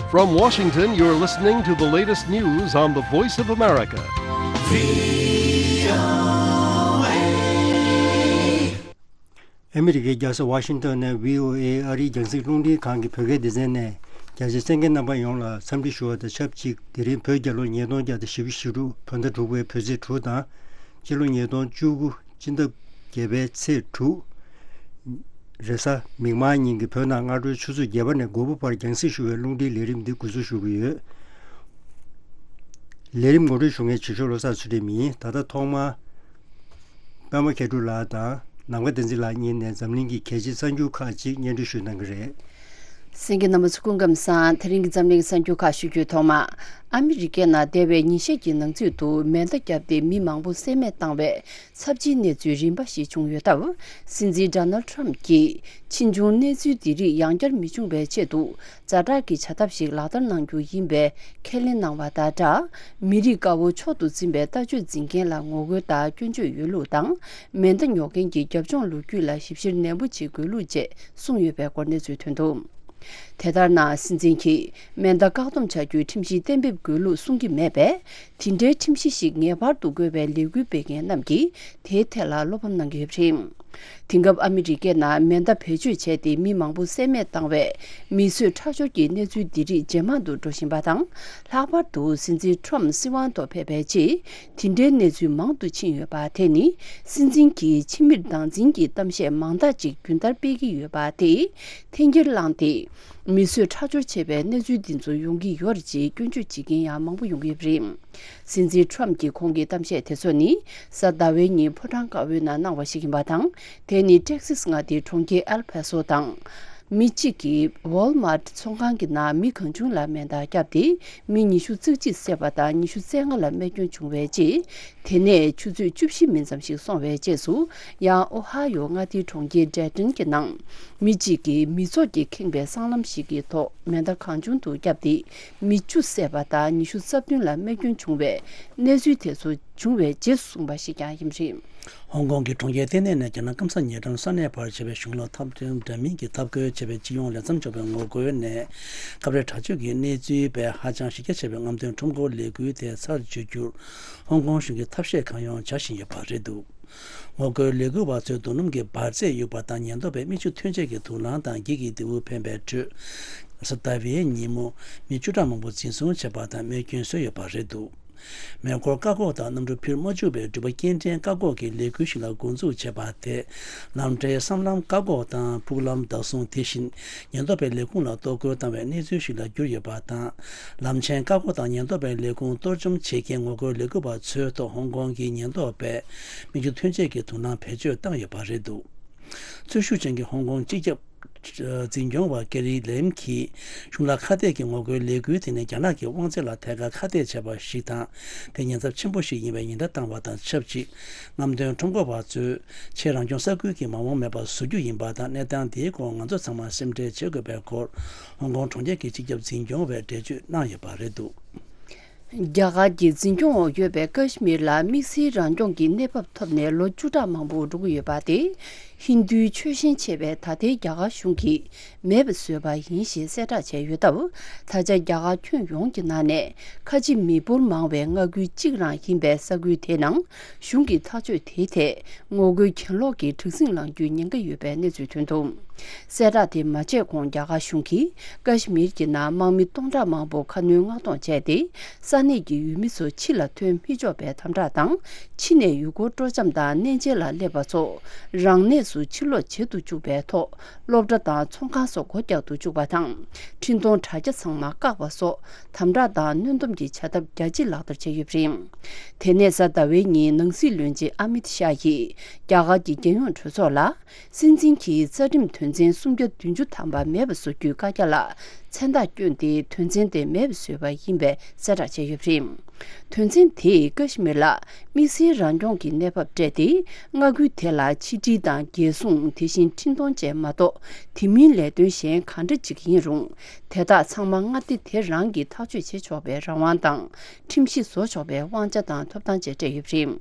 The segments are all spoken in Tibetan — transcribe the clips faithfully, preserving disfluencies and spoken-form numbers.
From Washington, you're listening to the latest news on the Voice of America. ཨ་མི་རི་ཀའི་རྒྱལ་ས་ཝ་ཤིང་ཏོན་ནས་བྷི་ཨོ་ཨེ་ཨ་རིའི་རྒྱང་སྲིང་རླུང་འཕྲིན་ཁང་གི་བོད་སྐད་སྡེ་ཚན་ནས། རྒྱ་ཆེ་གསན་མཁན་རྣམ་པ་ཡོངས་ལ་འཚམས་འདྲི་ཞུ་བ་དང་ཆབས་ཅིག་དེ་རིང་བོད་རྒྱལ་ལོ་ཉིས་སྟོང་བརྒྱ་དང་བཞི་བཅུ་ཞེ་དྲུག་བོད་ཟླ་དྲུག་པའི་བོད་ཚེས་དྲུག་དང་། སྤྱི་ལོ་ཉིས་སྟོང་བཅུ་དགུ་སྤྱི་ཟླ་བརྒྱད་པའི་ཚེས་དྲུག་རེས་གཟའ་མིག་དམར་ཉིན་གྱི་བོད་ནང་སྔ་དྲོའི་ཆུ་ཚོད་བརྒྱད་པ་ནས་དགུ་པ་བར་རྒྱང་སྲིང་ཞུ་བའི་རླུང་འཕྲིན་ལས་རིམ་འདི་འགོ་འཛུགས་ཞུ་གི་ཡོད། ལས་རིམ་ངོ་སྤྲོད་ཞུ་མཁན་ཇུ་ཤོག་བློ་བཟང་ཚུལ་ཁྲིམས་ཡིན། ད་ལྟ་ཐོག་མར། པདྨ་མཁས་གྲུབ་ལགས་དང་ནམ་མཁའ་བསྟན་འཛིན་ལགས་གཉིས་ནས་འཛམ་གླིང་གི་གལ་ཆེའི་གསར་འགྱུར་ཁག་ཅིག་སྙན་སྒྲོན་ཞུ་གནང་གི་རེད། གསན་མཁན་རྣམ་པ་ཚོ་སྐུ་ཁམས་བཟང་། དེ་རིང་གི་འཛམ་གླིང་གི་གསར་འགྱུར་ཁག་ཞུ་རྒྱུའི་ཐོག་མ། ཨ་མི་རི་ཀའི་ནང་འདས་པའི་ཉིན་ཤས་ཀྱི་ནང་ཚུད་དུ་མེ་མདའ་བརྒྱབ་སྟེ་མི་མང་པོ་བསད་རྨས་བཏང་བའི་ཚབས་ཆེའི་གནས་ཚུལ་རིམ་པ་ཞིག་བྱུང་ཡོད་སྟབས། སྲིད་འཛིན་ཌོ་ནལ་ཊམ་གྱིས་ཕྱིས་འབྱུང་གནས་ཚུལ་འདི་རིགས་ཡང་བསྐྱར་མི་འབྱུང་བའི་ཆེད་དུ། ཛ་དྲག་གི་བྱ་ཐབས་ཤིག་ལག་བསྟར་གནང་རྒྱུ་ཡིན་པའི་ཁས་ལེན་གནང་བ་དང་སྦྲགས། མི་རིགས་དཀར་པོ་མཆོག་ཏུ་འཛིན་པའི་ལྟ་སྤྱོད་འཛིན་མཁན་ལ་ངོ་རྒོལ་དང་སྐྱོན་བརྗོད་ཡོད་ལུགས་དང་། མེ་མདའ་ཉོ་མཁན་གྱི་རྒྱབ་ལྗོངས་ལོ་རྒྱུས་ལ་ཞིབ་བཤེར་ནན་པོ་བྱེད་དགོས་ལུགས་བཅས་གསུངས་ཡོད་པའི་སྐོར་གནས་ཚུལ་ཐོན་འདུག། དེ་ལྟར་ན། སྲིད་འཛིན་གྱིས་མེ་མདའ་བཀག་སྡོམ་བྱ་རྒྱུའི་ཁྲིམས་གཞི་གཏན་འབེབས་དགོས་ལུགས་གསུང་གི་མེད་པས། དེ་འདྲའི་ཁྲིམས་གཞི་ཞིག་ངེས་པར་དུ་དགོས་པའི་ལས་འགུལ་སྤེལ་མཁན་རྣམས་ཀྱིས་དེའི་ཐད་ལ་བློ་ཕམ་གནང་གི་ཡོད་པ་རེད། དེང་སྐབས་ཨ་མི་རི་ཀའི་ནང་མེ་མདའ་བེད་སྤྱོད་བྱས་ཏེ་མི་མང་པོ་བསད་རྨས་བཏང་བའི་མི་གསོད་ཁྲག་སྦྱོར་གྱི་གནས་ཚུལ་འདི་རིགས་ཇེ་མང་དུ་འགྲོ་བཞིན་པ་དང་། ལྷག་པར་དུ་སྲིད་འཛིན་ཊམ་སྲིད་དབང་ཐོག་ཕེབས་པའི་རྗེས། དེ་འདྲའི་གནས་ཚུལ་མང་དུ་ཕྱིན་ཡོད་པ་དེ་ནི། སྲིད་འཛིན་གྱིས་ཕྱི་མིར་སྡང་འཛིན་གྱི་གཏམ་བཤད་མང་དག་ཅིག་རྒྱུན་ལྟར་སྤེལ་གྱི་ཡོད་པ་དེས་འཐེན་འཁྱེར་བསླངས་ཏེ། མི་གསོད་ཁྲག་སྦྱོར་བྱེད་པའི་གནས་ཚུལ་འདི་ཚོ་ཡོང་གི་ཡོད་རེད་ཅེས་སྐྱོན་བརྗོད་བྱེད་མཁན་ཡང་མང་པོ་ཡོང་གི་ཡོད་པ་རེད། སྲིད་འཛིན་ཊམ་གྱིས་ཁོང་གི་གཏམ་བཤད་དེ་ཚོ་ནི། གཟའ་ཟླ་བའི་ཉིན་ཕོ་བྲང་དཀར་པོའི་ནང་གནང་བ་ཞིག་ཡིན་པ་དང་། དེ་ནི་ཊེག་སིས་མངའ་སྡེའི་གྲོང་ཁྱེར་ཨེལ་ཕ་སོ་དང་། མི་གཅིག་གིས་ཝོལ་མཱར་ཊི་ཚོང་ཁང་གི་ནང་མི་གང་བྱུང་ལ་མེ་མདའ་བརྒྱབ་སྟེ། མི་ཉི་ཤུ་རྩ་གཅིག་བསད་པ་དང་ཉི་ཤུ་རྩ་ལྔ་ལ་རྨས་སྐྱོན་བྱུང་བའི་རྗེས། དེ་ནས་ཆུ་ཚོད་བཅུ་བཞི་མིན་ཙམ་ཞིག་སོང་བའི་རྗེས་སུ། ཡང་ཨོ་ཧ་ཡོ་མངའ་སྡེའི་གྲོང་ཁྱེར་ཌེ་ཊོན་གྱི་ནང་། མི་གཅིག་གིས་མི་ཚོགས་ཀྱིས་ཁེངས་པའི་སྲང་ལམ་ཞིག་གི་ཐོག་མེ་མདའ་གང་བྱུང་དུ་བརྒྱབ་སྟེ། མི་བཅུ་བསད་པ་དང་ཉི་ཤུ་རྩ་བདུན་ལ་རྨས་སྐྱོན་བྱུང་བའི་གནས་ཚུལ་དེ་ཚོ་བྱུང་བའི་རྗེས་སུ་བྱུང་བ་ཞིག་ཀྱང་ཡིན་པ་རེད། ཧོང་ཀོང་གི་གྲོང་ཁྱེར་ལྟེ་གནས་ནས་རྒྱ་ནག་སྐམ་ས་ཉེ་འགྲམ་ས་གནས་བར་བྱས་པའི་གཞུང་ལ་འཐབ་རྩོད་འདྲ་མིན་གྱི་འཐབ་རྒོལ་བྱས་པའི་སྤྱི་ཡོངས་ལས་མཚམས་འཇོག་པའི་ངོ་རྒོལ་ནས། སྐབས་རེ་དྲག་སྤྱོད་ཀྱི་གནས་ཚུལ་པས་ཧ་ཅང་གཞི་རྒྱ་ཆེ་བའི་རྔམ་སྟོན་ཁྲོམ་སྐོར་ལས་འགུལ་དེ་ཚར་གཅོད་རྒྱུར། ཧོང་ཀོང་གཞུང་གིས་ཐབས་ཤེས་གང་ཡོང་བྱ་བཞིན་ཡོད་པ་རེད་འདུག། ངོ་རྒོལ་ལས་འགུལ་བ་ཚོས་རྡོ་སྣུམ་གྱི་འབར་རྫས་གཡུགས་པ་དང་ཉེན་རྟོག་པས་མིག་ཆུ་ཐོན་ཆས་ཀྱི་དུག་རླངས་དང་འགྱིག་གི་རྡེའུ་འཕེན་པའི་ཁྲོད། གཟའ་ཟླ་བའི་ཉིན་མོ། མི་བཅུ་ཕྲག་མང་པོ་འཛིན་བཟུང་བྱས་པ་དང་རྨས་སྐྱོན་བཟོས་ཡོད་པ་རེད་འདུག། མེ་འཁོར་བཀག་འགོག་དང་གནམ་གྲུ་འཕུར་མ་བཅུག་པའི་འགྲུལ་པ་སྐྱེལ་འདྲེན་བཀག་འགོག་གི་ལས་འགུལ་ཞིག་ལ་འགོ་འཛུགས་བྱས་པ་དེ། ལམ་བྲལ་སྲང་ལམ་བཀག་འགོག་དང་ཕུག་ལམ་བདག་བཟུང་དེ་བཞིན་ཉེན་རྟོག་པའི་ལས་ཁུངས་ལ་གཏོར་རྒོལ་བཏང་བའི་གནས་ཚུལ་ཞིག་ལ་གྱུར་ཡོད་པ་དང་། ལམ་ཆེན་བཀག་འགོག་དང་ཉེན་རྟོག་པའི་ལས་ཁུངས་གཏོར་བཅོམ་བྱེད་མཁན་ངོ་རྒོལ་ལས་འགུལ་བ་ཚོའི་ཐོག་ཧོང་ཀོང་གི་ཉེན་རྟོག་པས་མིག་ཆུ་ཐོན་ཆས་ཀྱི་དུག་རླངས་བེད་སྤྱོད་བཏང་ཡོད་པ་རེད་འདུག། འཚོལ་ཞིབ་ཅན་གྱི་ཧོང་ཀོང་སྤྱི་ཁྱབ་འཛིན་སྐྱོང་བ་ཀེ་རི་ལེམ་གྱིས། གཞུང་ལ་ཁ་གཏད་ཀྱི་ངོ་རྒོལ་ལས་འགུལ་དེ་ནི་རྒྱ་ནག་གི་དབང་ཚད་ལ་ཐད་ཀར་ཁ་གཏད་བྱས་པ་ཞིག་དང་། དེ་ཉེན་ཚབས་ཆེན་པོ་ཞིག་ཡིན་པའི་ཉེན་བརྡ་བཏང་བ་དང་ཆབས་ཅིག། རྔམ་སྟོན་ཁྲོམ་སྐོར་བ་ཚོས་ཆེས་རང་སྐྱོང་ས་ཁུལ་གྱི་མ་འོངས་མེད་པ་བཟོ་རྒྱུ་ཡིན་པ་དང་། གནས་སྟངས་འདིའི་སྐོར་ང་ཚོ་ཚང་མ་སེམས་ཁྲལ་བྱེད་དགོས་པའི་སྐོར། ཧོང་ཀོང་གྲོང་ཁྱེར་གྱི་སྤྱི་ཁྱབ་འཛིན་སྐྱོང་བས་འགྲེལ་བརྗོད་གནང་ཡོད་པ་རེད་འདུག། རྒྱ་གར་གྱི་འཛིན་སྐྱོང་འོག་ཡོད་པའི་ཀ་ཤི་མིར་ལ་དམིགས་བསལ་རང་སྐྱོང་གི་གནས་བབ་ཐོབ་ནས་ལོ་བཅུ་ཕྲག་མང་པོ་འགྲོ་གི་ཡོད་པ་དེ། ཧིན་རྡུའི་ཆོས་ཞེན་ཆེ་བའི་ད་ལྟའི་རྒྱ་གར་གཞུང་གིས་མེད་པ་བཟོས་པ་ཡིན་ཞེས་གསལ་བསྒྲགས་བྱས་ཡོད་སྟབས། ད་ཆ་རྒྱ་གར་ཁྱོན་ཡོངས་ཀྱི་ནང་ནས་ཁ་ཆེ་མི་འབོར་མང་བའི་མངའ་ཁུལ་གཅིག་རང་ཡིན་པའི་ས་ཁུལ་དེའི་ནང་གཞུང་གི་ཐག་གཅོད་དེའི་ཐད། ངོ་རྒོལ་གྱེན་ལོག་གི་དྲག་ཟིང་ལངས་རྒྱུའི་ཉེན་ཁ་ཡོད་པའི་གནས་ཚུལ་ཐོན་འདུག། གསལ་བསྒྲགས་དེ་མ་བྱས་གོང་རྒྱ་གར་གཞུང་གིས་ཀ་ཤི་མིར་གྱི་ནང་དམག་མི་སྟོང་ཕྲག་མང་པོ་ཁ་སྣོན་མངགས་གཏོང་བྱས་ཏེ། ས་གནས་ཀྱི་ཡུལ་མི་ཚོ་ཕྱི་ལ་ཐོན་མི་ཆོག་པའི་དམ་དྲག་དང་། ཕྱི་ནས་ཡུལ་སྐོར་སྤྲོ་འཆམ་དང་གནས་མཇལ་ལ་སླེབས་པ་ཚོ་རང་གནས་སུ་ཕྱིར་ལོག་བྱེད་དུ་བཅུག་པའི་ཐོག། སློབ་གྲྭ་དང་ཚོང་ཁང་སོགས་སྒོ་རྒྱག་ཏུ་བཅུག་པ་དང་། འཕྲིན་གཏོང་དྲ་རྒྱ་ཚང་མ་བཀག་པ་སོགས། དམ་དྲག་དང་གནོན་སྡོམ་གྱི་བྱ་ཐབས་རྒྱ་ཆེ་ལག་བསྟར་བྱས་ཡོད་པ་རེད། དེ་ནས་གཟའ་ཟླ་བའི་ཉིན་ནང་སྲིད་བློན་ཆེན་ཨ་མིད་ཤཱ་ཡིས་རྒྱ་གར་གྱི་རྒྱལ་ཡོངས་གྲོས་ཚོགས་ལ། སྲིད་འཛིན་གྱིས་རྩ་ཁྲིམས་དོན་ཚན་སུམ་བརྒྱ་བདུན་ཅུ་ཐམ་པ་མེད་པ་བཟོ་རྒྱུའི་བཀའ་རྒྱ་ལ་མཚན་རྟགས་བསྐྱོན་ཏེ། དོན་ཚན་དེ་མེད་པ་བཟོས་པ་ཡིན་པའི་གསལ་བསྒྲགས་བྱས་ཡོད་པ་རེད། དོན་ཚན་དེས་ཀ་ཤི་མིར་ལ་དམིགས་བསལ་རང་སྐྱོང་གི་གནས་བབ་སྤྲད་དེ། མངའ་ཁུལ་དེ་ལ་ཕྱི་འབྲེལ་དང་རྒྱལ་སྲུང་། དེ་བཞིན་འཕྲིན་གཏོང་བཅས་མ་གཏོགས། དེ་མིན་ལས་དོན་གཞན་གང་འདྲ་ཅིག་ཡིན་རུང་། དེ་དག་ཚང་མ་མངའ་སྡེ་དེ་རང་གིས་ཐག་གཅོད་བྱེད་ཆོག་པའི་རང་དབང་དང་། ཁྲིམས་གཞི་བཟོ་ཆོག་པའི་དབང་ཆ་དང་ཐོབ་ཐང་བཅས་སྤྲད་ཡོད་པ་རེད།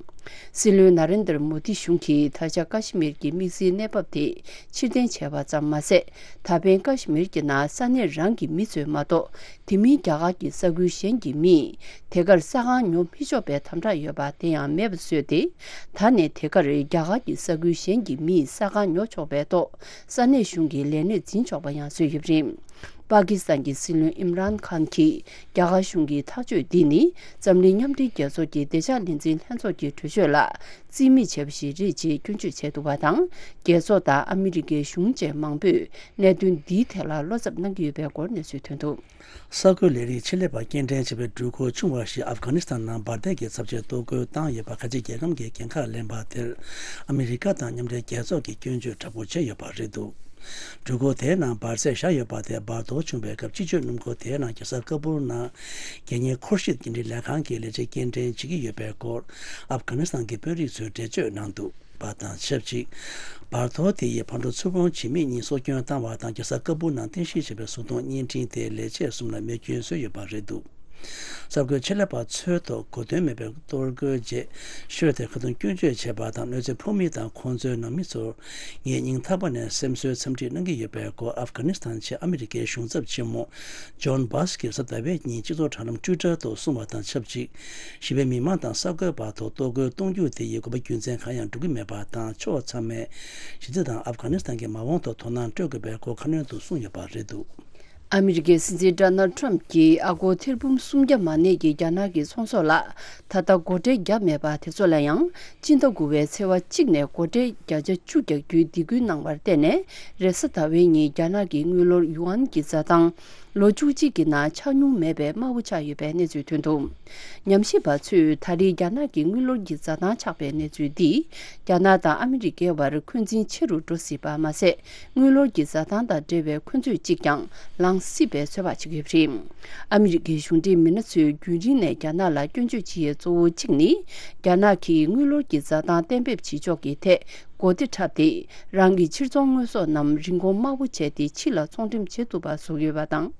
སྲིད་བློན་ན་རེན་དར་མོ་དི་གཞུང་གིས་ད་ཆ་ཀ་ཤི་མིར་གྱི་དམིགས་བསལ་གནས་བབ་དེ་ཕྱིར་འཐེན་བྱས་པ་ཙམ་མ་ཟད། ད་ཕན་ཀ་ཤི་མིར་གྱི་ནང་ས་གནས་རང་གི་མི་ཚོས་མ་གཏོགས། དེ་མིན་རྒྱ་གར་གྱི་ས་ཁུལ་གཞན་གྱི་མིས་དེ་གར་ས་ཁང་ཉོ་མི་ཆོག་པའི་དམ་དྲག་ཡོད་པ་དེ་ཡང་མེད་པ་བཟོས་ཏེ། ད་ནས་དེ་གར་རྒྱ་གར་གྱི་ས་ཁུལ་གཞན་གྱི་མིས་ས་ཁང་ཉོ་ཆོག་པའི་ཐོག་ས་གནས་གཞུང་གི་ལས་གནས་འཛིན་ཆོག་པ་ཡང་བཟོས་ཡོད་པ་རེད། པ་ཀི་སི་ཐན་གྱི་སྲིད་བློན་ཨིམ་རཱན་ཁཱན་གྱིས་རྒྱ་གར་གཞུང་གི་ཐག་གཅོད་འདི་ནི་འཛམ་གླིང་མཉམ་འབྲེལ་རྒྱལ་ཚོགས་ཀྱི་བདེ་འཇགས་ལས་འཛིན་ལྷན་ཚོགས་ཀྱི་གྲོས་ཆོད་ལ་རྩིས་མེད་བྱས་པ་ཞིག་རེད་ཅེས་སྐྱོན་བརྗོད་བྱས་འདུག་པ་དང་། རྒྱལ་ཚོགས་དང་ཨ་མི་རི་ཀའི་གཞུང་བཅས་མང་པོས་གནད་དོན་འདིའི་ཐད་ལ་བློ་འཚབ་གནང་གི་ཡོད་པའི་སྐོར་གནས་ཚུལ་ཐོན་འདུག། གསར་འགོད་ལས་རིགས་ཆེད་ལས་པ་སྐྱེལ་འདྲེན་བྱས་པའི་འགྲུལ་འཁོར་ཆུང་བ་ཞིག་ཨབ་གྷ་ནི་སི་ཐན་ནང་འབར་མདེལ་གྱི་ཚབས་ཆེའི་གཏོར་རྒོལ་བཏང་ཡོད་པ་ཁ་ཆེ་རྒྱལ་ཁམས་ཀྱི་འགན་ཁག་ལེན་པ་དེར་ཨ་མི་རི་ཀ་དང་མཉམ་འབྲེལ་རྒྱལ་ཚོགས་ཀྱིས་སྐྱོན་བརྗོད་དྲག་པོ་བྱས་ཡོད་པ་རེད་འདུག། འགྲུལ་འཁོར་དེའི་ནང་འབར་རྫས་བཞག་ཡོད་པ་དེ་འབར་གཏོར་བྱུང་བའི་སྐབས་སྤྱི་སྤྱོད་སྣུམ་འཁོར་དེའི་ནང་རྒྱལ་ས་ཀ་པུར་ནང་རྒྱལ་གཉེར་འཁོར་ཞིབ་སྐྱེལ་འདྲེན་ལས་ཁང་གི་ལས་བྱེད་སྐྱེལ་འདྲེན་བྱེད་ཀྱི་ཡོད་པའི་སྐོར་ཨབ་གྷ་ནི་སི་ཐན་གྱི་དཔོན་རིགས་ཚོས་འགྲེལ་བརྗོད་གནང་འདུག་པ་དང་ཆབས་ཅིག། འབར་གཏོར་དེ་ཡིས་ཕར་འགྲོ་ཚུར་འོང་བྱེད་མི་གཉིས་སྲོག་སྐྱོན་བཏང་བ་དང་རྒྱལ་ས་ཀ་པུར་ནང་རྟེན་གཞི་བྱས་པའི་བཟོ་ཚོང་བརྙན་འཕྲིན་དེའི་ལས་བྱེད་གསུམ་ལ་རྨས་སྐྱོན་བཟོས་ཡོད་པ་རེད་འདུག། གསར་འགོད་ཆེད་ལས་པ་ཚོའི་ཐོག་གོ་དོན་མེད་པའི་གཏོར་རྒོལ་རྗེས་ཤོས་དེ་ཁ་རྡུང་སྐྱོན་བརྗོད་བྱས་པ་དང་གནོད་འཚེ་ཕོག་མི་དང་ཁོང་ཚོའི་ནང་མི་ཚོར་ངས་སྙིང་ཐག་པ་ནས་སེམས་གསོའི་འཚམས་འདྲི་གནང་གི་ཡོད་པའི་སྐོར་ཨབ་གྷ་ནི་སི་ཐན་ཆེད་ཨ་མི་རི་ཀའི་གཞུང་ཚབ་ཆེན་མོ་ཇོན་བྷཱས་ཀྱིས་གཟའ་ཟླ་བའི་ཉིན་སྤྱི་ཚོགས་དྲ་ལམ་ཊུའི་ཊར་ཐོག་གསུངས་པ་དང་ཆབས་ཅིག། ཞི་བའི་མི་མང་དང་གསར་འགོད་པ་ཐོག་གཏོར་རྒོལ་གཏོང་རྒྱུ་དེ་ཡིས་དགོས་པ་རྒྱུ་མཚན་གང་ཡང་འགྲོ་གི་མེད་པ་དང་ཕྱོགས་ཚང་མས་ཞི་བདེ་དང་ཨབ་གྷ་ནི་སི་ཐན་གྱི་མ་འོངས་ཐོག་དོ་སྣང་སྤྲོད་དགོས་པའི་སྐོར་ཁ་སྣོན་དུ་གསུངས་ཡོད་པ་རེད་འདུག། ཨ་མི་རི་ཀའི་སྲིད་འཛིན་ཌོ་ནལ་ཌི་ཊརམ་གྱིས་ཨ་སྒོར་ཐེར་འབུམ་སུམ་བརྒྱ་མ་གནས་ཀྱི་རྒྱ་ནག་གི་ཚོང་ཟོག་ལ་ད་ལྟ་སྒོ་ཁྲལ་བརྒྱབ་མེད་པ་དེ་ཚོ་ལ་ཡང་སྤྱི་ཟླ་དགུ་པའི་ཚེས་པ་གཅིག་ནས་སྒོ་ཁྲལ་བརྒྱ་ཆ་བཅུ་རྒྱག་རྒྱུའི་སྡིགས་སྐུལ་གནང་བར་བརྟེན་ནས་རེས་གཟའ་ཟླ་བའི་ཉིན་རྒྱ་ནག་གི་དངུལ་ལོར་ཡུའན་གྱི་འཛའ་ཐང་ལོ་བཅུ་གཅིག་གི་ནང་ཆག་མྱོང་མེད་པའི་དམའ་བོ་ཆགས་ཡོད་པའི་གནས་ཚུལ་ཐོན་འདུག། ཉམས་ཞིབ་པ་ཚོས་ད་རེས་རྒྱ་ནག་གི་དངུལ་ལོར་གྱི་འཛའ་ཐང་ཆག་པའི་གནས་ཚུལ་འདིས་རྒྱ་ནག་དང་ཨ་མི་རི་ཀའི་བར་འཁོན་འཛིན་ཆེ་རུ་འགྲོ་སྲིད་པ་མ་ཟད། དངུལ་ལོར་གྱི་འཛའ་ཐང་དང་འབྲེལ་བའི་འཁོན་རྩོད་ཅིག་ཀྱང་ལངས་སྲིད་པའི་ཚོད་དཔག་བྱེད་ཀྱི་ཡོད་པ་རེད། ཨ་མི་རི་ཀའི་གཞུང་འབྲེལ་མི་སྣ་ཚོས་རྒྱུན་རིང་ནས་རྒྱ་ནག་ལ་སྐྱོན་བརྗོད་བྱེད་ཡས་གཙོ་བོ་གཅིག་ནི། རྒྱ་ནག་གིས་དངུལ་ལོར་གྱི་འཛའ་ཐང་གཏན་འབེབས་བྱེད་ཕྱོགས་ཀྱི་ཐད་གོ་བདེ་འཁྲབ་སྟེ། རང་གི་ཕྱིར་ཚོང་དངོས་ཟོག་རྣམས་རིན་གོང་དམའ་བོ་བྱས་ཏེ་ཕྱི་ལ་ཚོང་འགྲེམས་བྱེད་ཐུབ་པ་བཟོ་གི་ཡོད་པ་དང་།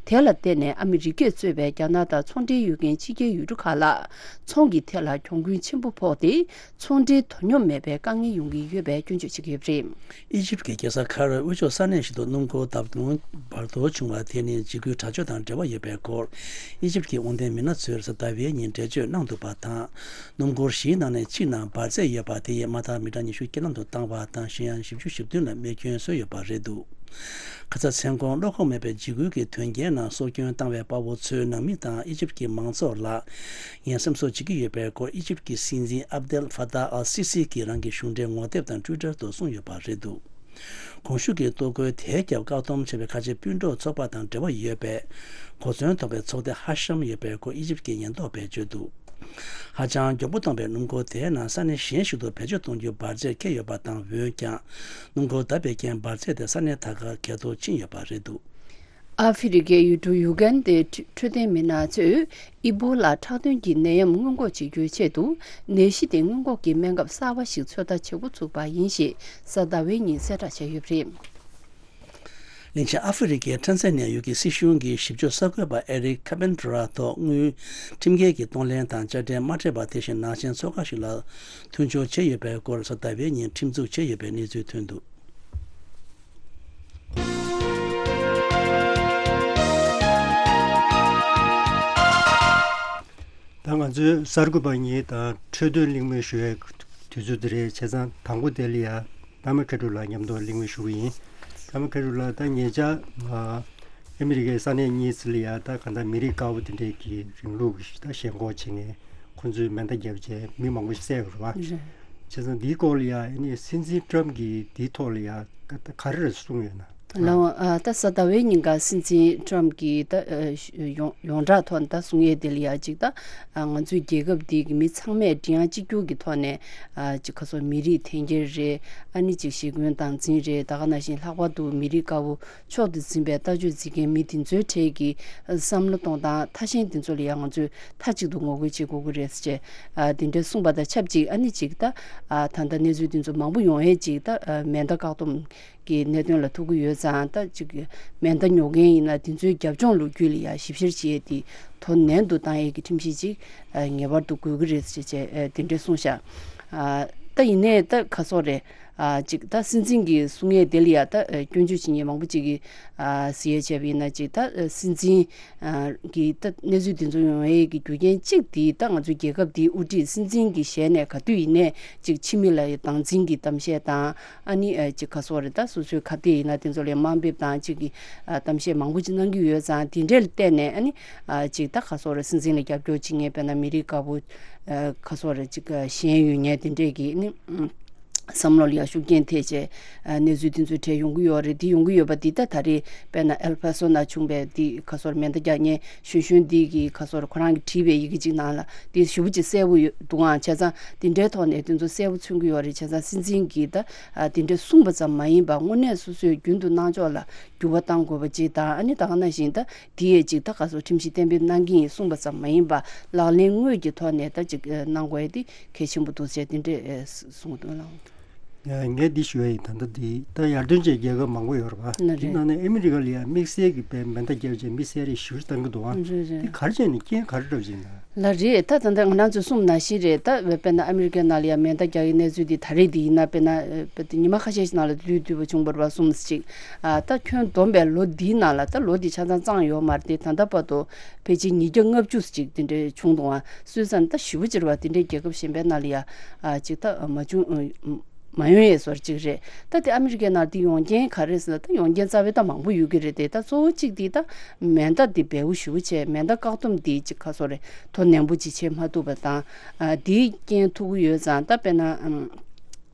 དེ་ལ་བརྟེན་ནས་ཨ་མི་རི་ཀས་གཙོས་པའི་རྒྱ་ནག་དང་ཚོང་འབྲེལ་ཡོད་མཁན་ཕྱི་རྒྱལ་ཡུལ་གྲུ་ཁག་ལ་ཚོང་གི་ཐད་ལ་གྱོང་གུན་ཆེན་པོ་ཕོག་སྟེ། ཚོང་འབྲེལ་དོ་སྙོམས་མེད་པའི་དཀའ་ངལ་ཡོང་གི་ཡོད་པའི་སྐྱོན་བརྗོད་བྱེད་ཀྱི་ཡོད་པ་རེད། ཨི་ཇིབ་ཀྱི་རྒྱལ་ས་ཁ་ཡིརོའི་དབུས་ཕྱོགས་ས་གནས་ཤིག་ཏུ་སྣུམ་འཁོར་བརྡབ་སྟོང་འབར་གཏོར་བྱུང་བ་དེ་ནི་འཇིགས་སྐུལ་དྲག་སྤྱོད་དང་འབྲེལ་བ་ཡོད་པའི་སྐོར། ཨི་ཇིབ་ཀྱི་དབང་ལྡན་མི་སྣ་ཚོས་གཟའ་ཟླ་བའི་ཉིན་འགྲེལ་བརྗོད་གནང་འདུག་པ་དང་། སྣུམ་འཁོར་བཞིའི་ནང་ནས་གཅིག་ནང་འབར་རྫས་ཡོད་པ་དེ་ཡིས་དམག་འཐབ་མི་གྲངས་ཉི་ཤུ་རྐྱེན་ལམ་དུ་བཏང་བ་དང་གཞན་ཡང་བཞི་བཅུ་ཞེ་བདུན་ལ་རྨས་སྐྱོན་བཟོས་ཡོད་པ་རེད་འདུག། ཁ་ཚ་མཚན་གོང་བློ་ཁོག་མེད་པའི་འཇིགས་སྐུལ་གྱི་དོན་རྐྱེན་ནང་སྲོག་སྐྱོན་བཏང་བའི་དཔའ་བོ་ཚོའི་ནང་མི་དང་ཨི་ཇིབ་ཀྱི་མང་ཚོགས་ལ་ངས་སེམས་གསོ་བྱེད་ཀྱི་ཡོད་པའི་སྐོར་ཨི་ཇིབ་ཀྱི་སྲིད་འཛིན་ཨབ་དེལ་ཧྥ་ཏཱ་ཨལ་སི་སི་གིས་རང་གི་གཞུང་འབྲེལ་ངོ་དེབ་དང་ཊུའི་ཊར་དུ་གསུངས་ཡོད་པ་རེད་འདུག། གོང་ཞུས་ཀྱི་གཏོར་རྒོལ་དེའི་རྒྱབ་བཀག་སྡོམ་བྱས་པའི་ཁ་ཆེ་སྤུན་གྲོགས་ཚོགས་པ་དང་འབྲེལ་བ་ཡོད་པའི་གོ་མཚོན་ཐོབ་པའི་ཚོགས་སྡེ་ཧ་ཤམ་ཡོད་པའི་སྐོར་ཨི་ཇིབ་ཀྱི་ཉེན་རྟོག་པས་བརྗོད་འདུག། ཧ་ཅང་མགྱོགས་པོ་གཏོང་བའི་སྣུམ་འཁོར་དེའི་ནང་ས་གནས་གཞན་ཞིག་ཏུ་བེད་སྤྱོད་གཏོང་རྒྱུ་འབར་རྫས་འཁྱེར་ཡོད་པ་དང་འོན་ཀྱང་། སྣུམ་འཁོར་བརྡབས་པའི་རྐྱེན་འབར་རྫས་དེ་ས་གནས་ད་གར་གས་གཏོར་ཕྱིན་ཡོད་པ་རེད་འདུག། ཨ་ཧྥེ་རི་ཁའི་ཡུལ་གྲུ་ཡུ་གན་དའི་འཕྲོད་བསྟེན་མི་སྣ་ཚོས་ཨི་བྷོ་ལ་ཁྲག་དོན་གྱི་ནད་ཡམས་སྔོན་འགོག་བྱེད་རྒྱུའི་ཆེད་དུ་ནད་གཞི་དེ་སྔོན་འགོག་གི་སྨན་ཁབ་གསར་བ་ཞིག་ཚོད་ལྟ་བྱེད་འགོ་ཚུགས་པ་ཡིན་ཞེས་གཟའ་ཟླ་བའི་ཉིན་གསལ་བསྒྲགས་བྱས་ཡོད་པ་རེད། གླིང་ཆེན་ཨ་ཧྥེ་རི་ཁའི་ཁྲན་ཙན་ནན་ཡུལ་གྱི་སྲིད་གཞུང་གིས་ཞིབ་དཔྱོད་གསར་འགོད་པ་ཨེ་རིག་ཁ་པེན་ཏྲ་ཐོག་དངུལ་ཁྲིམས་འགལ་གྱི་གཏོང་ལེན་དང་དཔྱ་ཁྲལ་མ་སྤྲད་པ་དེ་བཞིན་ནང་ཆེན་ཚོགས་ཁང་ཞིག་ལ་མཐུན་སྦྱོར་བྱས་ཡོད་པའི་སྐོར་གཟའ་ཟླ་བའི་ཉིན་ཁྲིམས་འཛུགས་བྱས་ཡོད་པའི་གནས་ཚུལ་ཐོན་འདུག། ད་ང་ཚོའི་གསར་འགོད་པ་གཉིས་དང་འཕྲོས་དོན་གླེང་མོལ་ཞུ་བའི་དུས་ཚོད་འདི་རེད། བྱས་ཙང་དང་པོ་དེ་ལ་ཡ་ད་མ་ཁེ་ཏྲུ་ལགས་མཉམ་དུ་གླེང་མོལ་ཞུ་གི་ཡིན། ད་མ་ཁེ་ཏྲུ་ལགས། ད་ཉེ་ཆར་ཨ་མི་རི་ཀའི་ས་གནས་གཉིས་ལ་ཡ་ད་གང་ལྟར་མི་རིགས་དཀར་པོ་དེ་འདྲས་ཀྱི་རིང་ལུགས་ཀྱི་ད་ཞེན་ཁོག་བྱེད་མཁན་ཁོང་ཚོས་མེ་མདའ་བརྒྱབ་བྱས་མི་མང་པོ་ཞིག་བསད་ཡོད་རེད་བ། རེད། བྱས་ཙང་འདིའི་སྐོར་ལ་ཡ་ཨ་ནི་སྲིད་འཛིན་ཏྲམ་གྱིས་འདིའི་ཐོག་ལ་ཡ་ག་ག་རེ་གསུངས་ཡོད་ན། ལགས་འོང་། ཨ་ད་གཟའ་ཟླ་བའི་ཉིན་ཀ་སྲིད་འཛིན་ཏྲམ་གྱིས་ད་ཨ་ཡོངས་ཡོངས་གྲགས་ཐོག་ནས་ད་གསུང་ཡས་དེ་ལ་ཡ་གཅིག་ད་ཨ་ང་ཚོའི་རྒྱལ་ཁབ་འདི་གི་མི་ཚང་མས་མགྲིན་དབྱངས་གཅིག་གྱུར་གྱི་ཐོག་ནས་ཨ་གཅིག་ཁ་སོ་མི་རིགས་འཐེན་འཁྱེར་རེད། ཨ་ནི་གཅིག་ཞི་རྒོལ་སྟངས་འཛིན་རེད། ད་ག་ནང་བཞིན་ལྷག་པར་དུ་མི་རིགས་དཀར་པོ་མཆོག་ཏུ་འཛིན་པའི་ལྟ་སྤྱོད་འཛིན་མཁན་མི་དེ་ཚོའི་གྲས་ཀྱི་བསམ་བློ་གཏོང་སྟངས་ཐ་ཞན་དེ་ཚོ་ལ་ཡང་ང་ཚོས་མཐའ་གཅིག་ཏུ་ངོ་རྒོལ་བྱེད་དགོས་ཀྱི་རེད་ཟེར་བྱས་ཨ་དེ་འདྲ་གསུངས་པ་དང་ཆབས་ཅིག་ཨ་ནི་གཅིག་ད་ཨ་ད་ལྟ་གནས་ཚུལ་དེ་ཚོ་མང་པོ་ཡོང་ཡས་གཅིག་ད་ཨ་མེ་མདའ་བཀག་སྡོམ། གི་གནད་དོན་ལ་ཐུག་གི་ཡོད་ཙང་། ད་ཅིག་མེ་མདའ་ཉོ་མཁན་ཡིན་ན་དེ་ཚོའི་རྒྱབ་ལྗོངས་ལོ་རྒྱུས་ལ་ཡ་ཞིབ་བཤེར་བྱེད་ཡས་དེ་དོ་ནན་དུ་བཏང་ཡས་ཀྱི་ཁྲིམས་གཞི་ཅིག་ཨ་ངེས་པར་དུ་དགོས་ཀྱི་རེད་ཅེས་བྱས་ཨ་དེ་འདྲས་གསུངས་ཤག་ཨ་ད་ཡིན་ནའི་ད་ག་སོག་རེད། ཨ་ཅིག་ད་སྲིད་འཛིན་གྱི་གསུང་ཡས་དེ་ལ་ཡ་ད་ཨ་སྐྱོན་བརྗོད་བྱེད་མཁན་མང་པོ་ཅིག་གིས་ཨ་གཟིགས་ཡས་བྱས་པ་ཡིན་ན། ཅིག་ད་ཨ་སྲིད་འཛིན་ཨ་གི་ད་གནས་ཚུལ་འདི་ཚོ་ཡོང་ཡས་ཀྱི་རྒྱུ་རྐྱེན་གཅིག་དེ་ད་ང་ཚོའི་རྒྱལ་ཁབ་འདིའི་དབུ་ཁྲིད་སྲིད་འཛིན་གྱི་ཞལ་ནས་ག་དུས་ཡིན་ནའི་ཅིག་ཕྱི་མི་ལ་ཡ་སྡང་འཛིན་གྱི་གཏམ་བཤད་དང་། ཨ་ནི་ཨ་ཅིག་ག་སོག་རེད། ད་སོ་སོའི་ཁ་གཏད་ཡིན་ན་དེ་ཚོ་ལ་དམའ་འབེབས་དང་ཅིག་གི་ཨ་གཏམ་བཤད་མང་པོ་ཅིག་གནང་གི་ཡོད་ཙང་། དེ་འདྲ་ལ་བལྟས་ནས་ཨ་ནི་ཨ་ཅིག་ད་ག་སོག་རེད། སྲིད་འཛིན་ལ་རྒྱབ་སྐྱོར་བྱེད་མཁན་དཔེར་ན་མི་རིགས་དཀར་པོ་ཨ་ག་སོག་རེད། ཅིག་ཨ་ཞེན་ཡོད་མཁན་དེ་འདྲས་ཀྱི་ཨ་ནི་ཨ་བསམ་བློ་ལ་ཡ་ཤུགས་རྐྱེན་ཐེབས་བྱས་ཨ་གནས་ཚུལ་དེ་ཚོ་གྲས་ཡོང་གི་ཡོད་རེད། དེ་ཡོང་གི་ཡོད་པ་འདི་ད་ད་རེས་དཔེར་ན་ཨེལ་ཕ་སོ་ན་བྱུང་བའི་དེ་ག་སོག་རེད། མེ་མདའ་རྒྱག་མཁན་གཞོན་གཞོན་འདི་གིས་ག་སོག་རེད། ཁོ་རང་གིས་བྲིས་པའི་ཡི་གེ་ཅིག་ནང་ལ་དེ་ཞེ་པོ་ཅིག་གསལ་པོ་ཡོད་འདུག་ཨང་། བྱས་ཙང་དེ་འདྲའི་ཐོག་ནས་དེ་ཚོ་གསལ་པོ་མཚོན་གྱི་ཡོད་རེད། བྱས་ཙང་སྲིད་འཛིན་གྱིས་ད་ཨ་དེ་འདྲ་གསུངས་པ་ཙམ་མ་ཡིན་པར་དངོས་གནས་སོ་སོས་རྒྱུན་དུ་གནང་ཕྱོགས་ལ་འགྱུར་བ་གཏང་དགོས་པ་ཅིག་དང་། ཨ་ནི་ད་ག་ནང་བཞིན་ད་དེ་ཡས་ཅིག་ད་ག་སོག་ཁྲིམས་གཞི་གཏན་འབེབས་གནང་གི་ཡིན་གསུངས་པ་ཙམ་མ་ཡིན་པར་ལག་ལེན་དངོས་ཀྱི་ཐོག་ནས་ད་ཅིག་ཨ་གནང་དགོས་ཡས་དེ་གལ་ཆེན་པོ་འདུག་ཟེར་དེ་འདྲས་ཨ་གསུངས་འདུག་ལགས། ཡ། ངས་འདི་ཞུ་ཡ་ཡིན། ད་ལྟ་འདི་ད་ཡར་ཐོན་ཅན་རྒྱལ་ཁབ་མང་པོ་ཡོད་རེད་པ། ན་རེད། དེ་ནང་ནས་ཨ་མི་རི་ཀ་ལ་ཡང་དམིགས་བསལ་གྱི་དཔེ་མེ་མདའ་བརྒྱབ་བྱས་མི་བསད་རེས་ཞུ་བཏང་གི་འདུག་པ། རེད་རེད། དེ་ག་རེ་བྱས་ནས་རྐྱེན་ག་རེ་འགྲོ་བཞིན་ན། ལགས་རེད། ད་ད་ལྟ་ང་རང་ཚོས་གསུངས་ནང་བཞིན་རེད། ད་དཔེར་ན་ཨ་མི་རི་ཀའི་ནང་ལ་ཡང་མེ་མདའ་རྒྱག་ཡའི་གནས་ཚུལ་འདི་ད་རེས་འདི་ཡིན་ན་དཔེར་ན་ཨ་ཉི་མ་ཁ་ཤས་ཤིག་ནང་ལ་དུས་དུས་པ་བྱུང་བ་རེད་པ། གསུམ་ཅིག་ཨ་ད་ཁྱོན་བསྡོམས་པའི་ལོ་འདིའི་ནང་ལ། ད་ལོ་འདི་ཆ་ཚང་བརྩིས་ཡོད་མ་རེད་དེ། ད་ལྟ་བར་དུ་ཕལ་ཆེར་ཉིས་བརྒྱ་ལྔ་བཅུ་ཅིག་དེ་འདྲས་བྱུང་འདུག་ཨ། སུད་སི་ད་ཞེ་པོ་ཅིག་རེད་པ། དེ་འདྲའི་རྒྱལ་ཁབ་གཞན་པའི་ནང་ལ་ཡ་ཨ་ཅིག་ད་མ་བྱུང་། མ་ཡོང་ཡས་བཟོ་འདྲ་ཅིག་རེད། ད་དེ་ཨ་མི་རི་ཀའི་ནང་དེ་ཡོང་རྐྱེན་ག་རེ་ཟེར་ན། ད་ཡོང་རྐྱེན་རྩ་བའི་ད་མང་པོ་ཡོད་ཀྱི་རེད་དེ། ད་གཙོ་བོ་གཅིག་དེ་ད་མེ་མདའ་དེ་བེའུ་ཞེ་པོ་བྱས། མེ་མདའ་བཀག་སྡོམ་དེ་ཅིག་ག་སོག་རེད། དོ་ནན་པོ་ཅིག་བྱེད་མ་ཐུབ་པ་དང་། ཨ་དེའི་རྐྱེན་ཐུག་གི་ཡོད་ཙང་། ད་དཔེར་ན་ཨམ་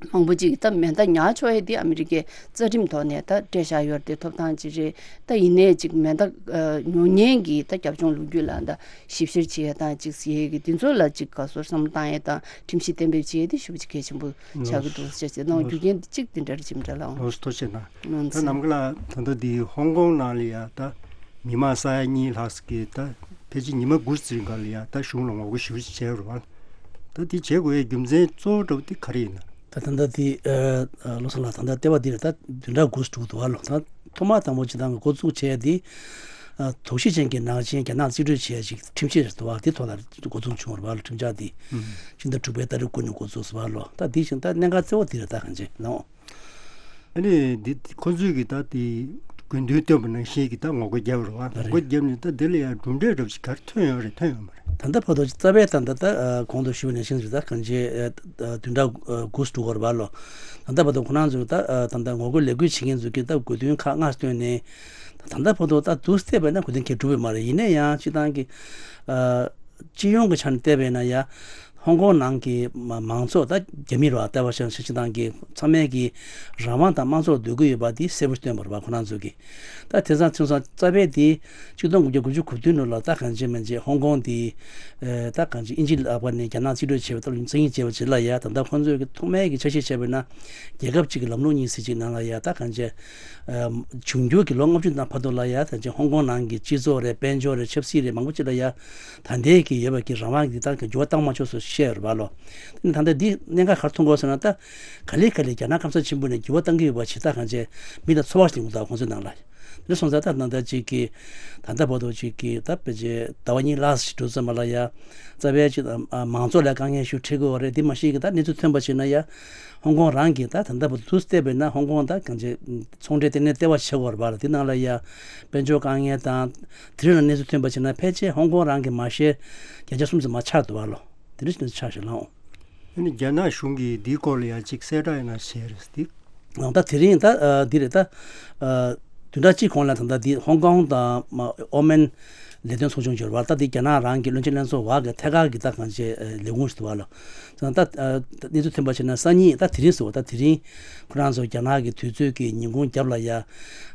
མང་པོ་ཅིག་ད་མེ་མདའ་ཉར་ཆོག་ཡས་དེ་ཨ་མི་རི་ཀའི་རྩ་ཁྲིམས་ཐོག་ནས་ད་སྤྲད་བཞག་ཡོད་རེད་དེ། ཐོབ་ཐང་ཅིག་རེད། ད་ཡིན་ནའི་ཅིག་མེ་མདའ་ཨ་ཉོ་མཁན་གྱི་ད་རྒྱབ་ལྗོངས་ལོ་རྒྱུས་ལ་ད་ཞིབ་བཤེར་བྱེད་ཡས་དང་ཅིག་ཟེར་ཡས་ཀྱི་དེ་ཚོ་ལ་ཅིག་ག་སོག་བསམ་བློ་བཏང་ཡས་དང་ཁྲིམས་གཞི་གཏན་འབེབས་བྱེད་ཡས་དེ་ཞེ་པོ་ཅིག་གལ་ཆེན་པོ་ཆགས་ཀྱི་འདུག་ཟེར་བྱས་ནང་རྒྱུ་རྐྱེན་གཅིག་དེ་འདྲ་རེད། ཅིག་འདྲ་ལའང་། ལགས་སོ། ཐུགས་རྗེ་གནང་། ལགས་ད་སོ། ནམ་མཁའ་ལགས། ད་ལྟ་འདི་ཧོང་ཀོང་ནང་ལ་ཡ་ད་མི་མང་ས་ཡ་གཉིས་ལྷག་ཙམ་གྱིས་ད་ཕལ་ཆེར་ཉི་མ་དགུ་ཙམ་སྔོན་ལ་ཡ་ད་གཞུང་ལ་ངོ་རྒོལ་ཞེ་པོ་ཅིག་བྱས་ཡོད་རེད་པ། ད་འདི་བྱེད་དགོས་ཡའི་རྒྱུ་མཚན་གཙོ་བོ་འདྲ་པོ་དེ་ག་རེ་ཡིན་ན། ད་ད་ལྟ་འདི་ཨ་ཨ་བློ་བཟང་ལགས། ད་ལྟ་ལྟེ་བ་འདི་རེད། ད་བདུན་ཕྲག་དགུ་ཙམ་འགྲོ་གི་འདུག་པ་ལགས། ད་ཐོག་མ་དང་པོ་སྤྱིར་བཏང་གི་འགོ་འཛུགས་བྱས་དེ། ཨ་དོགས་གཞི་ཅན་གྱི་ནག་ཅན་རྒྱ་ནག་རྩིས་སྤྲོད་བྱས་ཅིག་ཁྲིམས་ཆད་རེད་འདུག་པ། དེ་ཐོག་ལ་འགོ་འཛུགས་བྱུང་བ་རེད་པ་ལགས། ཁྲིམས་འཆར་འདི། ཨུམ། ཕྱི་ཟླ་དྲུག་པའི་ཏ་རིག་དགུ་ནས་འགོ་འཛུགས་སོང་བ་ལགས། ད་འདི་བཞིན་ད་གནད་འགག་གཙོ་བོ་འདི་རེད། ད་གང་ཅི་ལགས། ཨ་ནི་འདི་ཁོ་ཚོས་ཀྱིས་ད་དེ་དགོས་འདུན་བཏོན་པ་ནང་བཞིན་གྱི་ད་ངོ་རྒོལ་བརྒྱབ་རེད་པ། ངོ་རྒོལ་བརྒྱབ་ནས་ད་དེ་ལ་ཡང་གྲུབ་འབྲས་འདྲ་པོ་ཞིག་ག་རེ་ཐོན་ཡོད་རེད། ཐོན་ཡོད་མ་རེད། ད་ལྟ་བར་དུ་རྩ་བའི་ད་ལྟ་ད་ཨ་གོང་དུ་ཞུས་པ་ནང་བཞིན་རེད། ད་གང་ཅི་ཨ་བདུན་ཕྲག་ཨ་དགུ་འགྲོ་གི་ཡོད་རེད་པ་ལགས། ད་ལྟ་བར་དུ་ཁོ་རང་ཚོས་ད་ཨ་ད་ལྟ་ངོ་རྒོལ་ལས་འགུལ་བྱེད་མཁན་ཚོས་ཀྱིས་ད་དགོས་འདུན་ཁག་ལྔ་བཏོན་ནས། ད་ལྟ་བར་དུ་ད་དུས་བལྟས་པ་ཡིན་ན་དགོས་འདུན་གང་ཡང་གྲུབ་ཡོད་མ་རེད། ཡིན་ན་ཡང་སྤྱིར་བཏང་གི་ཨ་སྤྱི་ཡོངས་ཀྱི་ཆ་ནས་བལྟས་པ་ཡིན་ན་ཡ། ཧོང་ཀོང་ནང་གི་མ་མང་ཚོགས། ད་རྒྱ་མི་རེད་པ། ལྟ་བ་བྱས་ན་སྤྱིར་བཏང་གི་ཚང་མས་ཀྱི་རང་དབང་དང་དམངས་གཙོ་ལ་འདོད་ཀྱི་ཡོད་པ་འདི་གསལ་པོ་བཏོན་པ་རེད་པ། ཁོ་རང་ཚོས་ཀྱིས། ད་དེང་སང་ཚུན་སོང་རྩ་བའི་དེ་གཅིག་སྟོང་དགུ་བརྒྱ་དགུ་བཅུ་གོ་བདུན་ལོ་ལ་ད་གང་ཅི་མིན་ཅི་ཧོང་ཀོང་དེ་ཨེ་ད་གང་ཅི་དབྱིན་ཇི་ལག་པ་ནས་རྒྱ་ནག་རྩིས་སྤྲོད་བྱས་པ་ལྟ་བུ་བཙན་གཡེམ་བྱས་པ་ཅིག་ལ་ཡ། ད་ལྟ་ཁོང་ཚོས་ཀྱི་ཐོག་མའི་གི་ཆ་ཤས་བྱས་པ་ཡིན་ན་རྒྱལ་ཁབ་ཅིག་གི་ལམ་ལུགས་གཉིས་ཟེར་ཅིག་ནང་ལ་ཡ། ད་གང་ཅི་ཨེ་འབྱུང་འགྱུར་གྱི་ལོ་ལྔ་བཅུ་ནང་བར་དུ་ལ་ཡ། ད་གང་ཅི་ཧོང་ཀོང་ནང་གི་སྤྱི་ཚོགས་རེད། དཔལ་འབྱོར་རེད། ཆབ་སྲིད་རེད། མང་པོ་ཅིག་ལ་ཡ། ད་ལྟའི་གི་ཡོད་པ་གི་རང་དབང་གི་ད་གི་འགྱུར་བ་བཏང་མ་ཆོག་ཟེར་བཤད་ཡོད་རེད་པ་ལགས། དེ་ནི་ད་ལྟ་འདི་གནད་འགག་ག་རེ་མཐོང་གི་ཡོད་ཟེར་ན། ད་ག་ལེ་ག་ལེ་རྒྱ་ནག་སྐམ་ས་ཆེན་པོ་ནས་འགྱུར་བ་བཏང་གི་ཡོད་པ་ཞིག་ད་གང་ཅི་མི་ལ་ཚོར་བ་ཞིག་ཡོང་གི་འདུག་ཁོང་ཚོའི་ནང་ལ། དེ་སོང་ཙང་ད་ད་ལྟ་ཅིག་གི་ད་ལྟ་བར་དུ་ཅིག་གི་ད་ཕལ་ཆེར་ཟླ་བ་གཉིས་ལྷག་ཞིག་འགྲོ་ཙམ་པ་ལ་ཡ། རྩ་བའི་ཅིག་ཨ་མང་ཚོགས་ལ་དཀའ་ངལ་ཞིག་འཕྲད་ཀྱི་ཡོད་རེད། དེ་མ་གཞི་གི་ད་གནས་ཚུལ་ཐོན་པ་ཞིག་ན་ཡ། ཧོང་ཀོང་རང་གི་ད་ད་ལྟ་བར་དུ་བལྟས་པ་ཡིན་ན་ཧོང་ཀོང་ད་གང་ཅི་ཚོང་འབྲེལ་ལྟེ་གནས་ལྟེ་བ་བྱེད་ཀྱི་ཡོད་རེད་པ་ལགས། དེ་ནང་ལ་ཡ་དཔལ་འབྱོར་དཀའ་ངལ་དང་དེ་རིང་ལ་གནས་ཚུལ་ཐོན་པ་བྱས་ན་ཕལ་ཆེར་ཧོང་ཀོང་རང་གི་མ་ཤེར་བརྒྱ་ཆ་གསུམ་ཙམ་མ་ཆག་འདུག་པ་ལགས། དེ་འདྲ་ཞིག་ཆགས་ཤག་ལགས། ཨ་ནི་རྒྱ་ནག་གཞུང་གིས་འདིའི་སྐོར་ལ་ཡང་ཅིག་གསལ་བསྒྲགས་ཡང་ན་བྱས་རེད་འདི། ད་དེ་རིང་ད་ཨ་འདི་རེད། ད་ཨ་བདུན་ཕྲག་གཅིག་གོང་ལ་ད་ལྟ་འདི་ཧོང་ཀོང་དང་མ་ཨོ་མན་ལས་དོན་ཚོགས་ཆུང་འབྱོར་བ། ད་འདི་རྒྱ་ནག་རང་གི་བློན་ཆེན་ལྷན་ཚོགས་བར་གྱི་ཐད་ཀར་གྱི་ད་གང་ཅི་ཨ་ལས་ཁུངས་ཞིག་འདུག་པ་ལགས། ད་ད་ཨ་གནས་ཚུལ་ཐོན་པ་བྱས་ན་སང་ཉིན། ད་དེ་རིང་ཟེར་བ། ད་དེ་རིང་ཁོ་རང་ཚོ་རྒྱ་ནག་གི་དུས་ཚོད་ཀྱི་ཉིན་གུང་རྒྱབ་ལ་ཡ།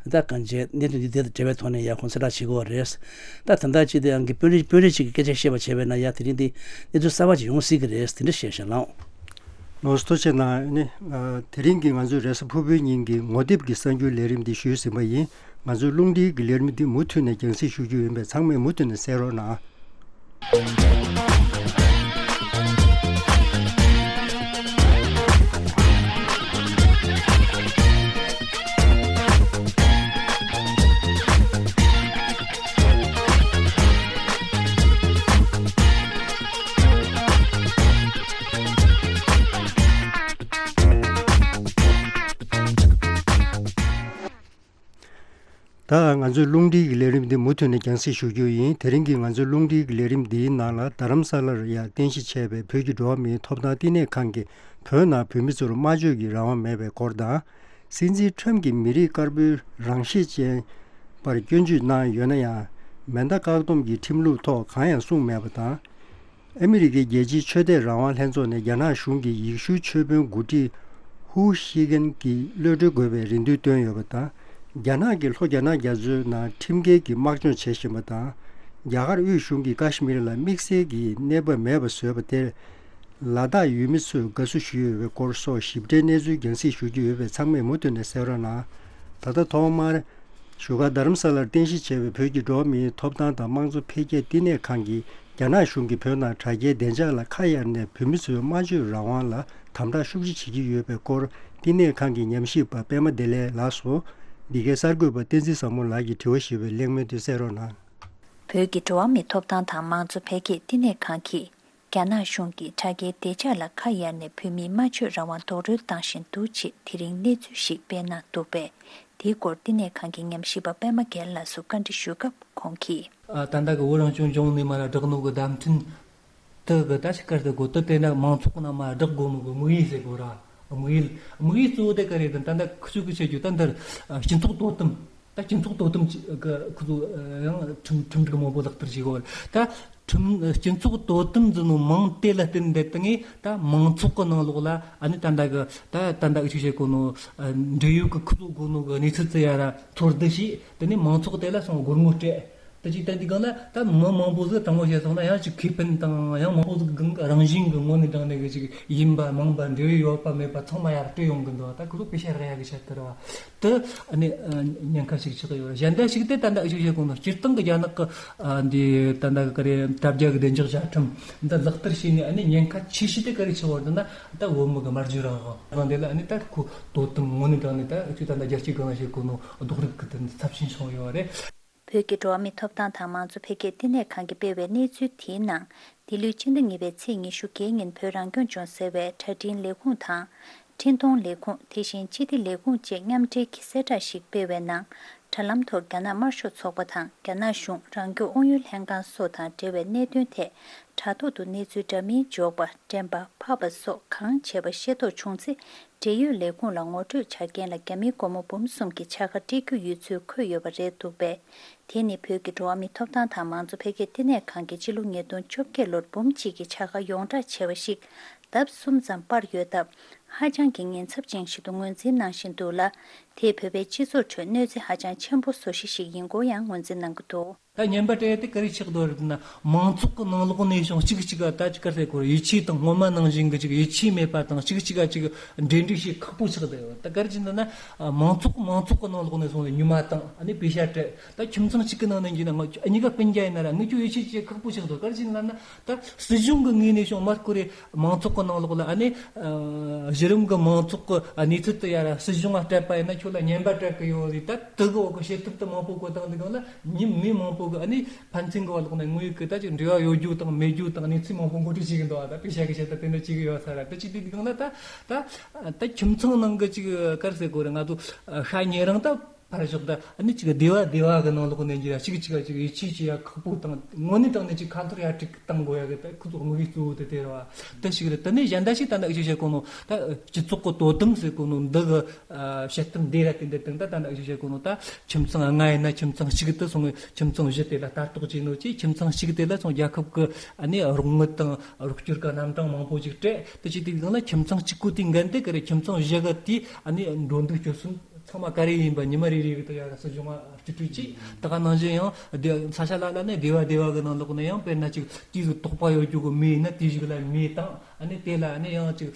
ད་གང་ཅི་གནད་དོན་འདི་དེ་དང་འབྲེལ་བའི་ཐོག་ནས་ཡ་ཁོང་གསལ་བསྒྲགས་བྱེད་ཀྱི་ཡོད་རེད། ད་ད་ལྟ་ཅིག་དེ་ཡང་གི་དཔོན་རིགས་དཔོན་རིགས་ཅིག་གིས་སྐད་ཆ་བཤད་པ་བྱས་པས་ན་ཡ། དེ་རིང་འདི་གནས་ཚུལ་གསར་པ་ཅིག་ཡོང་སྲིད་ཀྱི་རེད། དེ་འདྲ་བཤད་ཤག་ལགས། ལགས་སོ། ཐུགས་རྗེ་གནང་། ཨ་ནི་ཨ་དེ་རིང་གི་ང་ཚོའི་རེས་གཟའ་ཕུར་བུའི་ཉིན་གྱི་ངོ་དེབ་ཀྱི་གསར་འགྱུར་ལས་རིམ་འདི་ཞུས་ཟིན་པ་ཡིན། ང་ཚོའི་རླུང་འཕྲིན་གྱི་ལས་རིམ་འདི་མུ་མཐུད་ནས་རྒྱང་སྲིང་ཞུ་རྒྱུ་ཡིན་པས་ཚང་མས་མུ་མཐུད་ནས་གསན་རོགས་གནང་། ད་ང་ཚོའི་རླུང་འཕྲིན་གྱི་ལས་རིམ་འདི་མུ་མཐུད་ནས་རྒྱང་སྲིང་ཞུ་རྒྱུ་ཡིན། དེ་རིང་གི་ང་ཚོའི་རླུང་འཕྲིན་གྱི་ལས་རིམ་འདིའི་ནང་ལ་རྡ་རམ་ས་ལར་ཡང་རྟེན་གཞི་བྱས་པའི་བོད་ཀྱི་འགྲོ་བ་མིའི་ཐོབ་ཐང་བསྟི་གནས་ཁང་གིས་བོད་ནང་བོད་མི་ཚོར་སྨྲ་བརྗོད་ཀྱི་རང་དབང་མེད་པའི་སྐོར་དང་། སྲིད་འཛིན་ཁྲོམ་གྱིས་མི་རིགས་དཀར་པོའི་རང་ཤེད་ཅན་པར་སྐྱོན་བརྗོད་གནང་ཡོད་ན་ཡང་། མེ་མདའ་བཀག་སྡོམ་གྱི་ཁྲིམས་ལུགས་ཐོག་གང་ཡང་གསུངས་མེད་པ་དང་། ཨ་མི་རི་ཀའི་རྒྱལ་སྤྱིའི་ཆོས་དད་རང་དབང་ལྷན་ཚོགས་ནས་རྒྱ་ནག་གཞུང་གི་ཡེ་ཤུའི་ཆོས་དཔོན་འགོ་ཁྲིད་ཧུའུ་ཤི་ཀན་གྱི་གློད་གྲོལ་དགོས་པའི་རེ་འདུན་བཏོན་ཡོད་པ་དང་། རྒྱ་ནག་གི་ལྷོ་རྒྱ་ནག་རྒྱ་མཚོའི་ནང་ཁྲིམས་འགལ་གྱི་དམག་སྦྱོང་བྱེད་བཞིན་པ་དང་། རྒྱ་གར་དབུས་གཞུང་གིས་ཀ་ཤི་མིར་ལ་དམིགས་བསལ་གྱི་གནས་བབ་མེད་པ་བཟོས་པ་དེར། ལ་དྭགས་ཡུལ་མི་ཚོས་དགའ་བསུ་ཞུས་ཡོད་པའི་སྐོར་སོགས་ཞིབ་ཕྲའི་གནས་ཚུལ་རྒྱང་སྲིང་ཞུ་རྒྱུ་ཡོད་པས། ཚང་མས་མུ་མཐུད་ནས་གསན་རོགས་གནང་། ད་ལྟ་ཐོག་མར། བཞུགས་སྒར་རྡ་རམ་ས་ལར་རྟེན་གཞི་བྱས་པའི་བོད་ཀྱི་འགྲོ་བ་མིའི་ཐོབ་ཐང་དང་དམངས་གཙོ་འཕེལ་རྒྱས་བསྟི་གནས་ཁང་གིས་རྒྱ་ནག་གཞུང་གིས་བོད་ནང་དྲ་རྒྱའི་བདེ་འཇགས་ལ་ཁ་གཡར་ནས་བོད་མི་ཚོའི་སྨྲ་བརྗོད་རང་དབང་ལ་དམ་དྲག་ཤུགས་ཆེ་བྱེད་ཀྱི་ཡོད་པའི་སྐོར། བསྟི་གནས་ཁང་གི་ཉམས་ཞིབ་པ་པད་མ་བདེ་ལེགས་ལགས་སུ། འདི་གའི་གསར་འགོད་པ་བསྟན་འཛིན་བཟང་མོ་ལགས་ཀྱིས་དྲི་བ་ཞུས་པའི་གླེང་མོལ་དེ་གསན་རོགས་གནང་། བོད་ཀྱི་འགྲོ་བ་མིའི་ཐོབ་ཐང་དང་དམངས་གཙོ་འཕེལ་རྒྱས་བསྟི་གནས་ཁང་གིས། རྒྱ་ནག་གཞུང་གིས་དྲ་རྒྱའི་བདེ་འཇགས་ལ་ཁ་གཡར་ནས་བོད་མིའི་སྨྲ་བརྗོད་རང་དབང་རྡོག་རོལ་བཏང་བཞིན་འདུག་ཅེས་དེ་རིང་གནས་ཚུལ་ཞིག་སྤེལ་གནང་འདུག་པས། དེའི་སྐོར་བསྟི་གནས་ཁང་གི་ཉམས་ཞིབ་པ་པད་མ་རྒྱལ་ལགས་སུ་བཀའ་འདྲི་ཞུས་སྐབས་ཁོང་གིས། ཨ། ད་ལྟ་གི་བོད་རང་སྐྱོང་ལྗོངས་ནས་མར་བསྒྲགས་ནོ་གི་བརྡ་འཕྲིན་དེ་གི་ད་ཅི་སྐད་ཟེར་དགོས། དེ་དེ་ན་མང་ཚོགས་ནང་མར་བསྒྲགས་དགོས་ནོ་གི་དམིགས་ཡུལ་ཟེར་དགོས་ར། དམིགས་ཡུལ། དམིགས་ཡུལ་གཙོ་བོ་དེ་ག་རེ་རེད། ད་ལྟ་ཁུ་ཚུར་གི་བཤད་རྒྱུ་ད་འདིར། ཨ། སྤྱི་ཚོགས་དོ་དམ། ད་སྤྱི་ཚོགས་དོ་དམ་གྱི་གི་ཁོ་ཚོ་ཡང་ཁྲིམས་ཁྲིམས་སྒྲིག་མང་པོ་ལག་བསྟར་བྱེད་དགོས། ད་ཁྲིམས་སྤྱི་ཚོགས་དོ་དམ་ཟེར་ནོ་མིང་དེ་ལ་བརྟེན་ཏེ་ད་ངས་ད་མང་ཚོགས་ཀྱི་ནང་ལོགས་ལ་ཨ་ནི་ད་ལྟ་གི་ད་ད་ལྟ་གི་ཅིག་བྱེད་གོ་ནོ། ཨ། འབྲེལ་ཡོད་ཀྱི་ཁོ་ཚོ་གོ་ནོ་གི་གནས་ཚུལ་དེ་ཡ་ར་ཚོར་བསྡུ་བྱས། དེ་ནས་མང་ཚོགས་དེ་ལ་སོང་སྒོར་མོ་སྤྲད། ད་ཅིག་ད་འདི་གང་ལ་ད་མི་མང་པོ་ཟིག་དྲང་མོ་བཤད་སོང་ན་ཡང་ཅིག་ཁེ་ཕན་དང་ཡང་མང་པོ་ཟིག་གང་རང་བཞིན་གྱི་ངོ་ནས་དྲང་ནས་གི་ཅིག་ཡིན་པ་མིན་པ་འབྲེལ་ཡོད་ཡོད་པ་མེད་པ་ཚང་མ་ཡར་སྤྲད་ཡོང་གི་འདུག་ད་ཁོ་ཚོ་པེ་ཤ་རག་ཡ་གི་ཆེད་དུ་ར་བ། དེ་ཨ་ནི་ཨ་ཉེན་ཁ་ཞིག་ཆགས་ཡོད་རེད། གཞན་དག་ཞིག་དེ་ད་ལྟ་ཞིག་བཤད་གོང་ན་སྤྱིར་བཏང་གི་རྒྱ་ནག་གི་ཨ་འདི་ད་ལྟ་གི་ག་རེ་དྲ་རྒྱ་གི་བདེ་འཇགས་བཅའ་ཁྲིམས་འདི་ལག་བསྟར་བྱས་ནས་ཨ་ནི་ཉེན་ཁ་ཆེ་ཤོས་དེ་ག་རེ་ཆགས་ཡོད་རེད་ན། ད་བོད་མི་གི་སྨྲ་བརྗོད་རང་དབང་དེ་ལ་ཨ་ནི་ད་ཁོ་དོ་དམ་ངོ་ནས་དྲང་ནས་ད་ཁྱོད་ད་ལྟ་རྒྱལ་སྤྱིའི་སྒང་ལ་བཤད་གོ་ནོ་རྡོག་རིགས་གི་དེ་ཚབས་ཆེན་བྱུང་ཡོད་རེད། བོད་ཀྱི་འགྲོ་བ་མིའི་ཐོབ་ཐང་དང་མང་གཙོ་འཕེལ་རྒྱས་བསྟི་གནས་ཁང་གིས་སྤེལ་བའི་གནས་ཚུལ་དེའི་ནང་། འདི་ལོའི་སྤྱི་ཟླ་གཉིས་པའི་ཚེས་ཉི་ཤུ་རྩ་བརྒྱད་ཉིན་བོད་རང་སྐྱོང་ལྗོངས་ཟེར་བའི་དྲ་འཕྲིན་ལས་ཁུངས་དང་། འཕྲིན་གཏོང་ལས་ཁུངས། དེ་བཞིན་སྤྱི་བདེ་ལས་ཁུངས་བཅས་མཉམ་འབྲེལ་གྱིས་གསལ་བསྒྲགས་ཤིག་སྤེལ་བའི་ནང་། དྲ་ལམ་ཐོག་རྒྱ་ནག་དམར་ཤོག་ཚོགས་པ་དང་རྒྱ་ནག་གཞུང་རང་སྐྱོང་ཨུ་ཡོན་ལྷན་ཁང་སོགས་དང་འབྲེལ་བའི་གནད་དོན་ཐད། དྲ་ཐོག་ཏུ་གནས་ཚུལ་འདྲ་མིན་འཇོག་པ། འགྲེམས་པ། ཕབ་པ་སོགས་གང་བྱས་པ་ཤེས་རྟོགས་བྱུང་ཚེ། འབྲེལ་ཡོད་ལས་ཁུངས་ལ་ངོ་སྤྲོད་བྱ་མཁན་ལ་རྒྱ་མིའི་སྒོར་མོ་འབུམ་གསུམ་གྱི་ཕྱག་ཁ་སྤྲད་རྒྱུ་ཡོད་ཚུལ་འཁོད་ཡོད་པ་རེད་འདུག་པས། དེ་ནི་བོད་ཀྱི་འགྲོ་བ་མིའི་ཐོབ་ཐང་དང་མང་གཙོ་འཕེལ་རྒྱས་བསྟི་གནས་ཁང་གིས་ཕྱི་ལོ་ཉིས་སྟོང་བཅོ་བརྒྱད་ལོར་འབུམ་གཅིག་གི་ཕྱག་ཁ་ཡོངས་བསྒྲགས་བྱས་པ་ཞིག་ལྡབ་གསུམ་ཙམ་སྤར་ཡོད་སྟབས། ཧ་ཅང་གི་ཉེན་ཚབས་ཅན་ཞིག་ཏུ་ངོས་འཛིན་གནང་བཞིན་འདུག་ལ། དེས་བོད་པའི་སྤྱི་ཚོགས་ཁྲོད་གནོད་འཚེ་ཧ་ཅང་ཆེན་པོ་བཟོ་གཞི་ཞིག་ཡིན་སྐོར་ཡང་ངོས་འཛིན་གནང་གི་འདུག་ད་ཉན་པ་སྤྲད་དེ་ག་རེ་ཆགས་འདུག་རེད་ན། མང་ཚོགས་ཀྱི་ནང་ལོགས་ནས་བྱུང་གཅིག་གཅིག་ག་ད་ཅིག་ག་ཟེར་དགོས་རེད། ཡིད་ཆེས་དང་སྔོན་མ་ནང་བཞིན་གྱི་ཅིག་ཡིད་ཆེས་མེད་པ་དང་། གཅིག་གཅིག་ག་ཅིག་འབྲེལ་འདྲིས་བྱེད་ཁག་པོ་ཆགས་བསྡད་ཡོད། ད་ག་རེ་བྱས་ན་ན། མང་ཚོགས་མང་ཚོགས་ཀྱི་ནང་ལོགས་ནས་སོང་ནས་ཉི་མ་དང་ཨ་ནི་པེ་ཤ་སྤྲད། ད་ཁྱིམ་ཚང་གཅིག་གི་ནང་ནས་ཡིན་ན་ང་གཉིས་ཀ་སྤུན་ཀྱག་ཡིན་ན་ར་ངས་ཁྱོད་ཡིད་ཆེས་བྱེད་ཁག་པོ་ཆགས་འདུག་ག་རེ་བྱས་ན་ན། ད་སྲིད་གཞུང་གི་ངོས་ནས་བྱུང་མ་སྐོར་རེད། མང་ཚོགས་ཀྱི་ནང་ལོགས་ལ་ཨ་ནི། ཨ། གཞི་རིམ་གྱི་མང་ཚོགས་ཀྱི་གནས་ཚུལ་དེ་ཡ་ར་སྲིད་གཞུང་ལ་སྤྲད་པ་ཡིན་ན་ཁྱོད་ལ་ཉན་པ་སྤྲད་གི་ཡོད་རེད། ད་དེ་གི་འོག་གི་བྱེད་ཐབས་དེ་མང་པོ་བཀོད་བཏང་དུས་སྒང་ལ་མི་མི་མང་པོ་གི་ཨ་ནི་ཕན་ཚུན་གི་བར་ལོགས་ནས་དངོས་ཡོད་ཀྱི་ད་ཅིག་འབྲེལ་བ་ཡོད་རྒྱུ་དང་མེད་རྒྱུ་དང་གནས་ཚུལ་མང་པོ་མགོ་ཁྲིད་བྱེད་གི་འདུག་ད་པེ་ཤ་གི་བྱེད་ཐབས་དེ་འདྲ་བྱེད་གི་ཡོད་ས་ར། དེ་ཅིག་དུས་སྒང་ལ་ད་ད་ད་ཁྱིམ་ཚང་ནང་གི་ཅིག་ག་རེ་ཟེར་དགོས་རེད། ང་ཚོ་ཤ་ཉེ་རིང་ད། ཕར་ཞོག་ད་ཨ་ནི་ཅིག་སྡེ་བ་སྡེ་བ་གི་ནང་ལོགས་ནས་འགྱུར་ཡ་གཅིག་གཅིག་ག་ཅིག་ཡིད་ཆེས་བྱེད་ཡ་ཁག་པོ་དང་དངོས་གནས་དྲང་གནས་ཅིག་ཁ་ཐོར་ཡ་ཅིག་བཏང་དགོས་ཡ་གི་ད་ཁོ་ཚོ་དམིགས་ཡུལ་གཙོ་བོ་དེ་དེ་རེད་བ། དེ་ཞིག་རེད། དེ་ནས་གཞན་དག་ཞིག་ད་ནི་ཨ་ཅིག་བཤད་གོ་ནོ་ད་སྤྱི་ཚོགས་ཀྱི་དོ་དམ་ཟེར་གོ་ནོ་འདི་གི་ཨ་བཤད་སྟངས་འདི་ར་དེ་འདི་དང་ད་ད་ནི་ཨ་ཅིག་བཤད་གོ་ནོ་ད་ཁྱིམ་ཚང་ལྔ་ཡིན་ན་ཁྱིམ་ཚང་གཅིག་ཏུ་སོང་ངས་ཁྱིམ་ཚང་བཞི་དེ་ལ་ལྟ་རྟོག་བྱས་ནོ་ཅིག་ཁྱིམ་ཚང་གཅིག་དེ་ལ་སོང་རྒྱལ་ཁབ་ཀྱི་ཨ་ནི་རོགས་དངུལ་དང་རོགས་སྐྱོར་གི་རྣམ་གྲངས་མང་པོ་ཅིག་སྤྲད། དེ་ཅིག་དེ་གང་ལ་ཁྱིམ་ཚང་གཅིག་པོ་དེའི་འགན་དེ་ག་རེ་ཁྱིམ་ཚང་བཞི་གི་དེ་ཨ་ནི་འགྲོ་འདུག་སྤྱོད་གསུམ། ཚང་མ་ག་རེ་ཡིན་པ་ཉི་མ་རེ་རེ་གི་ད་ཡ་སྲིད་གཞུང་ང་སྤྲད་སྤྲོད་ཅིག་ད་ག་ནང་བཞིན་ཡང་སྡེ་ས་ཆ་ལ་ལ་ནས་སྡེ་བ་སྡེ་བ་གི་ནང་ལོགས་ནས་ཡང་དཔེར་ན་ཅིག་དེ་གི་དོགས་པ་ཡོད་རྒྱུ་གི་མི་ཡིན་ན་དེ་ཞིག་ལ་མི་བཏང་། ཨ་ནི་དེ་ལ་ཨ་ནི་ཡང་ཅིག་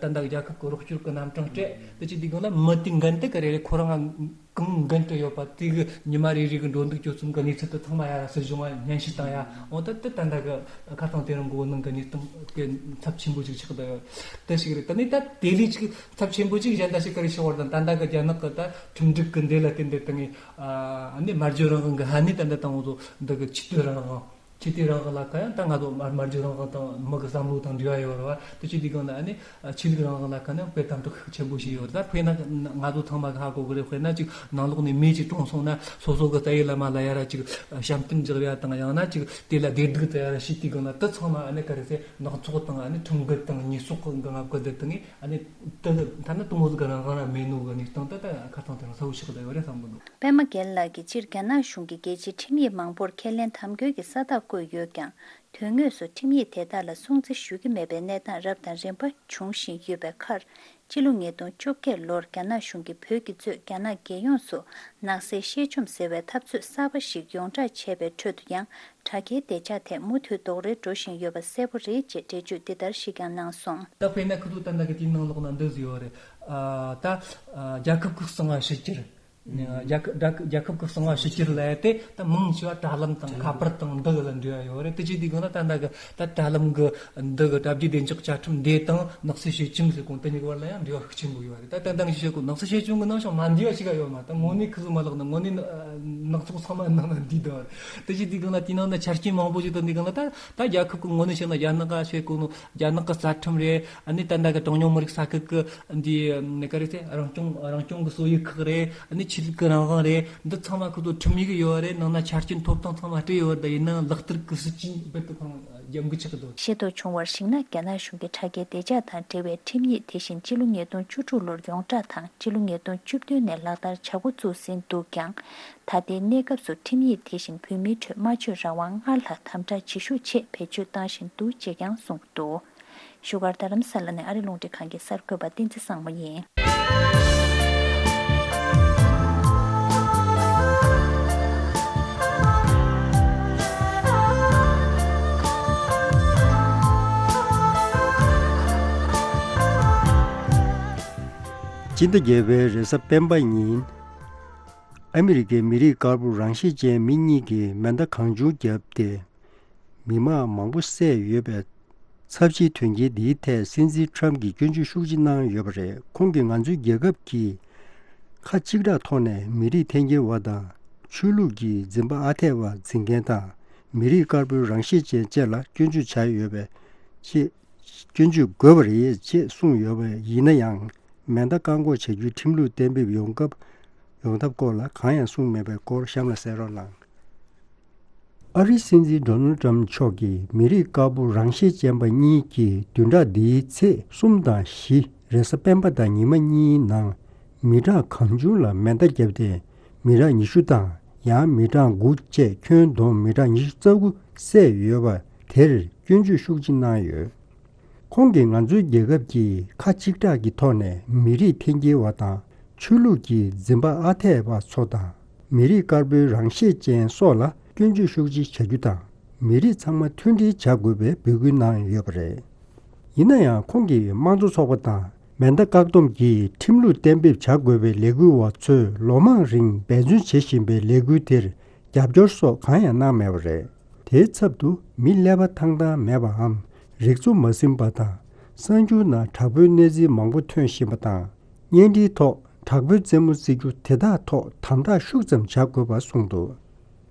ད་ལྟ་རྒྱལ་ཁབ་ཀྱི་རོགས་སྐྱོར་གི་རྣམ་གྲངས་སྤྲད། དེ་ཅིག་དེ་གང་ལ་མི་དེ་འགན་དེ་ག་རེ་རེད། ཁོ་རང་ང་གང་འགན་དུ་ཡོད་པ་དེ་གི་ཉི་མ་རེ་རེ་གི་འགྲོ་འདུག་སྤྱོད་གསུམ་གི་གནས་ཚུལ་དེ་ཚང་མ་ཡ་སྲིད་གཞུང་ང་སྙན་ཞུ་བཏང་ཡ། འོ་ད་དེ་ད་ལྟ་གི་ཁ་སང་དེ་རིང་གི་འོ་ནང་གི་གནས་སྟངས་གི་ཚབས་ཆེན་པོ་ཅིག་ཆགས་བསྡད་ཡོད། དེ་ཞིག་རེད། ད་ནི་ད་དེ་ལས་ཅིག་ཚབས་ཆེན་པོ་ཅིག་གཞན་དག་ཞིག་ག་རེ་ཆགས་པ་རེད་ན། ད་ལྟ་གི་རྒྱ་ནག་གི་ད་ཁྲིམས་སྒྲིག་གི་འདི་ལ་བརྟེན་ཏེ་ད་ངས་ཨ་ནི་སྨྲ་བརྗོད་རང་དབང་གི་ཧ་ནི་ད་ལྟ་དང་འོ་ཚོ་འདི་གི་ཆོས་དད་རང་དབང་ ཞི་བདེ་རང་དབང་ལ་ཁ་ཡང་ད་ང་ཚོ་དམར་དམར་འབྱོར་རང་དབང་དང་མི་གི་བསམ་བློ་དང་འབྲེལ་བ་ཡོད་རེད་བ། དེ་ཆེད་དུས་སྒང་ལ་ཨ་ནི་ཆོས་ལུགས་རང་དབང་ལ་ཁ་ནས་དཔེ་དམ་དྲག་ཤུགས་ཆེན་པོ་ཞིག་ཡོད་རེད། ད་དཔེར་ན་ང་ཚོ་ཚང་མ་གི་ཧ་གོ་གི་རེད། དཔེར་ན་ཅིག་ནང་ལོགས་ནས་མེ་ཅིག་གྲོངས་སོང་ན་སོ་སོ་གི་རྩ་བའི་བླ་མ་ལ་ཡ་ར་ཅིག་བཤམས་སྟོན་རྒྱག་ཡ་དང་ཡང་ན་ཅིག་དེ་ལ་བདེ་སྡུག་བཙལ་ཡ་ར་བྱེད་དུས་སྒང་ལ་དེ་ཚང་མ་ཨ་ནི་ག་རེ་ཟེར་ནག་ཚོགས་དང་ཨ་ནི་ཁྲིམས་འགལ་དང་ཉེས་གསོག་གི་ངང་བཀོད་དེ་དང་ཨ་ནི་དེ་ཐ་ན་དེ་མོ་ཟིག་གི་རང་དབང་ར་མེད་ནོ་གི་གནས་སྟངས་དེ་ད་ཁ་སང་དེ་རིང་གསལ་བོ་ཆགས་བསྡད་ཡོད་རེད་བསམ་གི་འདུག་པད་མ་རྒྱལ་ལགས་ཀྱིས་སྤྱིར་རྒྱ་ནག་གཞུང་གིས་རྒྱལ་སྤྱིའི་ཁྲིམས་ཡིག་མང་པོར་ཁས་ལེན་དམ་འགྱུར་གྱི་ས་རྟགས་བཀོད་ཡོད་ཀྱང་། དོན་དངོས་སུ་ཁྲིམས་ཡིག་དེ་དག་ལ་སྲུང་བརྩི་ཞུ་གི་མེད་པའི་གནས་སྟངས་རབ་དང་རིམ་པ་འབྱུང་བཞིན་ཡོད་པའི་ཁར། སྤྱི་ལོ་ཉིས་སྟོང་བཅོ་བརྒྱད་ལོར་རྒྱ་ནག་གཞུང་གིས་བོད་ཀྱིས་གཙོས་རྒྱ་ནག་རྒྱལ་ཡོངས་སུ་ནག་སེལ་གཤེད་བཅོམ་ཟེར་བའི་འཐབ་རྩོད་གསར་པ་ཞིག་ཡོངས་བསྒྲགས་བྱས་པའི་ཁྲོད་དུ་ཡང་དྲ་རྒྱའི་བདེ་འཇགས་ཐད་མུ་མཐུད་རྡོག་རོལ་འགྲོ་བཞིན་ཡོད་པ་གསལ་པོ་རེད་ཅེས་འགྲེལ་བརྗོད་འདི་ལྟར་ཞིག་ཀྱང་གནང་སོང་། ད་དཔེར་ན་ཁོ་ཚོ་ད་ལྟ་གི་དེའི་ནང་ལོགས་ན་འདི་བཟོས་ཡོད་རེད། ཨ་ད་ཨ་རྒྱལ་ཁབ་ཀྱི་གསང་བ་ཕྱི་གྱར། རྒྱལ་ཁབ་རྒྱལ་ཁབ་རྒྱལ་ཁབ་ཀྱི་གསང་བ་ཕྱི་གྱར་ལབ་ཡ་དེ་ད་མང་ཆེ་བ་དྲ་ལམ་དང་ཁ་པར་དང་འདི་གི་ལ་འབྲེལ་བ་ཡོད་རེད། དེ་བྱེད་དུས་སྒང་ལ་ད་ལྟ་གི་ད་དྲ་ལམ་གི་འདི་གི་དྲ་རྒྱའི་བདེ་འཇགས་བཅའ་ཁྲིམས་འདི་དང་ནག་སེལ་གཤེད་བཅོམ་ཟེར་གོ་དེ་གཉིས་ཀྱི་བར་ལ་ཡང་འབྲེལ་བ་ཤུགས་ཆེན་པོ་ཡོད་རེད། ད་ད་ལྟ་ངས་བཤད་གོ་ནག་སེལ་གཤེད་བཅོམ་གི་ནང་བཞིན་མ་འདུས་པ་ཞིག་ཡོད་མ་རེད། ད་དངོས་གནས་ཁུ་ཚུར་མ་ལག་ན་དངོས་གནས་ནག་ཚོགས་ཚང་མ་ནང་ན་འདུས་བསྡད་པ་རེད། དེ་བྱེད་དུས་སྒང་ལ་དེའི་ནང་ན་ཆ་རྐྱེན་མང་པོ་ཞིག་དང་འདི་སྒང་ལ་ད་ད་རྒྱལ་ཁབ་ཀྱི་ངོས་ནས་བཤད་ན་རྒྱ་ནག་ག་བཤད་གོ་ནོ་རྒྱ་ནག་གི་རྩ་ཁྲིམས་རེད། ཨ་ནི་ད་ལྟ་གི་གྲངས་ཉུང་མི་རིགས་ས་ཁུལ་གི་འདི་ནི་ག་རེ་ཟེར་རང་སྐྱོང་རང་སྐྱོང་གི་སྲོལ་ཡིག་ཁག་རེད། ཨ་ནི་ཆོས་ལུགས་ཀྱི་རང་དབང་རེད། འདི་ཚང་མ་ཁོ་ཚོ་ཁྲིམས་ཡིག་ཡོད་རེད། ནང་ན་ཆ་རྐྱེན་ཐོབ་ཐང་ཚང་མ་སྤྲད་ཡོད་རེད། ད་ཡིན་ནའང་ལག་བསྟར་གི་སྲིད་ཇུས་རྦད་དེ་ཁོ་རང་རྒྱབ་འགལ་ཆགས་ཀྱི་འདུག། ཤེས་རྟོགས་བྱུང་བར་གཞིགས་ན། རྒྱ་ནག་གཞུང་གིས་དྲ་རྒྱའི་བདེ་འཇགས་དང་འབྲེལ་བའི་ཁྲིམས་ཡིག་དེ་བཞིན་སྤྱི་ལོ་ཉིས་སྟོང་བཅུ་དྲུག་ལོར་ཡོངས་བསྒྲགས་དང་སྤྱི་ལོ་ཉིས་སྟོང་བཅུ་བདུན་ནས་ལག་བསྟར་བྱ་འགོ་བཙུགས་ཟིན་འདུག་ཀྱང་། ད་ལྟའི་གནས་སྐབས་སུ་ཁྲིམས་ཡིག་དེ་བཞིན་བོད་མིའི་ཁྲོད་སྨྲ་བརྗོད་རང་དབང་སྔར་ལྷག་དམ་དྲག་བྱེད་ཤུགས་ཆེད་བེད་སྤྱོད་བཏང་བཞིན་འདུག་ཅེས་ཀྱང་གསུངས་འདུག། བཞུགས་སྒར་རྡ་རམ་ས་ལ་ནས་ཨ་རི་རླུང་འཕྲིན་ཁང་གི་གསར་འགོད་པ་བསྟན་འཛིན་བཟང་མོ་ཡིན། སྤྱི་ཟླ་བརྒྱད་པའི་རེས་གཟའ་སྤེན་པ་ཉིན། ཨ་མི་རི་ཀའི་མི་རིགས་དཀར་པོ་རང་ཤེད་ཅན་མི་གཉིས་ཀྱིས་མེ་མདའ་གང་བྱུང་བརྒྱབ་སྟེ། མི་མང་མང་པོ་བསད་ཡོད་པའི་ཚབས་ཆེའི་དོན་རྐྱེན་འདིའི་ཐད་སྲིད་འཛིན་ཁྲམ་གྱིས་སྐྱོན་བརྗོད་ཤུགས་ཆེ་གནང་ཡོད་པ་རེད། ཁོང་གིས་ང་ཚོའི་རྒྱལ་ཁབ་ཀྱིས་ཁ་གཅིག་གྲགས་ཐོག་ནས་མི་རིགས་འཐེན་འཁྱེར་བ་དང་ཆོས་ལུགས་ཀྱི་འཛིན་པ་ཨ་འཐས་པ་འཛིན་མཁན་དང་མི་རིགས་དཀར་པོའི་རང་ཤེད་ཅན་བཅས་ལ་སྐྱོན་བརྗོད་བྱ་ཡོད་པའི་ཆེད། སྐྱོན་བརྗོད་དགོས་པ་རེད་ཅེས་གསུངས་ཡོད་པ་ཡིན་ན་ཡང་། མེ་མདའ་བཀག་འགོག་བྱ་རྒྱུའི་ཁྲིམས་ལུགས་གཏན་འབེབས་ཡོང་སྐབས་ཡོང་ཐབས་སྐོར་ལ་གང་ཡང་གསུངས་མེད་པའི་སྐོར་གཤམ་ལ་གསན་རོགས་གནང་། ཨ་རིའི་སྲིད་འཛིན་ཌོ་ནལ་ཊམ་མཆོག་གིས་མི་རིགས་དཀར་པོ་རང་ཤེད་ཅན་པ་གཉིས་ཀྱིས་བདུན་ཕྲག་འདིའི་ཚེས་གསུམ་དང་བཞི་རེས་གཟའ་སྤེན་པ་དང་ཉི་མ་གཉིས་ནང་མི་གྲངས་གང་བྱུང་ལ་མེ་མདའ་བརྒྱབ་སྟེ་མི་གྲངས་ཉི་ཤུ་དང་ཡང་མི་གྲངས་དགུ་བཅས་ཁྱོན་བསྡོམས་མི་གྲངས་ཉི་ཤུ་རྩ་དགུ་བསད་ཡོད་པ་དེར་སྐྱོན་བརྗོད་ཤུགས་ཆེ་གནང་ཡོད། ཁོང་གིས་ང་ཚོའི་རྒྱལ་ཁབ་ཀྱིས་ཁ་གཅིག་གྲགས་ཀྱི་ཐོག་ནས་མི་རིགས་འཐེན་འཁྱེར་བ་དང་ཆོས་ལུགས་ཀྱི་འཛིན་པ་ཨ་འཐས་པ་ཚོ་དང་མི་རིགས་དཀར་པོའི་རང་ཤེད་ཅན་སོགས་ལ་སྐྱོན་བརྗོད་ཤུགས་ཆེ་བྱ་རྒྱུ་དང་མི་རིགས་ཚང་མ་མཐུན་སྒྲིལ་བྱ་དགོས་པའི་འབོད་སྐུལ་གནང་ཡོད་པ་རེད། ཡིན་ན་ཡང་ཁོང་གིས་དམངས་གཙོ་ཚོགས་པ་དང་མེ་མདའ་བཀག་སྡོམ་གྱི་ཁྲིམས་ལུགས་གཏན་འབེབས་བྱ་དགོས་པའི་ལས་འགུལ་བ་ཚོས་ལོ་མང་རིང་འབད་བརྩོན་བྱེད་བཞིན་པའི་ལས་འགུལ་དེར་རྒྱབ་སྐྱོར་སོགས་གང་ཡང་གནང་མེད་པ་རེད། དེའི་ཚབ་ཏུ་མི་ཀླད་པ་ཐང་ཐང་མེད་པའམ་རིག་ཚོ་མ་ཟིན་པ་དང་གསར་འགྱུར་ནང་དྲག་པོའི་གནས་ཚུལ་མང་པོ་ཐོན་བཞིན་པ་དང་བརྙན་འཕྲིན་ཐོག་དྲག་པོའི་རྩེད་མོ་རྩེ་རྒྱུ་དེ་དག་ཐོག་དམ་དྲག་ཤུགས་ཙམ་བྱ་དགོས་པ་གསུངས་འདུག།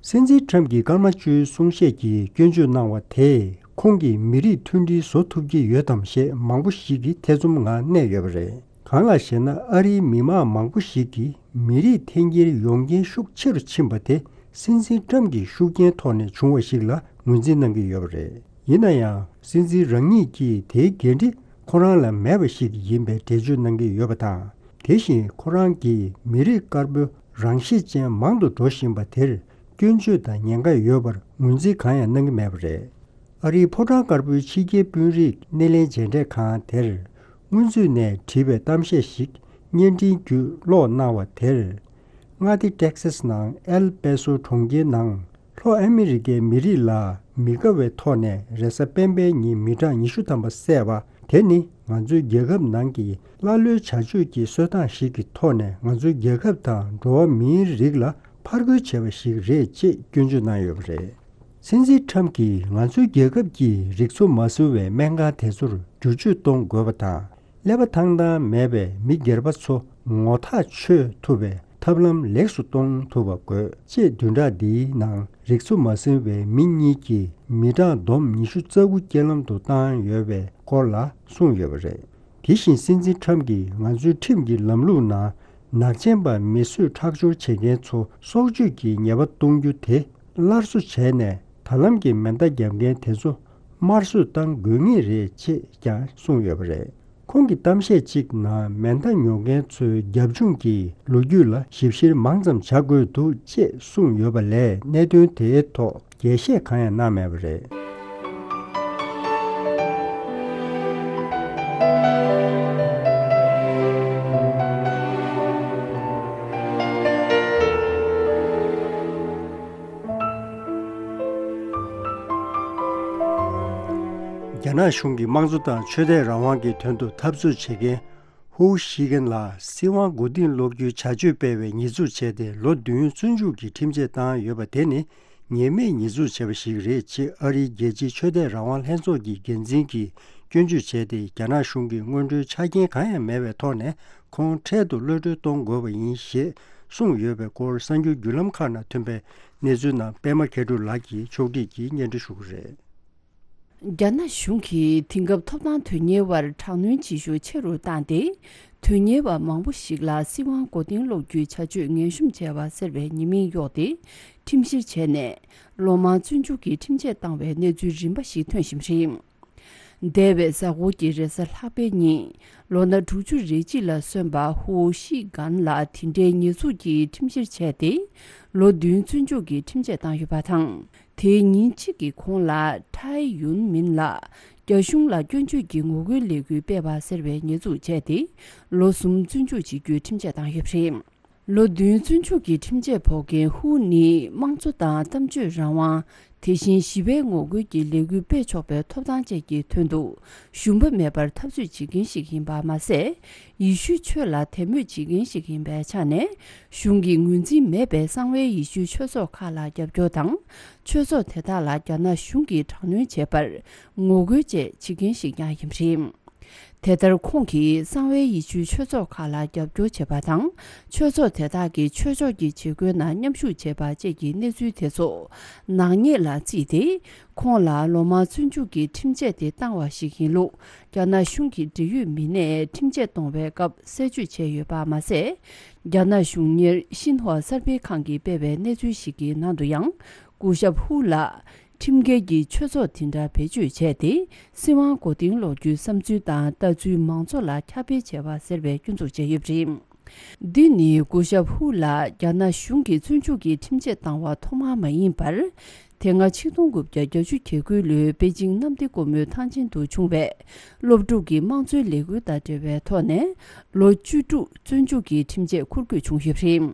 སྲིད་འཛིན་ཁྲམ་གྱིས་སྐར་མ་བཅུའི་གསུང་བཤད་ཀྱིས་སྐྱོན་བརྗོད་གནང་བ་དེས་ཁོང་གིས་མི་རིགས་མཐུན་སྒྲིལ་བཟོ་ཐུབ་ཀྱི་ཡོད་དམ་ཞེས་མང་པོ་ཞིག་གིས་ཐེ་ཚོམ་ངང་གནས་ཡོད་པ་རེད། གང་ལགས་ཤེ་ན། ཨ་རིའི་མི་མང་མང་པོ་ཞིག་གིས་མི་རིགས་འཐེན་འཁྱེར་ཡོང་རྐྱེན་ཤུགས་ཆེ་རུ་ཕྱིན་པ་དེ་སྲིད་འཛིན་ཁྲམ་གྱི་ཤུགས་རྐྱེན་ཐོག་ནས་བྱུང་བ་ཞིག་ལ་ངོས་འཛིན་གནང་གི་ཡོད་པ་རེད། ཡིན་ན་ཡང་། སྲིད་འཛིན་རང་ཉིད་ཀྱིས་དེའི་འགན་འཁྲི་ཁོ་རང་ལ་མེད་པ་ཞིག་ཡིན་པའི་འགྲེལ་བརྗོད་གནང་གི་ཡོད་པ་དང་། དེ་བཞིན་ཁོ་རང་གིས་མི་རིགས་དཀར་པོའི་རང་ཤེད་ཅན་མང་དུ་འགྲོ་བཞིན་པ་དེར་སྐྱོན་བརྗོད་དང་ཉེན་ཁ་ཡོད་པར་ངོས་འཛིན་གང་ཡང་གནང་གི་མེད་པ་རེད། ཨ་རིའི་ཕོ་བྲང་དཀར་པོའི་ཕྱི་རྒྱལ་དཔོན་རིགས་སྣེ་ལེན་མཇལ་འཕྲད་ཁང་དེར་སྔོན་ཚུད་ནས་བྲིས་པའི་གཏམ་བཤད་ཞིག་བརྙན་འཕྲིན་བརྒྱུད་ཀློག་གནང་བ་དེར། མངའ་སྡེ་ཏེག་སཱས་ནང་ཨེལ་པེ་སོ་གྲོང་ཁྱེར་ནང་ལྷོ་ཨ་མི་རི་ཀའི་མི་རིགས་ལ་མི་དགའ་བའི་ཐོག་ནས་རེས་གཟའ་སྤེན་པའི་ཉིན་མི་གྲངས་ཉི་ཤུ་ཐམ་པ་བསད་པ་དེ་ནི་ང་ཚོའི་རྒྱལ་ཁབ་ནང་གི་ཀླ་ཀློའི་བྱ་སྤྱོད་ཀྱི་སྲོལ་སྟངས་ཤིག་གི་ཐོག་ནས་ང་ཚོའི་རྒྱལ་ཁབ་དང་འགྲོ་བ་མིའི་རིགས་ལ་ཕར་རྒོལ་བྱས་པ་ཞིག་རེད་ཅེས་སྐྱོན་བརྗོད་གནང་ཡོད་པ་རེད། སྲིད་འཛིན་ཁྲམ་གྱིས་ང་ཚོའི་རྒྱལ་ཁབ་ཀྱི་རིག་འཚོ་མ་བཟུང་བའི་སྨན་ཁང་དེ་ཚོར་བསྒྱུར་བཅོས་གཏོང་དགོས་པ་དང་། ཀླད་པ་ཐང་ཐང་མེད་པའི་མི་སྒེར་པ་ཚོ་ངོ་ཐག་ཆོད་ཐུབ་པའི་ ཐབས་ལམ་ལེགས་སུ་གཏོང་ཐུབ་པ་དགོས་ཅེས་བདུན་ཕྲག་འདིའི་ནང་རིགས་ཚོ་མ་ཟིན་པའི་མི་གཉིས་ཀྱིས་མི་གྲངས་བསྡོམས་ཉི་ཤུ་རྩ་དགུ་རྐྱེན་ལམ་དུ་བཏང་ཡོད་པའི་སྐོར་ལ་གསུངས་ཡོད་པ་རེད། དེ་བཞིན་སྲིད་འཛིན་ཁྲམ་གྱིས་ང་ཚོའི་ཁྲིམས་ཀྱི་ལམ་ལུགས་ནང་ནག་ཅན་པ་མི་གསོད་ཁྲག་སྦྱོར་བྱེད་མཁན་ཚོ་སྲོག་གཅོད་ཀྱི་ཉེས་པ་གཏོང་རྒྱུ་དེ་སླར་གསོ་བྱས་ནས་ད་ལམ་གྱི་མེ་མདའ་བརྒྱབ་མཁན་དེ་ཚོ་དམར་གསོད་གཏང་དགོས་ངེས་རེད་ཅེས་ཀྱང་གསུངས་ཡོད་པ་རེད། ཁོང་གི་གཏམ་བཤད་ཅིག་ནང་མེ་མདའ་ཉོ་མཁན་ཚོའི་རྒྱབ་ལྗོངས་ཀྱི་ལོ་རྒྱུས་ལ་ཞིབ་བཤེར་མང་ཙམ་བྱ་དགོས་འདུག་ཅེས་གསུངས་ཡོད་པ་ལས་གནད་དོན་དེའི་ཐོག་རྒྱས་བཤད་གང་ཡང་གནང་མེད་པ་རེད། རྒྱ་ནག་གཞུང་གིས་དམངས་གཙོ་དང་ཆོས་དད་རང་དབང་གི་དོན་དུ་འཐབ་རྩོད་བྱེད་མཁན་ཧུའུ་ཤི་ཀན་ལ་སྲིད་དབང་མགོ་རྟིང་སློག་རྒྱུའི་བྱ་སྤྱོད་སྤེལ་བའི་ཉེས་འཛུགས་བྱས་ཏེ་ལོ་བདུན་བཙོན་འཇུག་གི་ཁྲིམས་ཆད་བཏང་ཡོད་པ་དེ་ནི་ཉེས་མེད་ཉེས་འཛུགས་བྱས་པ་ཞིག་རེད་ཅེས་ཨ་རིའི་རྒྱལ་སྤྱིའི་ཆོས་དད་རང་དབང་ལྷན་ཚོགས་ཀྱི་འགན་འཛིན་གྱིས་སྐྱོན་བརྗོད་བྱས་ཏེ། རྒྱ་ནག་གཞུང་གིས་སྔོན་འགྲོའི་ཆ་རྐྱེན་གང་ཡང་མེད་པའི་ཐོག་ནས་ཁོང་འཕྲལ་དུ་གློད་གྲོལ་གཏོང་དགོས་པ་ཡིན་ཞེས་གསུངས་ཡོད་པའི་སྐོར་གསར་འགྱུར་བརྒྱུད་ལམ་ཁག་ནང་ཐོན་པའི་གནས་ཚུལ་རྣམས་པད་མ་མཁས་གྲུབ་ལགས་ཀྱིས་ཕྱོགས་སྒྲིག་གིས་སྙན་སྒྲོན་ཞུ་གི་རེད། རྒྱ་ནག་གཞུང་གིས་དེང་སྐབས་ཐོབ་ཐང་དོན་གཉེར་བར་དྲག་གནོན་བྱེད་ཤུགས་ཆེ་རུ་བཏང་སྟེ། དོན་གཉེར་བ་མང་པོ་ཞིག་ལ་སྲིད་དབང་མགོ་རྟིང་སློག་རྒྱུའི་བྱ་སྤྱོད་ངན་ཤོམ་བྱས་པ་ཟེར་བའི་ཉེས་མིང་གཡོགས་ཏེ། ཁྲིམས་བཤེར་བྱས་ནས་ལོ་མང་བཙོན་འཇུག་གི་ཁྲིམས་ཆད་བཏང་བའི་གནས་ཚུལ་རིམ་པ་ཞིག་ཐོན་བཞིན་རེད། འདས་པའི་གཟའ་འཁོར་གྱི་རེས་གཟའ་ལྷག་པའི་ཉིན་ལོ་ན་དྲུག་ཅུ་རེ་གཅིག་ལ་སོན་པ་ཧུའུ་ཤི་གན་ལ་དེ་འདྲའི་ཉེས་འཛུགས་ཀྱི་ཁྲིམས་བཤེར་བྱས་ཏེ། ལོ་བདུན་བཙོན་འཇུག་གི་ཁྲིམས་ཆད་བཏང་ཡོད་པ་དང་། དེའི་ཉིན་གཅིག་གི་གོང་ལ་ཐའེ་ཡུན་མིན་ལ་རྒྱ་གཞུང་ལ་སྐྱོན་བརྗོད་ཀྱི་ངོ་རྒོལ་ལས་འགུལ་སྤེལ་བ་ཟེར་བའི་ཉེས་འཛུགས་བྱས་ཏེ། ལོ་གསུམ་བཙོན་འཇུག་བྱེད་རྒྱུའི་ཁྲིམས་ཆད་བཏང་ཡོད་པ་རེད། ལོ་བདུན་བཙོན་འཇུག་གི་ཁྲིམས་ཆད་ཕོག་མཁན་ཧུའུ་ནི་དམངས་གཙོ་དང་གཏམ་བརྗོད་རང་དབང་། དེ་བཞིན་ཞི་བའི་ངོ་རྒོལ་གྱི་ལས་འགུལ་སྤེལ་ཆོག་པའི་ཐོབ་ཐང་བཅས་ཀྱི་དོན་དུ་ཞུམ་པ་མེད་པར་འཐབ་རྩོད་བྱེད་མཁན་ཞིག་ཡིན་པ་མ་ཟད། ཡེ་ཤུའི་ཆོས་ལ་དད་མོས་བྱེད་མཁན་ཞིག་ཡིན་པའི་ཆ་ནས། གཞུང་གིས་ངོས་འཛིན་མེད་པའི་གསང་བའི་ཡེ་ཤུའི་ཆོས་ཚོགས་ཁག་ལ་རྒྱབ་སྐྱོར་དང་། ཆོས་ཚོགས་དེ་དག་ལ་རྒྱ་ནག་གཞུང་གིས་དྲག་གནོན་བྱས་པར་ངོ་རྒོལ་བཅས་བྱེད་མཁན་ཞིག་ཀྱང་ཡིན་པ་རེད། དེ་ལྟར་ཁོང་གིས་གསང་བའི་ཡེ་ཤུའི་ཆོས་ཚོགས་ཁག་ལ་རྒྱབ་སྐྱོར་བྱས་པ་དང་། ཆོས་ཚོགས་དེ་དག་གི་ཆོས་ཕྱོགས་ཀྱི་བྱེད་སྒོའི་ནང་མཉམ་ཞུགས་བྱས་པ་བཅས་ཀྱི་གནས་ཚུལ་དེ་ཚོ་ནག་ཉེས་ལ་བརྩིས་ཏེ། ཁོང་ལ་ལོ་མང་བཙོན་འཇུག་གི་ཁྲིམས་ཆད་དེ་བཏང་བ་ཞིག་ཡིན་ལུགས་རྒྱ་ནག་གཞུང་གི་འབྲེལ་ཡོད་མི་སྣས་ཁྲིམས་ཆད་གཏོང་བའི་སྐབས་གསལ་བརྗོད་བྱས་ཡོད་པ་མ་ཟད། རྒྱ་ནག་གཞུང་གཉེར་ཤིན་ཧྭ་གསར་སྤེལ་ཁང་གིས་སྤེལ་བའི་གནས་ཚུལ་ཞིག་གི་ནང་དུ་ཡང་། སྐུ་ཞབས་ཧུ་ལ་ཁྲིམས་འགལ་གྱི་ཆོས་ཚོགས་དེ་འདྲ་བེད་སྤྱོད་བྱས་ཏེ། སྲིད་དབང་མགོ་རྟིང་སློག་རྒྱུའི་བསམ་ཚུལ་དང་ལྟ་ཚུལ་མང་ཚོགས་ལ་ཁྱབ་སྤེལ་བྱས་པ་ཟེར་བའི་སྐྱོན་འཛུགས་བྱས་ཡོད་པ་རེད། འདི་ནི་སྐུ་ཞབས་ཧུ་ལ་རྒྱ་ནག་གཞུང་གིས་བཙོན་འཇུག་གི་ཁྲིམས་ཆད་བཏང་བ་ཐོག་མ་མ་ཡིན་པར། དེ་སྔ་ཆིག་སྟོང་དགུ་བརྒྱ་བརྒྱད་ཅུ་གྱ་དགུ་ལོའི་པེ་ཅིང་གནམ་བདེ་སྒོ་མོའི་ཐང་ཆེན་དུ་བྱུང་བའི་སློབ་ཕྲུག་གི་དམངས་གཙོའི་ལས་འགུལ་དང་འབྲེལ་བའི་ཐོག་ནས་ལོ་བཅུ་དྲུག་བཙོན་འཇུག་གི་ཁྲིམས་ཆད་འཁུར་དགོས་བྱུང་ཡོད་པ་རེད།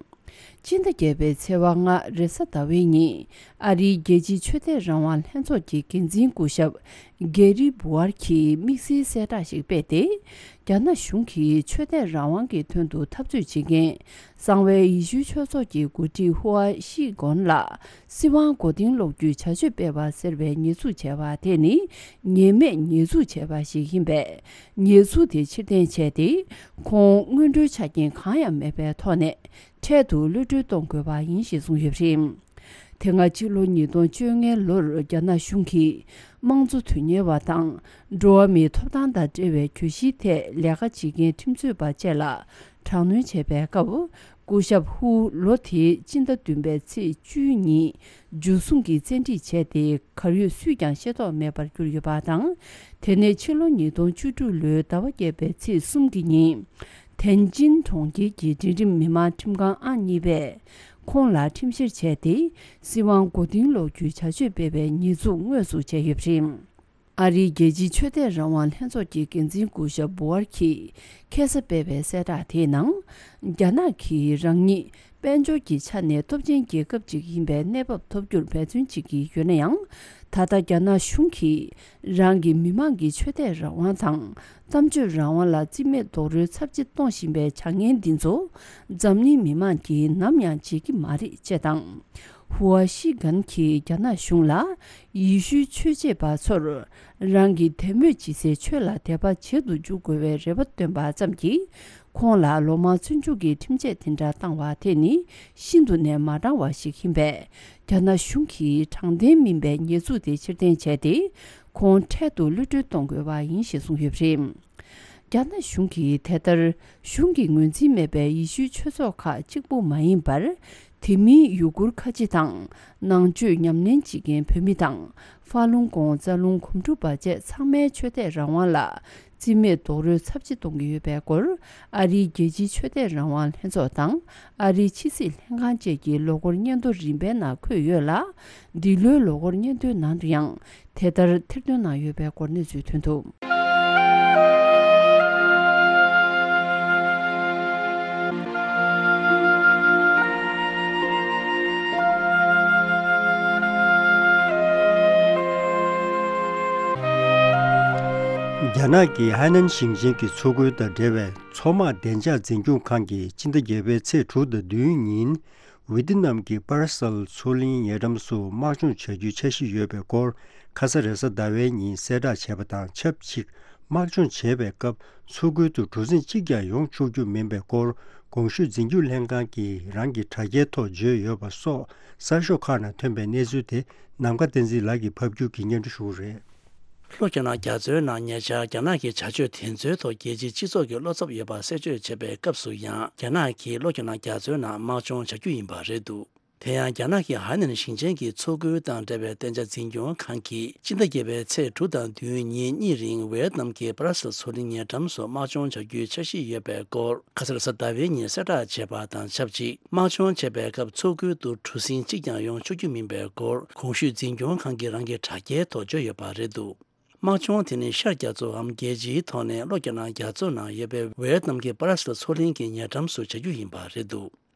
སྤྱི་ཟླ་བརྒྱད་པའི་ཚེས་པ་ལྔ་རེས་གཟའ་ཟླ་བའི་ཉིན། ཨ་རིའི་རྒྱལ་སྤྱིའི་ཆོས་དད་རང་དབང་ལྷན་ཚོགས་ཀྱི་འགན་འཛིན་སྐུ་ཞབས་གེ་རི་བུ་ཨར་གྱིས་དམིགས་བསལ་གསལ་བསྒྲགས་ཤིག་སྤེལ་ཏེ། རྒྱ་ནག་གཞུང་གིས་ཆོས་དད་རང་དབང་གི་དོན་དུ་འཐབ་རྩོད་བྱེད་མཁན་གསང་བའི་ཡེ་ཤུའི་ཆོས་ཚོགས་ཀྱི་འགོ་ཁྲིད་ཧུའ་ཤི་གོན་ལ་སྲིད་དབང་མགོ་རྟིང་སློག་རྒྱུའི་བྱ་སྤྱོད་སྤེལ་བ་ཟེར་བའི་ཉེས་འཛུགས་བྱས་པ་དེ་ནི་ཉེས་མེད་ཉེས་འཛུགས་བྱས་པ་ཞིག་ཡིན་པས། ཉེས་འཛུགས་དེ་ཕྱིར་འཐེན་བྱས་ཏེ། ཁོང་སྔོན་འགྲོའི་ཆ་རྐྱེན་གང་ཡང་མེད་པའི་ཐོག་ནས། འཕྲལ་དུ་གློད་གྲོལ་གཏོང་དགོས་པ་ཡིན་ཞེས་གསུངས་ཡོད་པ་རེད། དེ་སྔ་ཕྱི་ལོ་ཉིས་སྟོང་བཅོ་ལྔ་ལོར་རྒྱ་ནག་གཞུང་གིས་དམངས་གཙོ་དོན་གཉེར་བ་དང་འགྲོ་བ་མིའི་ཐོབ་ཐང་དང་འབྲེལ་བའི་གྱོད་གཞིའི་ཐད་ལས་ཀ་བྱེད་མཁན་ཁྲིམས་རྩོད་པ་བཅས་ལ་དྲག་གནོན་བྱས་པའི་སྐབས། སྐུ་ཞབས་ཧུ་ལོ་དེའི་སྤྱི་ཟླ་བདུན་པའི་ཚེས་བཅུ་གཉིས་འཇུ་བཟུང་གིས་བཙན་ཁྲིད་བྱས་ཏེ་གར་ཡོད་སུས་ཀྱང་ཤེས་རྟོགས་མེད་པར་གྱུར་ཡོད་པ་དང་། དེ་ནས་ཕྱི་ལོ་ཉིས་སྟོང་བཅུ་དྲུག་ལོའི་ཟླ་བ་བརྒྱད་པའི་ཚེས་གསུམ་གྱི་ཉིན། ཐན་ཅིན་གྲོང་ཁྱེར་གྱི་འབྲིང་རིམ་མི་དམངས་ཁྲིམས་ཁང་ཨང་གཉིས་པས་ཁོང་ལ་ཁྲིམས་བཤེར་བྱས་ཏེ། སྲིད་དབང་མགོ་རྟིང་སློག་རྒྱུའི་བྱ་སྤྱོད་སྤེལ་བའི་ཉེས་འཛུགས་དངོས་སུ་བྱས་ཡོད་པ་རེད། ཨ་རིའི་རྒྱལ་སྤྱིའི་ཆོས་དད་རང་དབང་ལྷན་ཚོགས་ཀྱི་འགན་འཛིན་སྐུ་ཞབས་བུ་ཨར་གྱིས་ཁ་སང་སྤེལ་བའི་གསལ་བསྒྲགས་དེའི་ནང་། རྒྱ་ནག་གིས་རང་ཉིད་དཔལ་འབྱོར་གྱི་ཆ་ནས་སྟོབས་ཆེན་རྒྱལ་ཁབ་ཅིག་ཡིན་པའི་གནས་བབ་ཐོབ་རྒྱུར་འབད་བརྩོན་བྱེད་ཀྱི་ཡོད་ན་ཡང་། ད་ལྟ་རྒྱ་ནག་གཞུང་གིས་རང་གི་མི་དམངས་ཀྱི་ཆོས་དད་རང་དབང་དང་གཏམ་བརྗོད་རང་དབང་ལ་རྩིས་མེད་རྡོག་རོལ་ཚབས་ཆེ་གཏོང་བཞིན་པའི་བྱ་ངན་འདི་ཚོ་འཛམ་གླིང་མི་དམངས་ཀྱིས་ནམ་ཡང་བརྗེད་ཀྱི་མ་རེད་ཅེས་དང་། ཧུའ་ཤི་གན་གྱིས་རྒྱ་ནག་གཞུང་ལ་ཡེ་ཤུའི་ཆོས་བྱེད་པ་ཚོར་རང་གི་དད་མོས་བྱེད་སའི་ཆོས་ལ་དད་པ་བྱེད་དུ་འཇུག་དགོས་པའི་རེ་བ་བཏོན་པ་ཙམ་གྱིས། ཁོང་ལ་ལོ་མང་བཙོན་འཇུག་གི་ཁྲིམས་ཆད་དེ་འདྲ་བཏང་བ་དེ་ནི་ཤིན་ཏུ་ནས་མ་འདྲ་བ་ཞིག་ཡིན་པས། རྒྱ་ནག་གཞུང་གིས་དྲང་བདེན་མིན་པའི་ཉེས་འཛུགས་དེ་ཕྱིར་འཐེན་བྱས་ཏེ། ཁོང་འཕྲལ་དུ་གློད་གྲོལ་གཏོང་དགོས་པ་ཡིན་ཞེས་གསུངས་ཡོད་པ་རེད། རྒྱ་ནག་གཞུང་གིས་དེ་ལྟར་གཞུང་གི་ངོས་འཛིན་མེད་པའི་ཡེ་ཤུའི་ཆོས་ཚོགས་ཁག་གཅིག་པུ་མ་ཡིན་པར། དེ་མིན་ཡུ་གུར་ཁ་ཆེ་དང་ནང་ཆོས་ཉམས་ལེན་བྱེད་མཁན་བོད་མི་དང་། ཧྥ་ལུང་ཀོང་། རྩ་ལུང་། གོམ་ཕྲུག་བར་ཆད་ཚང་མའི་ཆོས་དད་རང་དབང་ལ་རྩིས་མེད་རྡོག་རོལ་ཚབས་ཆེ་གཏོང་གི་ཡོད་པའི་སྐོར། ཨ་རིའི་རྒྱལ་སྤྱིའི་ཆོས་དད་རང་དབང་ལྷན་ཚོགས་དང་། ཨ་རིའི་ཕྱི་སྲིད་ལྷན་ཁང་བཅས་ཀྱི་ལོ་འཁོར་སྙན་ཐོ་རིམ་པའི་ནང་འཁོད་ཡོད་ལ། འདི་ལོའི་ལོ་འཁོར་སྙན་ཐོའི་ནང་དུ་ཡང་དེ་ལྟར་ཐེར་འདོན་གནང་ཡོད་པའི་སྐོར་གནས་ཚུལ་ཐོན་འདུག། རྒྱ་ནག་གི་ཧའེ་ནན་ཞིང་ཆེན་གྱི་མཚོ་ཁུལ་དང་འབྲེལ་བའི་མཚོ་དམག་བདེ་འཇགས་འཛིན་སྐྱོང་ཁང་གིས་སྤྱི་ཟླ་བརྒྱད་པའི་ཚེས་དྲུག་དང་བདུན་ཉིན། ཝེ་ཏི་ནམ་གྱི་པ་ར་སལ་མཚོ་གླིང་ཉེ་འགྲམ་སུ་དམག་སྦྱོང་བྱ་རྒྱུའི་འཆར་གཞི་ཡོད་པའི་སྐོར། ཁ་ས་རེས་གཟའ་ཟླ་བའི་ཉིན་གསལ་བསྒྲགས་བྱས་པ་དང་ཆབས་ཅིག་དམག་སྦྱོང་བྱེད་པའི་སྐབས་མཚོ་ཁུལ་དུ་གྲུ་གཟིངས་གཅིག་ཀྱང་ཡོང་ཆོག་རྒྱུ་མིན་པའི་སྐོར། གོང་ཞུས་འཛིན་སྐྱོང་ལྷན་ཁང་གིས་རང་གི་དྲ་རྒྱའི་ཐོག་བརྗོད་ཡོད་པ་སོགས་གསར་ཤོག་ཁག་ནང་ཐོན་པའི་གནས་ཚུལ་དེ་ནམ་མཁའ་བསྟན་འཛིན་ལགས་ཀྱིས་ཕབ་སྒྱུར་གྱིས་སྙན་སྒྲོན་ཞུ་གི་རེད། ལྷོ་རྒྱ་ནག་རྒྱ་མཚོའི་ནང་ཉེ་ཆར་རྒྱ་ནག་གི་བྱ་སྤྱོད་དེ་ཚོའི་ཐོག་རྒྱལ་སྤྱིའི་སྤྱི་ཚོགས་ཀྱི་བློ་འཚབ་ཡོད་པ་གསལ་བརྗོད་བྱས་པའི་སྐབས་སུ་ཡང་རྒྱ་ནག་གིས་ལྷོ་རྒྱ་ནག་རྒྱ་མཚོའི་ནང་དམག་སྦྱོང་བྱ་རྒྱུ་ཡིན་པ་རེད་འདུག། དེ་ཡང་རྒྱ་ནག་གི་ཧའེ་ནན་ཞིང་ཆེན་གྱི་མཚོ་ཁུལ་དང་འབྲེལ་བའི་བདེ་འཇགས་འཛིན་སྐྱོང་ཁང་གིས་སྤྱི་ཟླ་བརྒྱད་པའི་ཚེས་དྲུག་དང་བདུན་ཉིན་གཉིས་རིང་ཝེ་ཡེད་ནམ་གྱི་པ་ར་སལ་མཚོ་གླིང་ཉེ་འགྲམ་སུ་དམག་སྦྱོང་བྱ་རྒྱུའི་འཆར་གཞི་ཡོད་པའི་སྐོར་ཁ་སང་རེས་གཟའ་ཟླ་བའི་ཉིན་གསལ་བསྒྲགས་བྱས་པ་དང་ཆབས་ཅིག་དམག་སྦྱོང་བྱེད་པའི་སྐབས་མཚོ་ཁུལ་དུ་གྲུ་གཟིངས་གཅིག་ཀྱང་ཡོང་ཆོག་རྒྱུ་མིན་པའི་སྐོར་གོང་ཞུས་འཛིན་སྐྱོང་ཁང་གིས་རང་གི་དྲ་རྒྱའི་ཐོག་བརྗོད་ཡོད་པ་རེད་འདུག། དམག་སྦྱོང་དེ་ནི་ཤར་རྒྱ་མཚོའམ་རྒྱལ་སྤྱིའི་ཐོག་ནས་ལྷོ་རྒྱ་ནག་རྒྱ་མཚོ་ནང་ཡོད་པའི་ཝེ་ཡེད་ནམ་གྱི་པ་ར་སལ་མཚོ་གླིང་གི་ཉེ་འགྲམ་སུ་བྱ་རྒྱུ་ཡིན་པ་རེད་འདུག།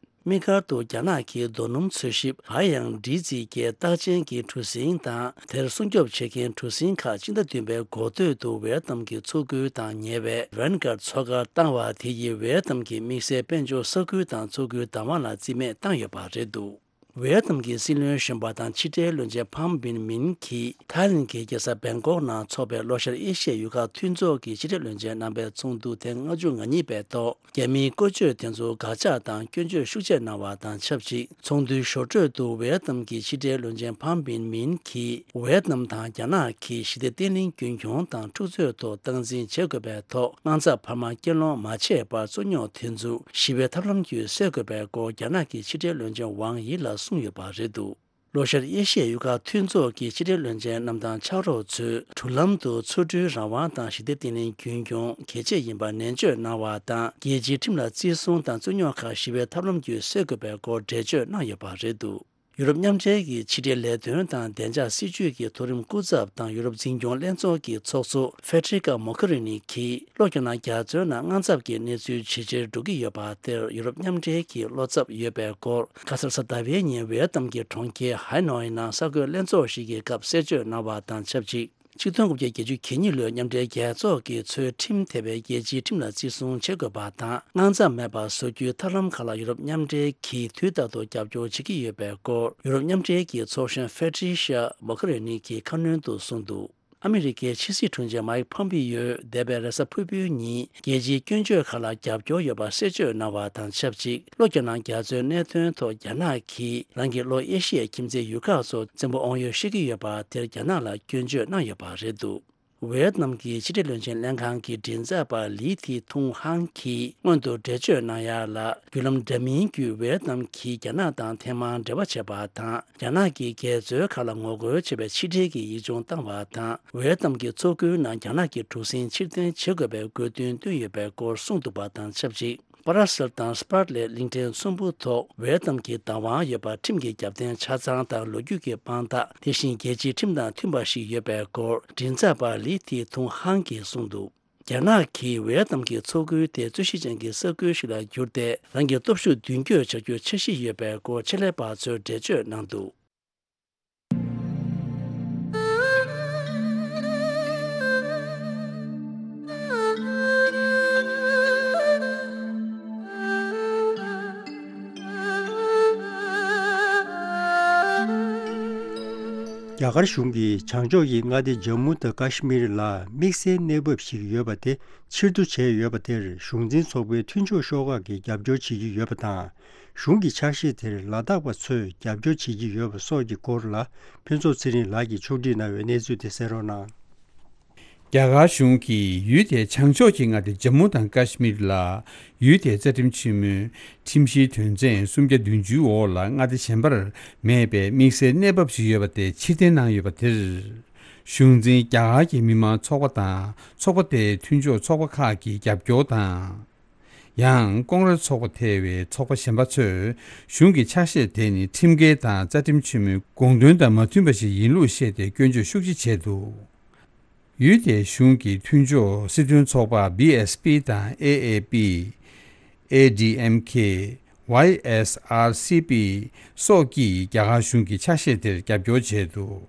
དམིགས་བཀར་དུ་རྒྱ་ནག་གིས་རྡོ་སྣུམ་འཚོལ་ཞིབ་གར་ཡང་འདྲིས་རྩིས་ཀྱི་རྟགས་ཅན་གྱི་གྲུ་གཟིངས་དང་དེར་སྲུང་སྐྱོབ་བྱེད་མཁན་གྲུ་གཟིངས་ཁག་སྤྱི་ཟླ་བདུན་པའི་འགོ་སྟོད་དུ་ཝེ་ཡེད་ནམ་གྱི་མཚོ་ཁུལ་དང་ཉེ་བའི་ཝན་གར་མཚོ་ཁར་བཏང་བ་དེ་ཡིས་ཝེ་ཡེད་ནམ་གྱི་དམིགས་བསལ་དཔལ་འབྱོར་ས་ཁུལ་དང་མཚོ་ཁུལ་བདག་དབང་ལ་རྩིས་མེད་བཏང་ཡོད་པ་རེད་འདུག། ཝེ་ཡེད་ནམ་གྱི་སྲིད་བློན་གཞོན་པ་དང་ཕྱི་འབྲེལ་བློན་ཆེན་ཕམ་བིན་མིན་གྱིས་ཐའི་ལེན་གྱི་རྒྱལ་ས་བེང་ཀོག་ནང་འཚོགས་པའི་ལྷོ་ཤར་ཨེ་ཤི་ཡའི་ཡུལ་ཁག་མཐུན་ཚོགས་ཀྱི་ཕྱི་འབྲེལ་བློན་ཆེན་རྣམ་པའི་ཚོགས་འདུ་ཐེངས་ལྔ་བཅུ་ང་གཉིས་པའི་ཐོག་རྒྱ་མིའི་བཀོལ་སྤྱོད་དེ་ཚོར་དགག་བྱ་དང་སྐྱོན་བརྗོད་ཤུགས་ཆེ་གནང་བ་དང་ཆབས་ཅིག་ཚོགས་འདུའི་ཞོར་འཕྲོས་དུ་ཝེ་ཡེད་ནམ་གྱི་ཕྱི་འབྲེལ་བློན་ཆེན་ཕམ་བིན་མིན་གྱིས་ཝེ་ཡེད་ནམ་དང་རྒྱ་ནག་གིས་ཞི་བདེ་བརྟན་ལྷིང་རྒྱུན་འཁྱོངས་དང་འཁྲུག་རྩོད་ཐོག་སྟངས་འཛིན་བྱེད་དགོས་པའི་ཐོག་དངངས་འཚབ་འཕར་མ་སྐྱེལ་སློང་མ་བྱས་པར་རྩོད་རྙོག་དེ་ཚོ་ཞི་བའི་ཐབས་ལམ་བརྒྱུད་སེལ་དགོས་པའི་སྐོར་རྒྱ་ནག་གི་ཕྱི་འབྲེལ་བློན་ཆེན་ཝང་ཡི་ལ་གསུངས་ཡོད་པ་རེད་འདུག། ལྷོ་ཤར་ཨེ་ཤི་ཡའི་ཡུལ་ཁག་མཐུན་ཚོགས་ཀྱི་ཕྱི་འབྲེལ་བློན་ཆེན་རྣམས་དང་ཕྱག་རོགས་ཚོས་འགྲུལ་ལམ་དུ་མཚོ་གྲུའི་རང་དབང་དང་ཞི་བདེ་བརྟན་ལྷིང་རྒྱུན་འཁྱོངས་གལ་ཆེ་ཡིན་པ་ནན་བརྗོད་གནང་བ་དང་རྒྱལ་སྤྱིའི་ཁྲིམས་ལ་བརྩི་སྲུང་དང་རྩོད་རྙོག་ཁག་ཞི་བའི་ཐབས་ལམ་བརྒྱུད་སེལ་དགོས་པའི་སྐོར་འགྲེལ་བརྗོད་གནང་ཡོད་པ་རེད་འདུག། ཡུ་རོབ་མཉམ་འབྲེལ་གྱི་ཕྱི་འབྲེལ་ལས་དོན་དང་བདེ་འཇགས་སྲིད་ཇུས་ཀྱི་མཐོ་རིམ་སྐུ་ཚབ་དང་ཡུ་རོབ་འཛིན་སྐྱོང་ལྷན་ཚོགས་ཀྱི་ཚོགས་གཙོ་ཧྥེ་ཏྲི་ཀ་མོ་ཁ་རི་ནི་གིས་ལྷོ་རྒྱ་ནག་རྒྱ་མཚོའི་ནང་དངངས་འཚབ་ཀྱི་གནས་ཚུལ་ཇེ་ཆེར་འགྲོ་གི་ཡོད་པ་དེར་ཡུ་རོབ་མཉམ་འབྲེལ་གྱི་བློ་འཚབ་ཡོད་པའི་སྐོར་ཁ་སང་རེས་གཟའ་ཟླ་བའི་ཉིན་ཝེ་ཡེད་ནམ་གྱི་གྲོང་ཁྱེར་ཧའེ་ནོའི་ནང་གསར་འགོད་ལྷན་ཚོགས་ཤིག་གི་སྐབས་གསལ་བརྗོད་གནང་བ་དང་ཆབས་ཅིག་ཆིག་སྟོང་དགུ་བརྒྱ་བརྒྱད་ཅུ་གྱ་གཉིས་ལོའི་མཉམ་འབྲེལ་རྒྱལ་ཚོགས་ཀྱིས་ཚུལ་ཁྲིམས་ཐེ་བའི་རྒྱལ་སྤྱིའི་ཁྲིམས་ལ་བརྩི་སྲུང་བྱེད་དགོས་པ་དང་། དངངས་འཚབ་མེད་པར་བཟོ་རྒྱུའི་ཐབས་ལམ་ཁག་ལ་ཡུ་རོབ་མཉམ་འབྲེལ་གྱིས་དུས་རྟག་ཏུ་རྒྱབ་སྐྱོར་བྱེད་ཀྱི་ཡོད་པའི་སྐོར་ཡུ་རོབ་མཉམ་འབྲེལ་གྱི་ཚོགས་གཞོན་ཧྥེ་ཏྲི་ཤ་མོ་ཁ་རི་ནི་གིས་ཁ་སྣོན་དུ་གསུངས་འདུག། ཨ་མི་རི་ཀའི་ཕྱི་སྲིད་དྲུང་ཆེ་མཱིག་ཕོམ་པི་ཡོས་འདས་པའི་རེས་གཟའ་ཕུར་བུའི་ཉིན་རྒྱལ་སྤྱིའི་སྐྱོན་བརྗོད་ཁག་ལ་རྒྱབ་སྐྱོར་ཡོད་པ་གསལ་བརྗོད་གནང་བ་དང་ཆབས་ཅིག་ལྷོ་རྒྱ་ནག་རྒྱ་མཚོའི་གནད་དོན་ཐོག་རྒྱ་ནག་གིས་རང་གི་ལྷོ་ཨེ་ཤི་ཡའི་ཁྱིམ་མཚེས་ཡུལ་ཁག་ཚོ་བཙན་པོ་དབང་ཡོད་བཤད་ཀྱི་ཡོད་པ་དེར་རྒྱ་ནག་ལ་སྐྱོན་བརྗོད་གནང་ཡོད་པ་རེད་འདུག། ཝེ་ཡེད་ནམ་གྱི་ཕྱི་འབྲེལ་བློན་ཆེན་ལྷན་ཁང་གི་མགྲིན་ཚབ་པ་ལི་ཐི་ཐུང་ཧང་གིས་སྔོན་དུ་འགྲེལ་བརྗོད་གནང་ཡ་ལ། བརྒྱུད་ལམ་འདྲ་མིན་བརྒྱུད་ཝེ་ཡེད་ནམ་གྱིས་རྒྱ་ནག་དང་ཐེངས་མང་འབྲེལ་བ་བྱས་པ་དང་། རྒྱ་ནག་གིས་རྒྱལ་མཚོའི་ཁ་ལ་ངོ་རྒོལ་བྱས་པའི་ཕྱི་འབྲེལ་གྱི་ཡིག་ཆུང་བཏང་བ་དང་། ཝེ་ཡེད་ནམ་གྱི་མཚོ་ཁུལ་ནང་རྒྱ་ནག་གི་གྲུ་གཟིངས་ཕྱིར་འཐེན་བྱེད་དགོས་པའི་དགོས་འདུན་བཏོན་ཡོད་པའི་སྐོར་གསུངས་འདུག་པ་དང་ཆབས་ཅིག། པ་ར་སེལ་དང་སྤར་ལེ་གླིང་ཕྲན་ཚོམ་བུ་ཐོག་ཝེ་ཡེད་ནམ་གྱི་བདག་དབང་ཡོད་པ་ཁྲིམས་ཀྱི་རྒྱབ་རྟེན་ཆ་ཚང་དང་ལོ་རྒྱུས་ཀྱི་དཔང་རྟགས། དེ་བཞིན་རྒྱལ་སྤྱིའི་ཁྲིམས་དང་མཐུན་པ་ཞིག་ཡོད་པའི་སྐོར་མགྲིན་ཚབ་པ་ལི་ཐི་ཐུང་ཧང་གིས་གསུངས་འདུག། རྒྱ་ནག་གིས་ཝེ་ཡེད་ནམ་གྱི་མཚོ་ཁུལ་དེ་རྩོད་གཞི་ཅན་གྱི་ས་ཁུལ་ཞིག་ལ་བསྒྱུར་ཏེ། རང་གི་སྟོབས་ཤུགས་མདུན་སྐྱོད་བྱ་རྒྱུའི་འཆར་གཞི་ཡོད་པའི་སྐོར་ཆེད་ལས་པ་ཚོས་འགྲེལ་བརྗོད་གནང་འདུག། རྒྱ་གར་གཞུང་གིས་བྱང་ཕྱོགས་ཀྱི་མངའ་སྡེ་ཇམ་མུ་དང་ཀ་ཤི་མིར་ལ་དམིགས་བསལ་གནས་བབ་ཞིག་ཡོད་པ་དེ་ཕྱིར་བསྡུ་བྱས་ཡོད་པ་དེར་གཞུང་འཛིན་ཚོགས་པའི་མཐུན་ཕྱོགས་ཤོག་ཁག་གིས་རྒྱབ་སྐྱོར་བྱེད་ཀྱི་ཡོད་པ་དང་། གཞུང་གི་ཕྱག་བཞེས་དེར་ལ་དྭགས་པ་ཚོས་རྒྱབ་སྐྱོར་བྱེད་ཀྱི་ཡོད་པ་སོགས་ཀྱི་སྐོར་ལ་ཕུན་ཚོགས་ཚེ་རིང་ལགས་ཀྱིས་ཕྱོགས་སྒྲིག་གནང་བའི་གནས་ཚུལ་དེ་གསན་རོགས་གནང་། རྒྱ་གར་གཞུང་གིས་ཡུལ་དེའི་བྱང་ཕྱོགས་ཀྱི་མངའ་སྡེ་ཇམ་མུ་དང་ཀ་ཤི་མིར་ལ་ཡུལ་དེའི་རྩ་ཁྲིམས་ཆེན་མོའི་ཁྲིམས་གཞིའི་དོན་ཚན་སུམ་བརྒྱ་བདུན་ཅུའི་འོག་ལ་མངའ་སྡེ་གཞན་པར་མེད་པའི་དམིགས་བསལ་གནས་བབ་ཞིག་ཡོད་པ་དེ་ཕྱིར་འཐེན་གནང་ཡོད་པ་དེར། གཞུང་འཛིན་རྒྱ་གར་གྱི་མི་མང་ཚོགས་པ་དང་ཚོགས་པ་དེའི་མཐུན་ཕྱོགས་ཚོགས་པ་ཁག་གིས་རྒྱབ་སྐྱོར་དང་། ཡང་ཀོང་རེ་ཚོགས་པ་ཐེ་བའི་ཚོགས་པ་གཞན་པ་ཚོས་གཞུང་གི་ཕྱག་བཞེས་དེ་ནི་ཁྲིམས་འགལ་དང་རྩ་ཁྲིམས་ཆེན་མོའི་དགོངས་དོན་དང་མ་མཐུན་པ་ཞིག་ཡིན་ལུགས་བཤད་དེ་སྐྱོན་བརྗོད་ཤུགས་ཆེ་བྱས་འདུག་ཡུལ་དེའི་གཞུང་གི་མཐུན་ཕྱོགས་སྲིད་དོན་ཚོགས་པ་བི་ཨེས་པི་དང་ཨེ་ཨེ་པི། ཨེ་ཌི་ཨེམ་ཁེ། ཝའི་ཨེས་ཨར་སི་པི་སོགས་ཀྱིས་རྒྱ་གར་གཞུང་གི་ཕྱག་བཞེས་དེར་རྒྱབ་སྐྱོར་བྱས་འདུག་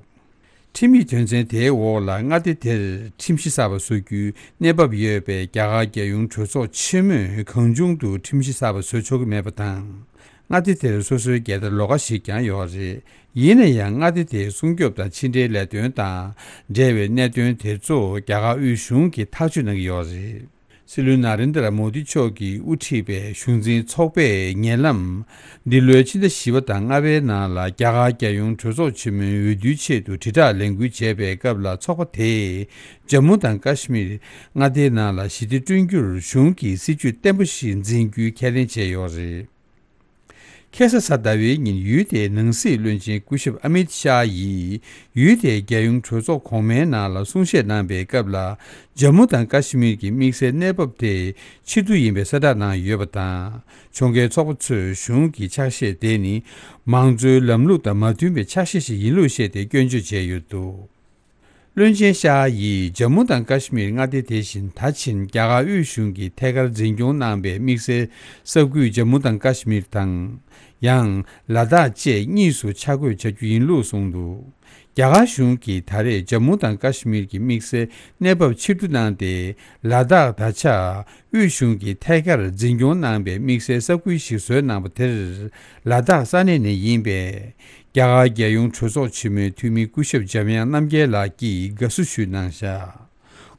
ཁྲིམས་ཡིག་དོན་ཚན་དེའི་འོག་ལ་མངའ་སྡེ་དེར་ཁྲིམས་གཞི་གསར་པ་བཟོ་རྒྱུའི་གནས་བབ་ཡོད་པས། རྒྱ་གར་རྒྱལ་ཡོངས་གྲོས་ཚོགས་ཆེན་མོས་གང་བྱུང་དུ་ཁྲིམས་གཞི་གསར་པ་བཟོ་ཆོག་གི་མེད་པ་དང་། མངའ་སྡེ་དེར་སོ་སོའི་རྒྱལ་དར་ལོགས་ཀ་ཞིག་ཀྱང་ཡོད་རེད། ཡིན་ན་ཡང་མངའ་སྡེ་དེའི་སྲུང་སྐྱོབ་དང་ཕྱི་འབྲེལ་ལས་དོན་དང་འབྲེལ་བའི་གནད་དོན་དེ་ཚོ་རྒྱ་གར་དབུས་གཞུང་གིས་ཐག་གཅོད་གནང་གི་ཡོད་རེད། སྲིད་བློན་ན་རེན་དྲ་མོ་དི་མཆོག་གིས་དབུ་ཁྲིད་པའི་གཞུང་འཛིན་ཚོགས་པས་ཉེ་ལམ་འདི་ལོའི་ཕྱི་ཟླ་བཞི་པ་དང་ལྔ་པའི་ནང་ལ་རྒྱ་གར་རྒྱལ་ཡོངས་གྲོས་ཚོགས་ཆེན་མོའི་འོས་བསྡུའི་ཆེད་དུ་དྲིལ་བསྒྲགས་ལས་འགུལ་བྱས་པའི་སྐབས་ལ་ཚོགས་པ་དེས་ཇམ་མུ་དང་ཀ་ཤི་མིར་མངའ་སྡེའི་ནང་ལ་ཞི་བདེ་བསྐྲུན་རྒྱུར་གཞུང་གིས་སྲིད་ཇུས་བརྟན་པོ་ཞིག་འཛིན་རྒྱུའི་ཁས་ལེན་བྱས་ཡོད་རེད། ཁ་སང་གཟའ་ཟླ་བའི་ཉིན་ཡུལ་དེའི་ནང་སྲིད་བློན་ཆེན་སྐུ་ཞབས་ཨ་མིད་ཤཱ་ཡིས་ཡུལ་དེའི་རྒྱལ་ཡོངས་གྲོས་ཚོགས་གོང་མའི་ནང་ལ་གསུང་བཤད་གནང་པའི་སྐབས་ལ། ཇམ་མུ་དང་ཀ་ཤི་མིར་གྱི་དམིགས་བསལ་གནས་བབ་དེ་ཕྱིར་བསྡུ་ཡིན་པའི་གསལ་བསྒྲགས་གནང་ཡོད་པ་དང་། ཕྱོགས་འགལ་ཚོགས་པ་ཚོས་གཞུང་གི་ཕྱག་བཞེས་དེ་ནི་མང་གཙོའི་ལམ་ལུགས་དང་མ་མཐུན་པའི་ཕྱག་བཞེས་ཤིག་ཡིན་ལུགས་བཤད་དེ་སྐྱོན་བརྗོད་བྱས་ཡོད་འདུག་བློན་ཆེན་ཤཱ་ཡིས་ཇམ་མུ་དང་ཀ་ཤི་མིར་མངའ་སྡེ་དེ་བཞིན་ད་ཕྱིན་རྒྱ་གར་དབུས་གཞུང་གིས་ཐད་ཀར་འཛིན་སྐྱོང་གནང་པའི་དམིགས་བསལ་ས་ཁུལ་ཇམ་མུ་དང་ཀ་ཤི་མིར་དང་། ཡང་ལ་དྭགས་བཅས་གཉིས་སུ་ཆ་བགོས་བྱ་རྒྱུ་ཡིན་ལུགས་གསུངས་འདུག་རྒྱ་གར་གཞུང་གིས་ད་རེས་ཇམ་མུ་དང་ཀ་ཤི་མིར་གྱི་དམིགས་བསལ་གནས་བབ་ཕྱིར་བསྡུ་གནང་སྟེ། ལ་དྭགས་ད་ཆ་དབུས་གཞུང་གིས་ཐད་ཀར་འཛིན་སྐྱོང་གནང་པའི་དམིགས་བསལ་ས་ཁུལ་ཞིག་བཟོས་གནང་པ་དེར་ལ་དྭགས་ས་གནས་ནས་ཡིན་པའི་རྒྱ་གར་རྒྱལ་ཡོངས་གྲོས་ཚོགས་ཆེན་མོའི་འཐུས་མི་སྐུ་ཞབས་འཇམ་དབྱངས་རྣམ་རྒྱལ་ལགས་ཀྱིས་དགའ་བསུ་ཞུས་གནང་བཞག་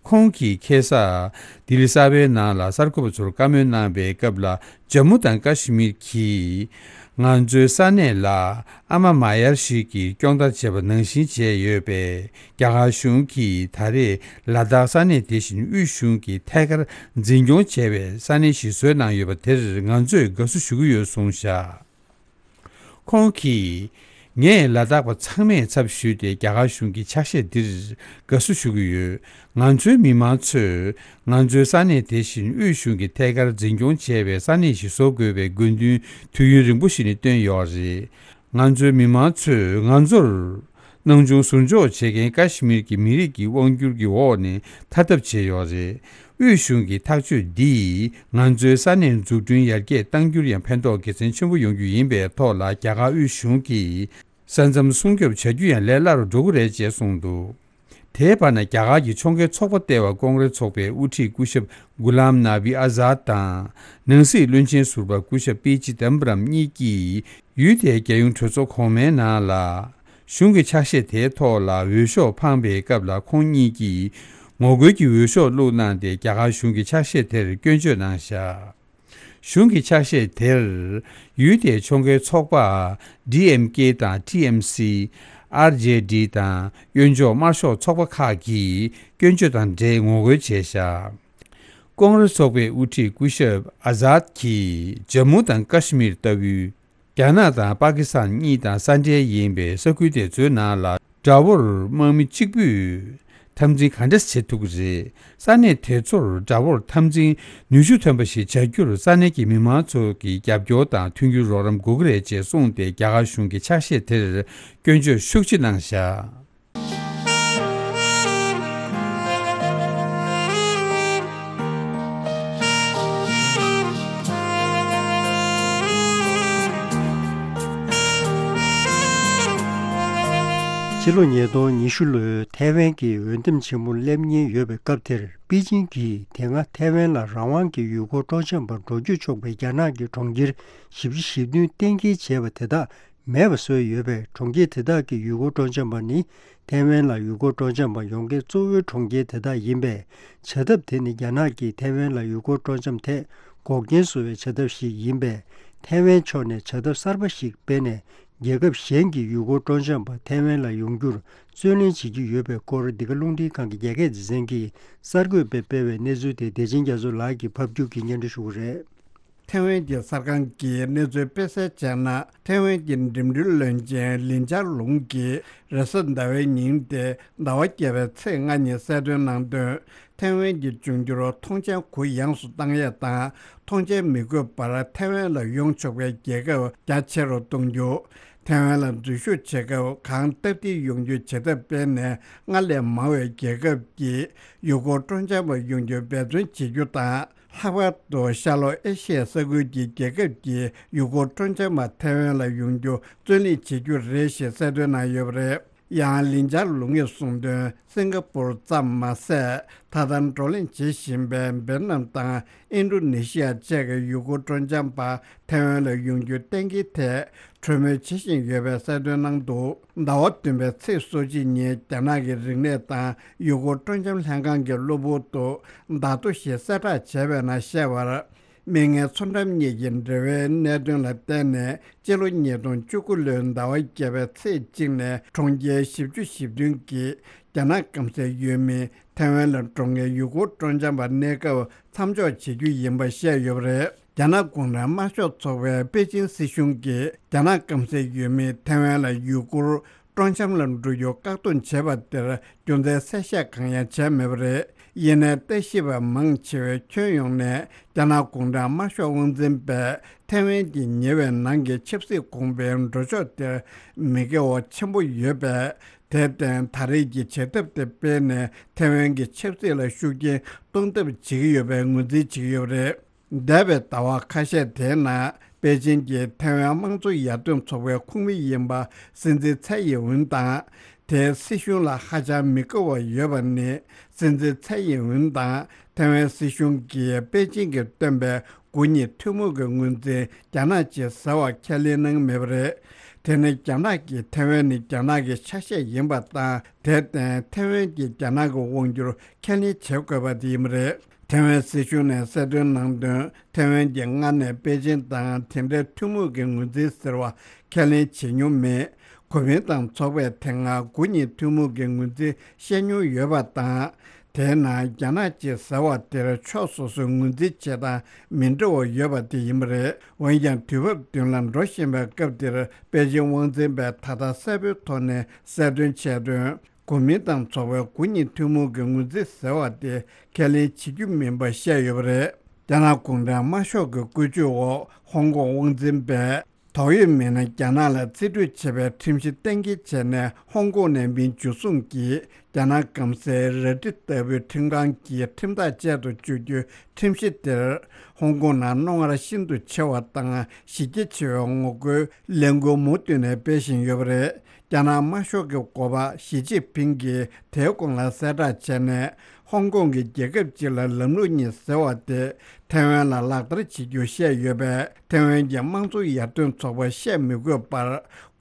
ཁོང་གིས་ཁ་སང་ལྡི་ལི་གསར་པའི་ནང་ལ་གསར་འགོད་པ་ཚོར་བཀའ་མོལ་གནང་པའི་སྐབས་ལ། ཇམ་མུ་དང་ཀ་ཤི་མིར་གྱིས་ང་ཚོའི་ས་གནས་ལ་ཨ་མ་མ་ཡར་ཞིག་གིས་སྐྱོང་བརྡར་བྱས་པ་ནང་བཞིན་བྱས་ཡོད་པས། རྒྱ་གར་གཞུང་གིས་ད་རེས་ལ་དྭགས་ས་གནས་དེ་བཞིན་དབུས་གཞུང་གིས་ཐད་ཀར་འཛིན་སྐྱོང་བྱས་པའི་ས་གནས་ཤིག་བཟོས་གནང་ཡོད་པ་དེར་ང་ཚོས་དགའ་བསུ་ཞུ་གི་ཡོད་གསུངས་བཞག་ཁོང་གིས། ངས་ལ་དྭགས་པ་ཚང་མའི་ཚབ་ཞུས་ཏེ་རྒྱ་གར་གཞུང་གི་ཕྱག་བཞེས་འདིར་དགའ་བསུ་ཞུ་གི་ཡོད། ང་ཚོའི་མི་མང་ཚོས་ང་ཚོའི་ས་གནས་དེ་བཞིན་དབུས་གཞུང་གིས་ཐད་ཀར་འཛིན་སྐྱོང་བྱས་པའི་ས་གནས་ཤིག་བཟོ་དགོས་པའི་དགོས་འདུན་དུས་ཡུན་རིང་པོ་ཞིག་ནས་བཏོན་ཡོད་རེད། ང་ཚོའི་མི་མང་ཚོས་ང་ཚོར་སྣང་ཆུང་ཟུར་འཇོག་བྱེད་མཁན་ཀ་ཤི་མིར་གྱི་མི་རིགས་ཀྱི་དབང་སྒྱུར་གྱི་འོག་ནས་ཐར་ཐབས་བྱས་ཡོད་རེད། དབུས་གཞུང་གི་ཐག་གཅོད་འདིས་ང་ཚོའི་ས་གནས་འཛུགས་སྐྲུན་ཡར་རྒྱས་གཏང་རྒྱུར་ཡང་ཕན་ཐོགས་དགེ་མཚན་ཆེན་པོ་ཡོང་རྒྱུ་ཡིན་པའི་ཐོག་ལ། རྒྱ་གར་དབུས་གཞུང་གིས་ས་མཚམས་སྲུང་སྐྱོབ་བྱ་རྒྱུ་ཡང་ལས་སླ་རུ་འགྲོ་གི་རེད་ཅེས་གསུངས་འདུག་དེའི་བར་ན། རྒྱ་གར་གྱི་ཕྱོགས་འགལ་ཚོགས་པ་ལྟེ་བ་ཀོང་རེ་ཚོགས་པའི་དབུ་ཁྲིད་སྐུ་ཞབས་གུ་ལམ་ནཱ་བི་ཨ་ཛཱད་དང་། ནང་སྲིད་བློན་ཆེན་ཟུར་པ་སྐུ་ཞབས་པི་ཅི་དམ་པ་རམ་གཉིས་ཀྱིས། ཡུལ་དེའི་རྒྱལ་ཡོངས་གྲོས་ཚོགས་གོང་མའི་ནང་ལ། གཞུང་གི་ཕྱག་བཞེས་དེའི་ཐོག་ལ་འོས་ཤོག་འཕངས་པའི་སྐབས་ལ། ཁོང་གཉིས་ཀྱིས་ངོ་རྒོལ་གྱི་འོས་ཤོག་བླུགས་གནང་སྟེ། རྒྱ་གར་གཞུང་གི་ཕྱག་བཞེས་དེར་སྐྱོན་བརྗོད་གནང་བཞག་གཞུང་གི་ཕྱག་བཞེས་དེར། ཡུལ་དེའི་ཕྱོགས་འགལ་ཚོགས་པ་ཌི་ཨེམ་ཀེ་དང་ཊི་ཨེམ་སི། ཨར་ཇེ་ཌི་དང་གཡོན་ཕྱོགས་དམར་ཤོག་ཚོགས་པ་ཁག་གིས་སྐྱོན་བརྗོད་དང་འབྲེལ་ངོ་རྒོལ་བྱས་བཞག་ཀོང་རེ་ཚོགས་པའི་དབུ་ཁྲིད་སྐུ་ཞབས་ཨ་ཛཱད་ཀྱིས་ཇམ་མུ་དང་ཀ་ཤི་མིར་ལྟ་བུའི་རྒྱ་ནག་དང་པ་ཀི་སི་ཐན་གཉིས་དང་ས་འབྲེལ་ཡིན་པའི་ས་ཁུལ་དེ་ཚོའི་ནང་ལ། དགྲ་བོར་དམག་མི་གཅིག་པུས་འཐབ་འཛིང་ག་འདྲ་བྱེད་ཐུབ་ཀྱི་རེད། ས་གནས་དེ་ཚོར་དགྲ་བོར་འཐབ་འཛིང་ནུས་ཤུགས་ཐོན་པ་ཞིག་བྱ་རྒྱུར་ས་གནས་ཀྱི་མི་མང་ཚོ་གི་རྒྱབ་སྐྱོར་དང་མཐུན་འགྱུར་རོགས་རམ་དགོས་ཀྱི་རེད་ཅེས་གསུངས་ཏེ། རྒྱ་གར་གཞུང་གི་ཕྱག་བཞེས་དེར་སྐྱོན་བརྗོད་ཤུགས་ཆེ་གནང་བཞག་ཕྱི་ལོ་ཉིས་སྟོང་ཉི་ཤུ་ལོའི་ཐའེ་ཝན་གྱི་འོས་འདེམས་ཆེན་མོ་སླེབས་ཉེན་ཡོད་པའི་སྐབས་དེར། པེ་ཅིང་གིས་དེ་སྔ་ཐའེ་ཝན་ལ་རང་དབང་གི་ཡུལ་སྐོར་སྤྲོ་འཆམ་པར་འགྲོ་སྐྱོད་ཆོག་པའི་རྒྱ་ནག་གི་གྲོང་ཁྱེར་བཞི་བཅུ་ཞེ་བདུན་གཏན་འཁེལ་བྱས་པ་དེ་དག་ མེད་པ་བཟོས་ཡོད་པས། གྲོང་ཁྱེར་དེ་དག་གི་ཡུལ་སྐོར་སྤྲོ་འཆམ་པ་ནི་ཐེ་ཝན་ལ་ཡུལ་སྐོར་སྤྲོ་འཆམ་པ་ཡོང་མཁན་གཙོ་བོའི་གྲོང་ཁྱེར་དེ་དག་ཡིན་པས། བྱ་ཐབས་དེ་ནི་རྒྱ་ནག་གིས་ཐེ་ཝན་ལ་ཡུལ་སྐོར་སྤྲོ་འཆམ་ཐད་འགོག་རྐྱེན་བཟོ་བའི་བྱ་ཐབས་ཤིག་ཡིན་པས། ཐེ་ཝན་ཕྱོགས་ནས་བྱ་ཐབས་གསར་པ་ཞིག་སྤེལ་ནས། རྒྱལ་ཁབ་གཞན་གྱི་ཡུལ་སྐོར་སྤྲོ་འཆམ་པ་ཐེ་ཝན་ལ་ཡོང་རྒྱུར་བརྩོན་ལེན་བྱེད་ཀྱི་ཡོད་པའི་སྐོར། འདི་ག་རླུང་འཕྲིན་ཁང་གི་རྒྱ་སྐད་སྡེ་ཚན་གྱིས་གསར་འགོད་པས་སྤེལ་བའི་གནས་ཚུལ་དེ་བདེ་ཆེན་རྒྱ་མཚོ་ལགས་ཀྱིས་ཕབ་སྒྱུར་གྱིས་སྙན་སྒྲོན་ཞུ་གི་རེད། ཐེ་ཝན་གྱི་གསར་ཁང་གིས་གནས་ཚུལ་སྤེལ་གསལ་བྱས་ན། ཐེ་ཝན་གྱི་འགྲིམ་འགྲུལ་བློན་ཆེན་ལིན་ཅར་ལུང་གིས་རེས་གཟའ་ཟླ་བའི་ཉིན་ཏེ་ཟླ་བ་བརྒྱད་པའི་ཚེས་ལྔ་ཉིན་གསལ་སྟོན་གནང་དོན། ཐེ་ཝན་གྱི་འབྱུང་འགྱུར་ཐོངས་མཆན་གུ་ཡངས་སུ་བཏང་ཡས་དང་། ཐོངས་མཆན་མི་དགོས་པར་ཐེ་ཝན་ལ་ཡོང་ཆོག་པའི་རྒྱལ་ཁབ་རྒྱ་ཆེ་རུ་གཏོང་རྒྱུ། ཐེ་ཝན་ལ་འཛུལ་ཞུགས་བྱེད་སྐབས་གང་སྟབས་བདེ་ཡོང་རྒྱུའི་བྱེད་ཐབས་སྤེལ་ནས། སྔར་ལས་མང་བའི་རྒྱལ་ཁབ་ཀྱིས་ཡུལ་སྐོར་སྤྲོ་འཆམ་པ་ཡོང་རྒྱུ་འབད་བརྩོན་བྱེད་རྒྱུ་དང་། ལྷག་པར་དུ་ཤར་ལྷོ་ཨེ་ཤི་ཡའི་ས་ཁུལ་གྱི་རྒྱལ་ཁབ་ཀྱིས་ཡུལ་སྐོར་སྤྲོ་འཆམ་པ་ཐེ་ཝན་ལ་ཡོང་རྒྱུ་བརྩོན་ལེན་བྱེད་རྒྱུ་རེད་ཞེས་གསལ་སྟོན་གནང་ཡོད་པ་རེད། ཡང་ལིན་ཅར་ལུང་ཡིས་གསུངས་དོན། སིང་ག་པུར་ཙམ་མ་ཟད། ད་ལྟ་བགྲོ་གླེང་བྱེད་བཞིན་པའི་ཝེ་ཏི་ནམ་དང་ཨིན་ཌོ་ནེ་ཤི་ཡ་བཅས་ཀྱི་ཡུལ་སྐོར་སྤྲོ་འཆམ་པ་ཐེ་ཝན་ལ་ཡོང་རྒྱུའི་གཏན་འཁེལ་ཐད་གྲོས་མོལ་བྱེད་བཞིན་ཡོད་པའི་གསལ་སྟོན་གནང་འདུག་ཟླ་བ་བདུན་པའི་ཚེས་སོ་གཅིག་ཉིན་རྒྱ་ནག་གི་རིག་གནས་དང་ཡུལ་སྐོར་སྤྲོ་འཆམ་ལྷན་ཁང་གི་གློ་བུར་དུ་བརྡ་ཐོ་ཞིག་གསལ་བསྒྲགས་བྱས་པའི་ནང་བཤད་པར། མིག་སྔའི་མཚོ་འགྲམ་གཉིས་ཀྱི་འབྲེལ་བའི་གནད་དོན་ལ་བརྟེན་ནས། སྤྱི་ལོ་ཉིས་སྟོང་བཅུ་དགུ་ལོའི་ཟླ་བ་བརྒྱད་པའི་ཚེས་གཅིག་ནས་གྲོང་ཁྱེར་བཞི་བཅུ་ཞེ་བདུན་གྱི་རྒྱ་ནག་སྐམ་སའི་ཡུལ་མི་ཐེ་ཝན་ལ་འགྲོ་མཁན་ཡུལ་སྐོར་སྤྲོ་འཆམ་པ་གནས་སྐབས་མཚམས་འཇོག་བྱེད་རྒྱུ་ཡིན་པ་བཤད་ཡོད་པ་རེད། རྒྱ་ནག་གུང་ཁྲན་དམར་ཤོག་ཚོགས་པའི་པེ་ཅིན་སྲིད་གཞུང་གིས་རྒྱ་ནག་སྐམ་སའི་ཡུལ་མི་ཐེ་ཝན་ལ་ཡུལ་སྐོར་སྤྲོ་འཆམ་ལ་འགྲོ་རྒྱུ་བཀག་སྡོམ་བྱས་པ་དེར་རྒྱུ་མཚན་གསལ་བཤད་གང་ཡང་བྱས་མེད་པ་རེད། ཡིན་ནའི་ལྟ་ཞིབ་པ་མང་ཆེ་བས་ཁྱོན་ཡོངས་ནས་རྒྱ་ནག་གུང་ཁྲན་དམར་ཤོག་དབང་འཛིན་པས་ཐེ་ཝན་གྱི་ཉེ་བའི་ནང་གི་ཆབ་སྲིད་གོང་འཕེལ་འགྲོ་ཕྱོགས་དེར་མི་དགའ་བ་ཆེན་པོ་ཡོད་པས། དེར་བརྟེན་ད་རེས་ཀྱི་བྱེད་ཐབས་དེ་སྤེལ་ནས་ཐེ་ཝན་གྱི་ཆབ་སྲིད་ལ་ཤུགས་རྐྱེན་གཏོང་ཐབས་བྱེད་ཀྱི་ཡོད་པའི་ངོས་འཛིན་བྱེད་ཀྱི་ཡོད་པ་རེད། འདས་པའི་ཟླ་བ་ཁ་ཤས་དེའི་ནང་པེ་ཅིན་གྱིས་ཐེ་ཝན་དམངས་གཙོ་ཡར་ཐོན་ཚོགས་པའི་ཁོངས་མི་ཡིན་པ་སྲིད་འཛིན་ཚའེ་ཡིན་ཝུན་དང་། དེའི་སྲིད་གཞུང་ལ་ཧ་ཅང་མི་དགའ་བ་ཡོད་པ་ནི། སྲིད་འཛིན་ཚའེ་ཡིན་ཝུན་དང་ཐེ་ཝན་སྲིད་གཞུང་གིས་པེ་ཅིན་གྱིས་བཏོན་པའི་དགུ་གཉིས་ཐུན་མོང་གི་ངོས་འཛིན་རྒྱ་ནག་ཅིག་ཟེར་བ་ཁས་ལེན་གནང་མེད་པ་རེད། དེ་ནི་རྒྱ་ནག་གིས་ཐེ་ཝན་ནི་རྒྱ་ནག་གི་ཆ་ཤས་ཡིན་པ་དང་། དེར་བརྟེན་ཐེ་ཝན་གྱིས་རྒྱ་ནག་གི་དབང་བསྒྱུར་ཁས་ལེན་བྱེད་དགོས་པ་དེ་ཡིན་པ་རེད། ཐེ་ཝན་སྲིད་གཞུང་ནས་གསལ་སྟོན་གནང་དོན། ཐེ་ཝན་གྱིས་སྔར་ནས་པེ་ཅིན་དང་དེ་འདྲའི་ཐུན་མོང་གི་ངོས་འཛིན་ཟེར་བ་ཁས་ལེན་བྱེད་མྱོང་མེད། གོ་མིན་ཏང་ཚོགས་པས་དེ་སྔ་དགུ་གཉིས་ཐུན་མོང་གི་ངོས་འཛིན་བཤད་མྱོང་ཡོད་པ་དང་། དེའི་ནང་རྒྱ་ནག་ཅིག་ཟེར་བ་དེར་ཕྱོགས་སོ་སོའི་ངོས་འཛིན་བྱེད་སྟངས་མི་འདྲ་བ་ཡོད་པ་དེ་ཡིན་པ་རེད། འོན་ཀྱང་དུས་བབ་མདུན་ལ་འགྲོ་བཞིན་པའི་སྐབས་འདིར་པེ་ཅིན་དབང་འཛིན་པས་ད་ལྟ་གསལ་པོའི་ཐོག་ནས་གསལ་སྟོན་བྱས་དོན། གོ་མིན་ཏང་ཚོགས་པའི་དགུ་གཉིས་ཐུན་མོང་གི་ངོས་འཛིན་ཟེར་བ་དེ་ཁས་ལེན་བྱེད་རྒྱུ་མིན་པ་བཤད་ཡོད་པ་རེད། རྒྱ་ནག་གུང་ཁྲན་དམར་ཤོག་གི་བཀོད་ཇུས་འོག་ཧོང་ཀོང་དབང་འཛིན་པས་དོགས་ཡོད་མི་སྣ་རྒྱ་ནག་ལ་རྩིས་སྤྲོད་བྱེད་པའི་ཁྲིམས་གཞི་གཏན་འཁེལ་བྱས་ནས། ཧོང་ཀོང་ནས་མི་འཇུ་བཟུང་གིས་རྒྱ་ནག་སྐམ་སའི་རལ་གྲི་ལྟ་བུའི་ཁྲིམས་ཁང་གི་ཁྲིམས་ཐག་བཅད་དུ་བཅུག་རྒྱུའི་ཁྲིམས་གཞི་དེར། ཧོང་ཀོང་ནང་རྣོ་ངར་ཤིན་ཏུ་ཆེ་བ་དང་གཞི་རྒྱ་ཆེ་བའི་ངོ་རྒོལ་ལས་འགུལ་མུ་མཐུད་ནས་སྤེལ་བཞིན་ཡོད་པ་རེད། རྒྱ་ནག་དམར་ཤོག་གི་འགོ་པ་ཞི་ཅིན་ཕིང་གིས་དེའི་གོང་ལ་གསལ་བསྒྲགས་བྱས་ནས། ཧོང་ཀོང་གི་རྒྱལ་ཁབ་ཅིག་ལ་ལམ་ལུགས་གཉིས་ཟེར་བ་དེ་ཐེ་ཝན་ལ་ལག་བསྟར་བྱེད་རྒྱུ་བཤད་ཡོད་པས། ཐེ་ཝན་གྱི་དམངས་གཙོ་ཡར་ཐོན་ཚོགས་པ་བཤད་མི་དགོས་པར།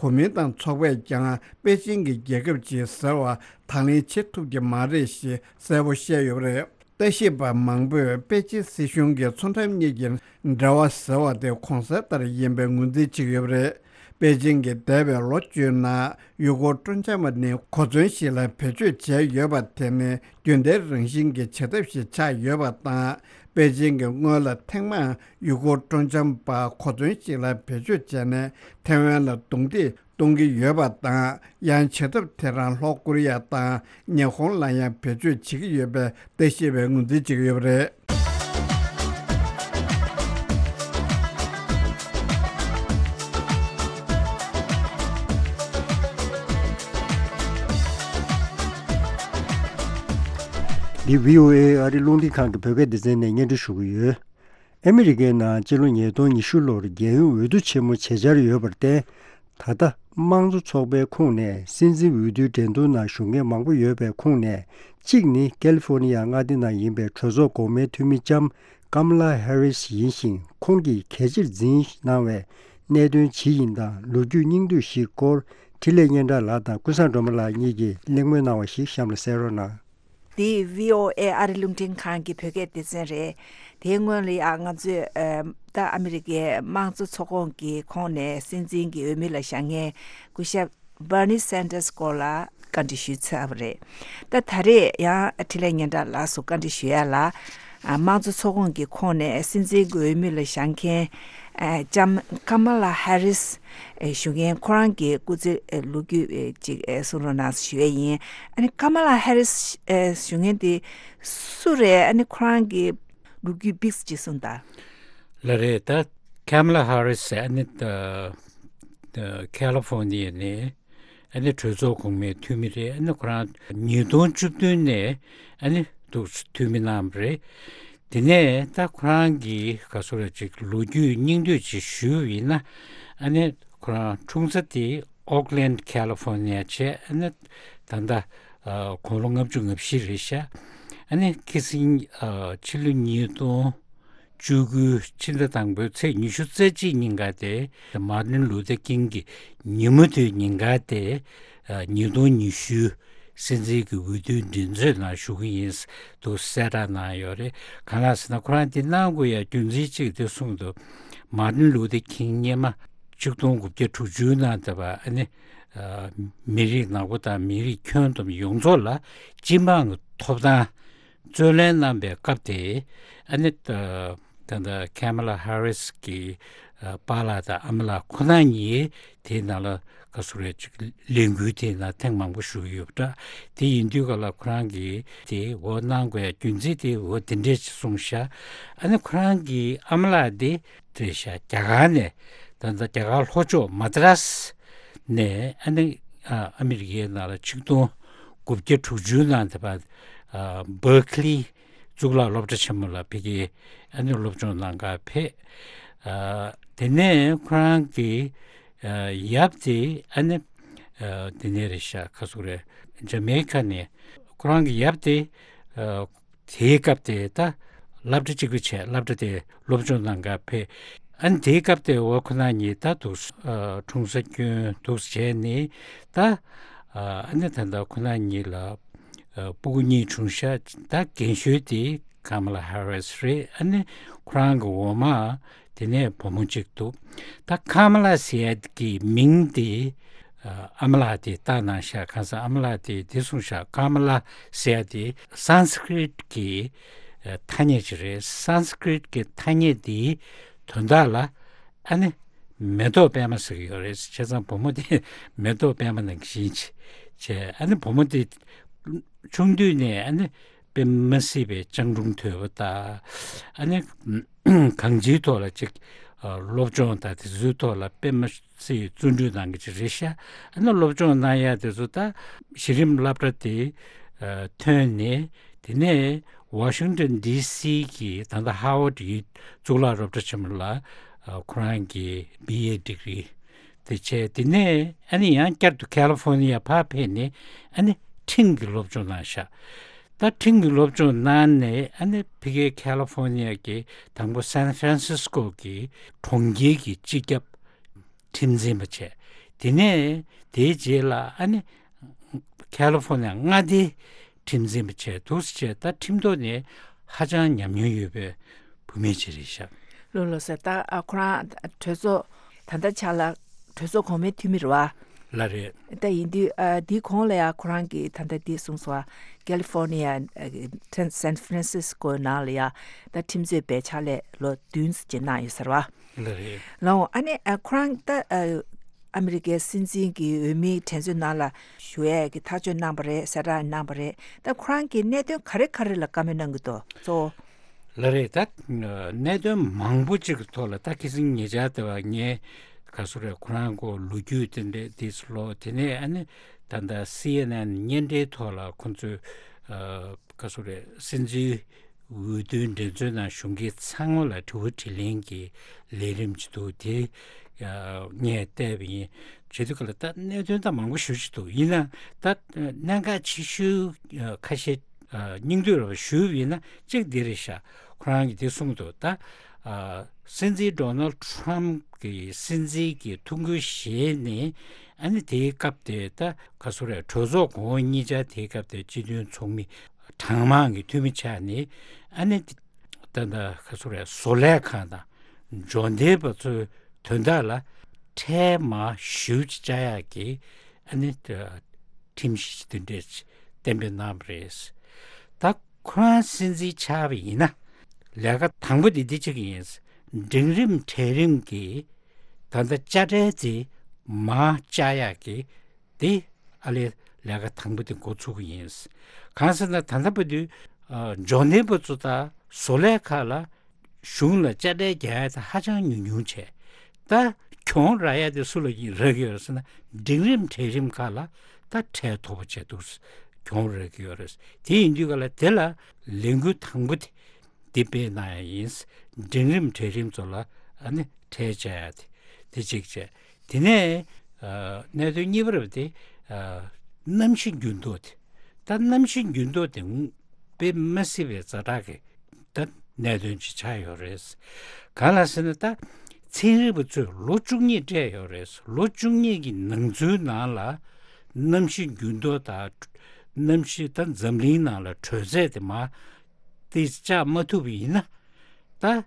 གོ་མིན་ཏང་ཚོགས་པས་ཀྱང་པེ་ཅིན་གྱི་རྒྱལ་ཁབ་ཅིག་ཟེར་བ་དང་ལེན་བྱེད་ཐུབ་ཀྱི་མ་རེད་ཞེས་གསལ་པོ་བཤད་ཡོད་པ་རེད། ལྟ་ཞིབ་པ་མང་པོས་པེ་ཅིན་སྲིད་གཞུང་གིས་མཚོ་འགྲམ་གཉིས་ཀྱི་འབྲེལ་བ་ཟེར་བ་དེ་གོང་གསལ་ལྟར་ཡིན་པའི་ངོས་འཛིན་བྱེད་ཀྱི་ཡོད་པ་རེད། པེ་ཅིན་གྱིས་འདས་པའི་ལོ་བཅུའི་ནང་ཡུལ་སྐོར་སྤྲོ་འཆམ་པ་ནི་གོ་མཚོན་ཞིག་ལ་བེད་སྤྱོད་བྱས་ཡོད་པ་དེ་ནི་རྒྱུན་ལྡན་རང་བཞིན་གྱི་བྱེད་ཐབས་ཤིག་ཆགས་ཡོད་པ་དང་། པེ་ཅིན་གྱིས་སྔོན་ལ་ཐེངས་མང་ཡུལ་སྐོར་སྤྲོ་འཆམ་པ་གོ་མཚོན་ཞིག་ལ་བེད་སྤྱོད་བྱས་ནས་ཐེ་ཝན་ལ་རྡུང་རྡེག་གཏོང་གི་ཡོད་པ་དང་། ཡང་བྱེད་ཐབས་དེ་རང་ལྷོ་ཀོ་རི་ཡ་དང་ཉི་ཧོང་ལ་ཡང་བེད་སྤྱོད་བྱེད་ཀྱི་ཡོད་པའི་ལྟ་ཞིབ་པས་ངོས་འཛིན་བྱེད་ཀྱི་ཡོད་པ་རེད། འདི་བྷི་ཨོ་ཨེ་ཨ་རི་རླུང་འཕྲིན་ཁང་གི་བོད་སྐད་སྡེ་ཚན་ནས་སྙན་སྒྲོན་ཞུ་གི་ཡོད། ཨ་མི་རི་ཀའི་ནང་སྤྱི་ལོ་ཉིས་སྟོང་ཉི་ཤུ་ལོར་རྒྱལ་ཡོངས་འོས་བསྡུ་ཆེན་མོ་བྱེད་འཆར་ཡོད་པར་བརྟེན། ད་ལྟ་དམངས་གཙོ་ཚོགས་པའི་ཁོངས་ནས་སྲིད་འཛིན་འོས་བསྡུའི་འགྲན་བསྡུར་ནང་ཞུགས་མཁན་མང་པོ་ཡོད་པའི་ཁོངས་ནས་གཅིག་ནི་ཀེ་ལི་ཧྥོ་ནི་ཡ་མངའ་སྡེ་ནང་ཡིན་པའི་གྲོས་ཚོགས་འགོ་དམའི་འཐུས་མི་ལྕམ་ཀམ་ལ་ཧེ་རིས་ཡིན་ཞིང་། ཁོང་གིས་གལ་ཆེར་འཛིན་གནང་བའི་ གནད་དོན་ཇི་ཡིན་དང་ལོ་རྒྱུས་སྙིང་བསྡུས་ཤིག་སྐོར་འཕྲིན་ལས་སྙན་གྲགས་ལགས་དང་ཀུན་བཟང་སྒྲོལ་མ་ལགས་གཉིས་ཀྱིས་གླེང་མོལ་གནང་བ་ཞིག་གཤམ་ལ་གསན་རོགས་གནང་། འདི་བྷི་ཨོ་ཨེ་ཨ་རི་རླུང་འཕྲིན་ཁང་གི་བོད་སྐད་སྡེ་ཚན་རེད། དེའི་སྔོན་ལ་ཡང་ང་ཚོས་ཨ་ད་ཨ་མི་རི་ཀའི་དམངས་གཙོ་ཚོགས་ཁོངས་ཀྱི་ཁོངས་ནས་སྲིད་འཛིན་གྱི་འོས་མི་ལ་བཞེངས་མཁན་སྐུ་ཞབས་Bernie Sanders་སྐོར་ལ་བཀའ་འདྲི་ཞུས་ཚར་བ་རེད། ད་ད་རེས་ཡང་འཕྲིན་ལས་སྙན་གྲགས་ལགས་སུ་བཀའ་འདྲི་ཞུ་ཡ་ལ། ཨ་དམངས་གཙོ་ཚོགས་ཁོངས་ཀྱི་ཁོངས་ནས་སྲིད་འཛིན་གྱི་འོས་མི་ལ་བཞེངས་མཁན་ཨ་ལྕམ་Kamala Harris་ཞུ་མཁན་ཁོ་རང་གི་སྐུ་ཚེ་ལོ་རྒྱུས་ཅིག་གསུང་རོགས་གནང་ཞུ་ཡས་ཡིན། ཨ་ནི་Kamala Harris་ཞུ་མཁན་དེ་སུ་རེད། ཨ་ནི་ཁོ་རང་གི་ལོ་རྒྱུས་ཕྱོགས་གཅིག་གསུངས་དང་། ལགས་རེད། ད་Kamala Harris་ཟེར་ཨ་ནི་ད་ད་California་ནས་ཨ་ནི་གྲོས་ཚོགས་གོང་མའི་འཐུས་མི་རེད། ཨ་ནི་ཁོ་རང་ཉིས་སྟོང་བཅུ་བདུན་ནས་ཨ་ནི་འདུག་འཐུས་མི་གནང་བ་རེད། དེ་ནས་ད་ཁོ་རང་གི་ག་ཚོད་རེད་ཅིག་ལོ་རྒྱུས་སྙིང་བསྡུས་ཅིག་ཞུས་པ་ཡིན་ན། ཨ་ནི་ཁོ་རང་འཁྲུངས་ས་དེ་Oakland California་བྱས། ཨ་ནི་ད་ལྟ་ཨ་དགུང་ལོ་ལྔ་བཅུ་ང་བཞི་རེད་ཤག་ཨ་ནི་ཁ་སང་ཨ་ཕྱི་ལོ་ཉིས་སྟོང་བཅུ་དགུ་ཕྱི་ཟླ་དང་པོའི་ཚེས་ཉི་ཤུ་རྩ་གཅིག་ཉིན་ཀ་དེ་Martin Luther King་གི་ཉིན་མོ་དེའི་ཉིན་ཀ་དེ་ཨ་ཉིས་སྟོང་ཉི་ཤུ་སྲིད་འཛིན་གྱི་འོས་བསྡུའི་འགྲན་རྩོད་ནང་ཞུགས་ཀྱི་ཡིན་འདུག་གསལ་བསྒྲགས་གནང་ཡོད་རེད། གང་ལགས་ཟེར་ན་ཁོ་རང་དེ་གནང་དགོས་ཡ་རྒྱུ་མཚན་གཅིག་དེ་གསུངས་འདུག Martin Luther King་སྔོན་མ་ཆིག་སྟོང་དགུ་བརྒྱ་དྲུག་ཅུ་ནང་དེ་བ་ཨ་ནི་ཨ་མི་རིགས་ནག་པོ་དང་མི་རིགས་ཁྱོན་བསྡོམས་ཡོངས་རྫོགས་ལ་སྤྱི་འབངས་ཀྱི་ཐོབ་ཐང་རྩོད་ལེན་གནང་པའི་སྐབས་དེ་ཨ་ནི་ད་ད་ལྟ་Kamala Harris་གི་ཨ་པཱ་ལགས་དང་ཨ་མ་ལགས་ཁོ་ན་གཉིས་དེའི་ནང་ལ་ག་ཚོད་རེད་ཅིག་ལས་འགུལ་དེའི་ནང་ཐེངས་མང་པོ་ཞུགས་ཡོད་པ་འདྲ། དེ་ཡིན་དུས་ག་ལ་ཁོ་རང་གིས་དེ་འོ་གནང་དགོས་ཡ་རྒྱུ་མཚན་དེ་འོ་དེ་འདྲས་ཅིག་གསུངས་ཤག་ཨ་ནི་ཁོ་རང་གི་ཨ་མ་ལགས་དེ་རེད་ཤག་རྒྱ་གར་ནས་ད་ལྟ་རྒྱ་གར་ལྷོ་ཕྱོགས་མ་དྲ་སི་ནས་ཨ་ནི་ཨ་ཨ་མི་རི་ཀའི་ནང་ལ་ཆིག་སྟོང་དགུ་བརྒྱ་དྲུག་ཅུ་ནང་དེ་བར་ཨ་Berkeley་གཙུག་ལག་སློབ་གྲྭ་ཆེན་མོ་ལ་ཕ་གིའི་ཨ་ནི་སློབ་སྦྱོང་གནང་གར་ཕེབས། ཨ་དེ་ནས་ཁོ་རང་གི་ཨ་ཡབ་དེ་ཨ་ནི་ཨ་དེ་ནས་རེད་ཤག་ག་ཚོད་རེད། ཇ་མེ་ཀ་ནས་ཁོ་རང་གི་ཡབ་དེ་ཨ་དེའི་སྐབས་དེ་ད་སློབ་གྲྭ་གཅིག་པུ་བྱས། སློབ་གྲྭ་དེ་སློབ་སྦྱོང་གནང་གར་ཕེབས། ཨ་ནི་དེའི་སྐབས་དེ་འོ་ཁོ་ན་གཉིས་ད་འདུག་ཨ་འཁྲུངས་ས་སྐྱོན་འདུག་བྱས་ནས་ད་ཨ་ནི་ད་ལྟ་ཁོ་ན་གཉིས་ལ་ཨ་སྤུ་གུ་གཉིས་བྱུང་ཤག་ད་རྒན་ཤོས་དེ་Kamala Harris་རེད། ཨ་ནི་ཁོ་རང་གི་འོག་མ་དེ་ནས་བུ་མོ་གཅིག་འདུག་ད་Kamala་ཟེར་ཡ་གི་མིང་དེ་ཨ་ཨ་མ་ལགས་དེས་བཏགས་གནང་ཤག་གང་ཟག་ཨ་མ་ལགས་དེས་དེ་གསུངས་ཤག Kamala་ཟེར་ཡ་དེ་Sanskrit་གི་ཨ་ཐ་སྙད་ཅིག་རེད། Sanskrit་གི་ཐ་སྙད་དེའི་དོན་དག་ལ་ཨ་ནི་མེ་ཏོག་པད་མ་ཟེར་གྱི་ཡོད་རེད། བྱས་ཙང་བུ་མོ་དེ་མེ་ཏོག་པད་མ་ནང་བཞིན་བྱས། ཨ་ནི་བུ་མོ་དེ་ཆུང་དུས་ནས་ཨ་ནི་དཔེ་མི་སྲིད་པའི་སྤྱང་གྲུང་དོད་པོ་དང་། ཨ་ནི་གང་ཅིའི་ཐོག་ལ་ཅིག་ཨ་སློབ་སྦྱོང་དང་དེ་ཚོའི་ཐོག་ལ་དཔེ་མི་སྲིད་བརྩོན་འགྲུས་གནང་གི་ཅིག་རེད་ཤག་ཨ་ནི་སློབ་སྦྱོང་གནང་ཡ་དེ་ཚོ་ད་གཞི་རིམ་སློབ་གྲྭ་དེ་ཨ་ཐོན་ནས། དེ་ནས་Washington D C་གི་ད་ལྟ་Howard་ཡི་གཙུག་ལག་སློབ་གྲྭ་ཆེན་མོ་ལ་ཨ་ཁོ་རང་གི་B A degree་དེ་བྱས། དེ་ནས་ཨ་ནི་ཡང་བསྐྱར་དུ་California་ཕར་ཕེབས་ནས་ཨ་ནི་ཁྲིམས་ཀྱི་སློབ་སྦྱོང་གནང་ཤག་ད་ཁྲིམས་ཀྱི་སློབ་སྦྱོང་གནང་ནས་ཨ་ནི་ཕ་གིའི་California་གི་དང་པོ་San Francisco་གི་གྲོང་ཁྱེར་གྱི་སྤྱི་ཁྱབ་ཁྲིམས་འཛིན་པ་བྱས། དེ་ནས་དེའི་རྗེས་ལ་ཨ་ནི་California་མངའ་སྡེའི་ཁྲིམས་འཛིན་པ་བྱས། འདུག་སེ་བྱས། ད་ཁྲིམས་ཐོག་ནས་ཧ་ཅང་ཉམས་མྱོང་ཡོད་པའི་བུད་མེད་ཅིག་རེད་ཤག་ལགས་ལགས་སོ། ད་ཨ་ཁོ་རང་གྲོས་ཚོགས་ད་ལྟ་ཆ་ལ་གྲོས་ཚོགས་གོང་མའི་འཐུས་མི་རེད་བ། ལགས་རེད། ད་ཡིན་དུས་ཨ་འདིའི་གོང་ལ་ཡ་ཁོ་རང་གིས་ད་ལྟ་འདི་གསུངས་སོང་བ། California་ཨ་San Francisco་ནང་ལ་ཡ་ད་ཁྲིམས་རྩོད་པའི་ཕྱག་ལས་ལོ་བདུན་ཙམ་ཅིག་གནང་ཡོད་ཟེར་བ། ལགས་རེད། ལགས་འོང་། ཨ་ནི་ཨ་ཁོ་རང་ད་ཨ་ཨ་མི་རི་ཀའི་སྲིད་འཛིན་གྱི་འོས་མིའི་འགྲན་རྩོད་ནང་ལ་ཞུགས་ཡས་ཀྱི་ཐག་གཅོད་གནང་བ་རེད། གསལ་བསྒྲགས་གནང་བ་རེད། ད་ཁོ་རང་གིས་གནད་དོན་ག་རེ་ག་རེ་ལ་བཀའ་མོལ་གནང་གི་འདུག་གཙོ་བོ། ལགས་རེད། ད་གནད་དོན་མང་པོ་ཅིག་གི་ཐོག་ལ་ད་ཁ་སང་ཉེ་ཆར་དེ་བ་ངས་ག་སུ་རེད། ཁོ་རང་གོ་ལོ་རྒྱུས་དེ་འདྲ་དེ་ཚོ་ལོ་དེ་ནས་ཨ་ནི་ད་ལྟ་C N N་བརྙན་འཕྲིན་ཐོག་ལ་ཁོ་ཚོས་ཨ་ག་སུ་རེད། སྲིད་འཛིན་འོས་བསྡུའི་འགྲན་རྩོད་ནང་ཞུགས་མཁན་ཚང་མ་ལ་དྲི་བ་དྲིས་ལན་གྱི་ལས་རིམ་ཅིག་འདུག་དེ་ཨ་ངས་བལྟས་པ་ཡིན། བྱེད་དུས་ག་ལ་ད་གནད་དོན་ད་མང་པོ་ཞེ་པོ་ཅིག་འདུག་ཡིན་ན་ད་གནད་འགག་ཆེ་ཤོས་ཨ་ཁ་ཤས་ཨ་སྙིང་བསྡུས་ར་བ་ཞུས་པ་ཡིན་ན་གཅིག་འདི་རེད་ཤག་ཁོ་རང་གིས་དེ་གསུངས་འདུག་ད་ ཨ། སྲིད་འཛིན་ཌོ་ནལ་ཊམ་གྱི་སྲིད་འཛིན་གྱི་ཐུགས་འགན་བཞེས་ནས། ཨ་ནི་དེའི་སྐབས་དེ་ད་ག་སུ་རེད། གྲོས་ཚོགས་གོང་འོག་གཉིས་ཆར་དེའི་སྐབས་དེ་སྤྱི་མཐུན་ཚོགས་མི་གྲངས་མང་གི་འཐུས་མི་ཆགས་ནས། ཨ་ནི་ད་ད་ག་སུ་རེད། བཟོ་ལས་ཁང་དང་འབྱོར་ལྡན་པ་ཚོའི་དོན་དག་ལ་ཁྲལ་མར་ཞེ་པོ་ཅིག་བཅག་ཡག་གི་ཨ་ནི་ཁྲིམས་གཞི་དེ་འདྲས་གཏན་འབེབས་གནང་བ་རེད། ད་ཁོ་རང་སྲིད་འཛིན་ཆགས་པ་ཡིན་ན། ལས་ཀ་དང་པོ་དེ་འདི་གཅིག་ཡིན། འབྲིང་རིམ་གྲལ་རིམ་གྱི་ད་ལྟ་དཔྱ་ཁྲལ་དེ་མར་བཅག་ཡག་གི་དེ་ཨ་ལས་ལས་ཀ་དང་པོ་དེ་འགོ་ཚུགས་ཀྱི་ཡིན། གང་ཟེར་ན་ད་ལྟ་བར་དུ་ཨ་འབྱོར་ལྡན་པ་ཚོ་དང་བཟོ་ལས་ཁག་ལ་གཞུང་ལ་དཔྱ་ཁྲལ་རྒྱག་ཡ་དེ་ཧ་ཅང་ཉུང་ཉུང་བྱས། ད་གྱོང་རག་ཡ་དེ་སུ་ལ་ཡིན་རག་གི་ཡོད་རེད་ཟེར་ན། འབྲིང་རིམ་གྲལ་རིམ་ཁག་ལ་ད་ཁྲལ་མཐོ་པོ་བྱས་འདུག་གྱོང་རག་གི་ཡོད་རེད། དེ་ཡིན་དུས་ག་ལ་དེ་ལ་ལས་འགུལ་དང་པོ་དེ་འདི་སྤེལ་གནང་ཡ་ཡིན། འབྲིང་རིམ་གྲལ་རིམ་ཚོ་ལ་ཨ་ནི་ཁྲལ་བཅག་ཡ་དེ་དེ་གཅིག་བྱས། དེ་ནས་ཨ་གནད་དོན་གཉིས་པ་རེད་པ། དེ་ཨ་གནམ་གཤིས་འགྱུར་ལྡོག་དེ། ད་གནམ་གཤིས་འགྱུར་ལྡོག་དེ་དཔེ་མི་སྲིད་པའི་ཛ་དྲག་གི་ད་གནད་དོན་ཅིག་ཆགས་ཡོད་རེད། གང་ལ་ཟེར་ན་ད་ཚན་རིག་པ་ཚོས་ལོ་བཅུ་གཉིས་སྤྲད་ཡོད་རེད། ལོ་བཅུ་གཉིས་ཀྱི་ནང་ཚུལ་ནང་ལ་གནམ་གཤིས་འགྱུར་ལྡོག་དང་། གནམ་གཤིས་ད་འཛམ་གླིང་ནང་ལ་དྲོད་ཚད་དེ་མར་ཏོག་ཙམ་བཅག་མ་ཐུབ་པ་ཡིན་ན། ད་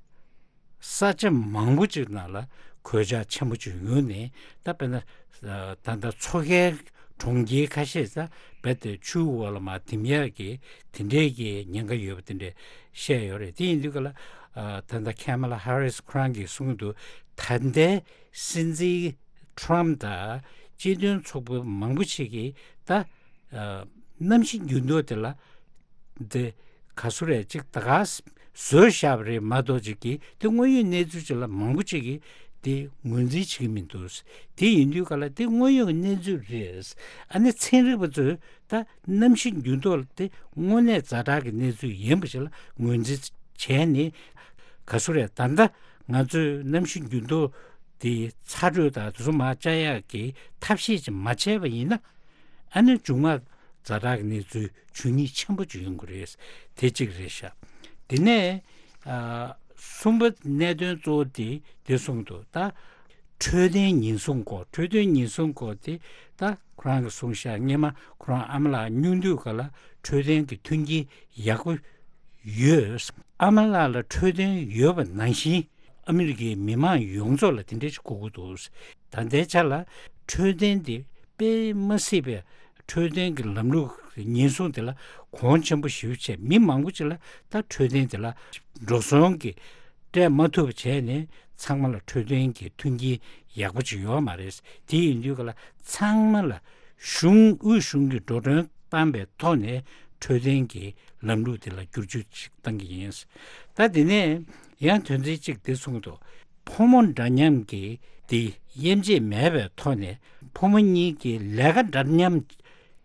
ས་ཆ་མང་པོ་ཅིག་ནང་ལ་གོད་ཆག་ཆེན་པོ་ཅིག་ཡོང་ནས། ད་དཔེར་ན་ད་ལྟ་མཚོ་ཁའི་གྲོང་ཁྱེར་ཁ་ཤས་ད་རྦད་དེ་ཆུའི་འོག་ལ་མར་ཐིམ་ཡག་གི་དེ་འདྲའི་གི་ཉེན་ཁ་ཡོད་པ་དེ་འདྲ་བཤད་ཡོད་རེད། དེ་ཡིན་དུས་ག་ལ་ད་ལྟ་ཁེ་མ་ལ་ཧ་རིས་ཁོ་རང་གིས་གསུངས་འདུག་ད་ལྟའི་སྲིད་འཛིན་ཊམ་དང་སྤྱི་མཐུན་ཚོགས་པ་མང་པོ་ཞིག་གིས་ད་གནམ་གཤིས་འགྱུར་ལྡོག་དེ་ལ་དེ་ག་སུ་རེད། ཅིག་ད་ག་བཟོས་བཞག་པ་རེད་མ་གཏོགས། ཅིག་གིས་དེ་དངོས་ཡོད་གནས་ཚུལ་ཅིག་ལ་མང་པོ་ཅིག་གིས་དེ་ངོས་འཛིན་བྱེད་ཀྱི་མི་འདུག་དེ་ཡིན་དུས་ག་ལ་དེ་དངོས་ཡོད་ཀྱི་གནས་ཚུལ་རེད། ཨ་ནི་ཚན་རིག་པ་ཚོས་ད་གནམ་གཤིས་འགྱུར་ལྡོག་དེ་དངོས་གནས་ཛ་དྲག་གི་གནས་ཚུལ་ཡིན་པ་ཞིག་ལ་ངོས་འཛིན་བྱས་ནས། ག་སུ་རེད། ད་ལྟ་ང་ཚོས་གནམ་གཤིས་འགྱུར་ལྡོག་དེ་ཚ་དྲོད་དང་དེ་ཚོ་མར་བཅག་ཡག་གི་ཐབས་ཤེས་ཅིག་མ་བྱས་པ་ཡིན་ན། ཨ་ནི་མཇུག་མ་ཛ་དྲག་གི་གནས་ཚུལ་འབྱུང་ཉེན་ཆེན་པོ་ཅིག་ཡོང་གི་རེད། དེ་གཅིག་རེད་ཤག་དེ་ནས་ཨ་གསུམ་པ་གནད་དོན་གཙོ་བོ་དེ་དེ་གསུངས་འདུག་ད་འཕྲོད་བསྟེན་ཉེན་སྲུང་སྐོར། འཕྲོད་བསྟེན་ཉེན་སྲུང་སྐོར་དེ་ད་ཁོ་རང་གིས་གསུངས་ཤག་སྔོན་མ་ཁོ་རང་ཨ་མ་ལགས་སྙུང་དུས་ག་ལ་འཕྲོད་བསྟེན་གྱི་མཐུན་རྐྱེན་ཡག་པོ་ཡོད། ཨ་མ་ལགས་ལ་འཕྲོད་བསྟེན་ཡོད་པ་ནང་བཞིན་ཨ་མི་རི་ཀའི་མི་མང་ཡོངས་རྫོགས་ལ་དེ་འདྲ་ཞིག་དགོས་ཀྱི་འདུག་ད་ལྟའི་ཆ་ལ་འཕྲོད་བསྟེན་དེ་དཔེ་མ་སྲིད་པའི་འཕྲོད་བསྟེན་གྱི་ལམ་ལུགས་ཉེན་སྲུང་དེ་ལ་གོང་ཆེན་པོ་ཞེ་པོ་བྱས། མི་མང་པོ་ཅིག་ལ་ད་འཕྲོད་བསྟེན་དེ་ལ་འགྲོ་སོང་གི་སྤྲད་མ་ཐུབ་པ་བྱས་ནས། ཚང་མ་ལ་འཕྲོད་བསྟེན་གྱི་མཐུན་རྐྱེན་ཡག་པོ་ཅིག་ཡོད་མ་རེད། དེ་ཡིན་དུས་ག་ལ་ཚང་མ་ལ་གཞུང་། དབུས་གཞུང་གིས་འགྲོ་གྲོན་བཏང་པའི་ཐོག་ནས་འཕྲོད་བསྟེན་གྱི་ལམ་ལུགས་དེ་ལ་བསྒྱུར་བཅོས་ཤིག་བཏང་གི་ཡིན། ད་དེ་ནས་ཡང་དོན་ཚན་གཅིག་དེ་གསུངས་འདུག་ཕོ་མོ་འདྲ་མཉམ་གྱི་དེ་དབྱེ་འབྱེད་མེད་པའི་ཐོག་ནས་ཕོ་མོ་གཉིས་ཀྱིས་ལས་ཀ་འདྲ་མཉམ་བྱེད་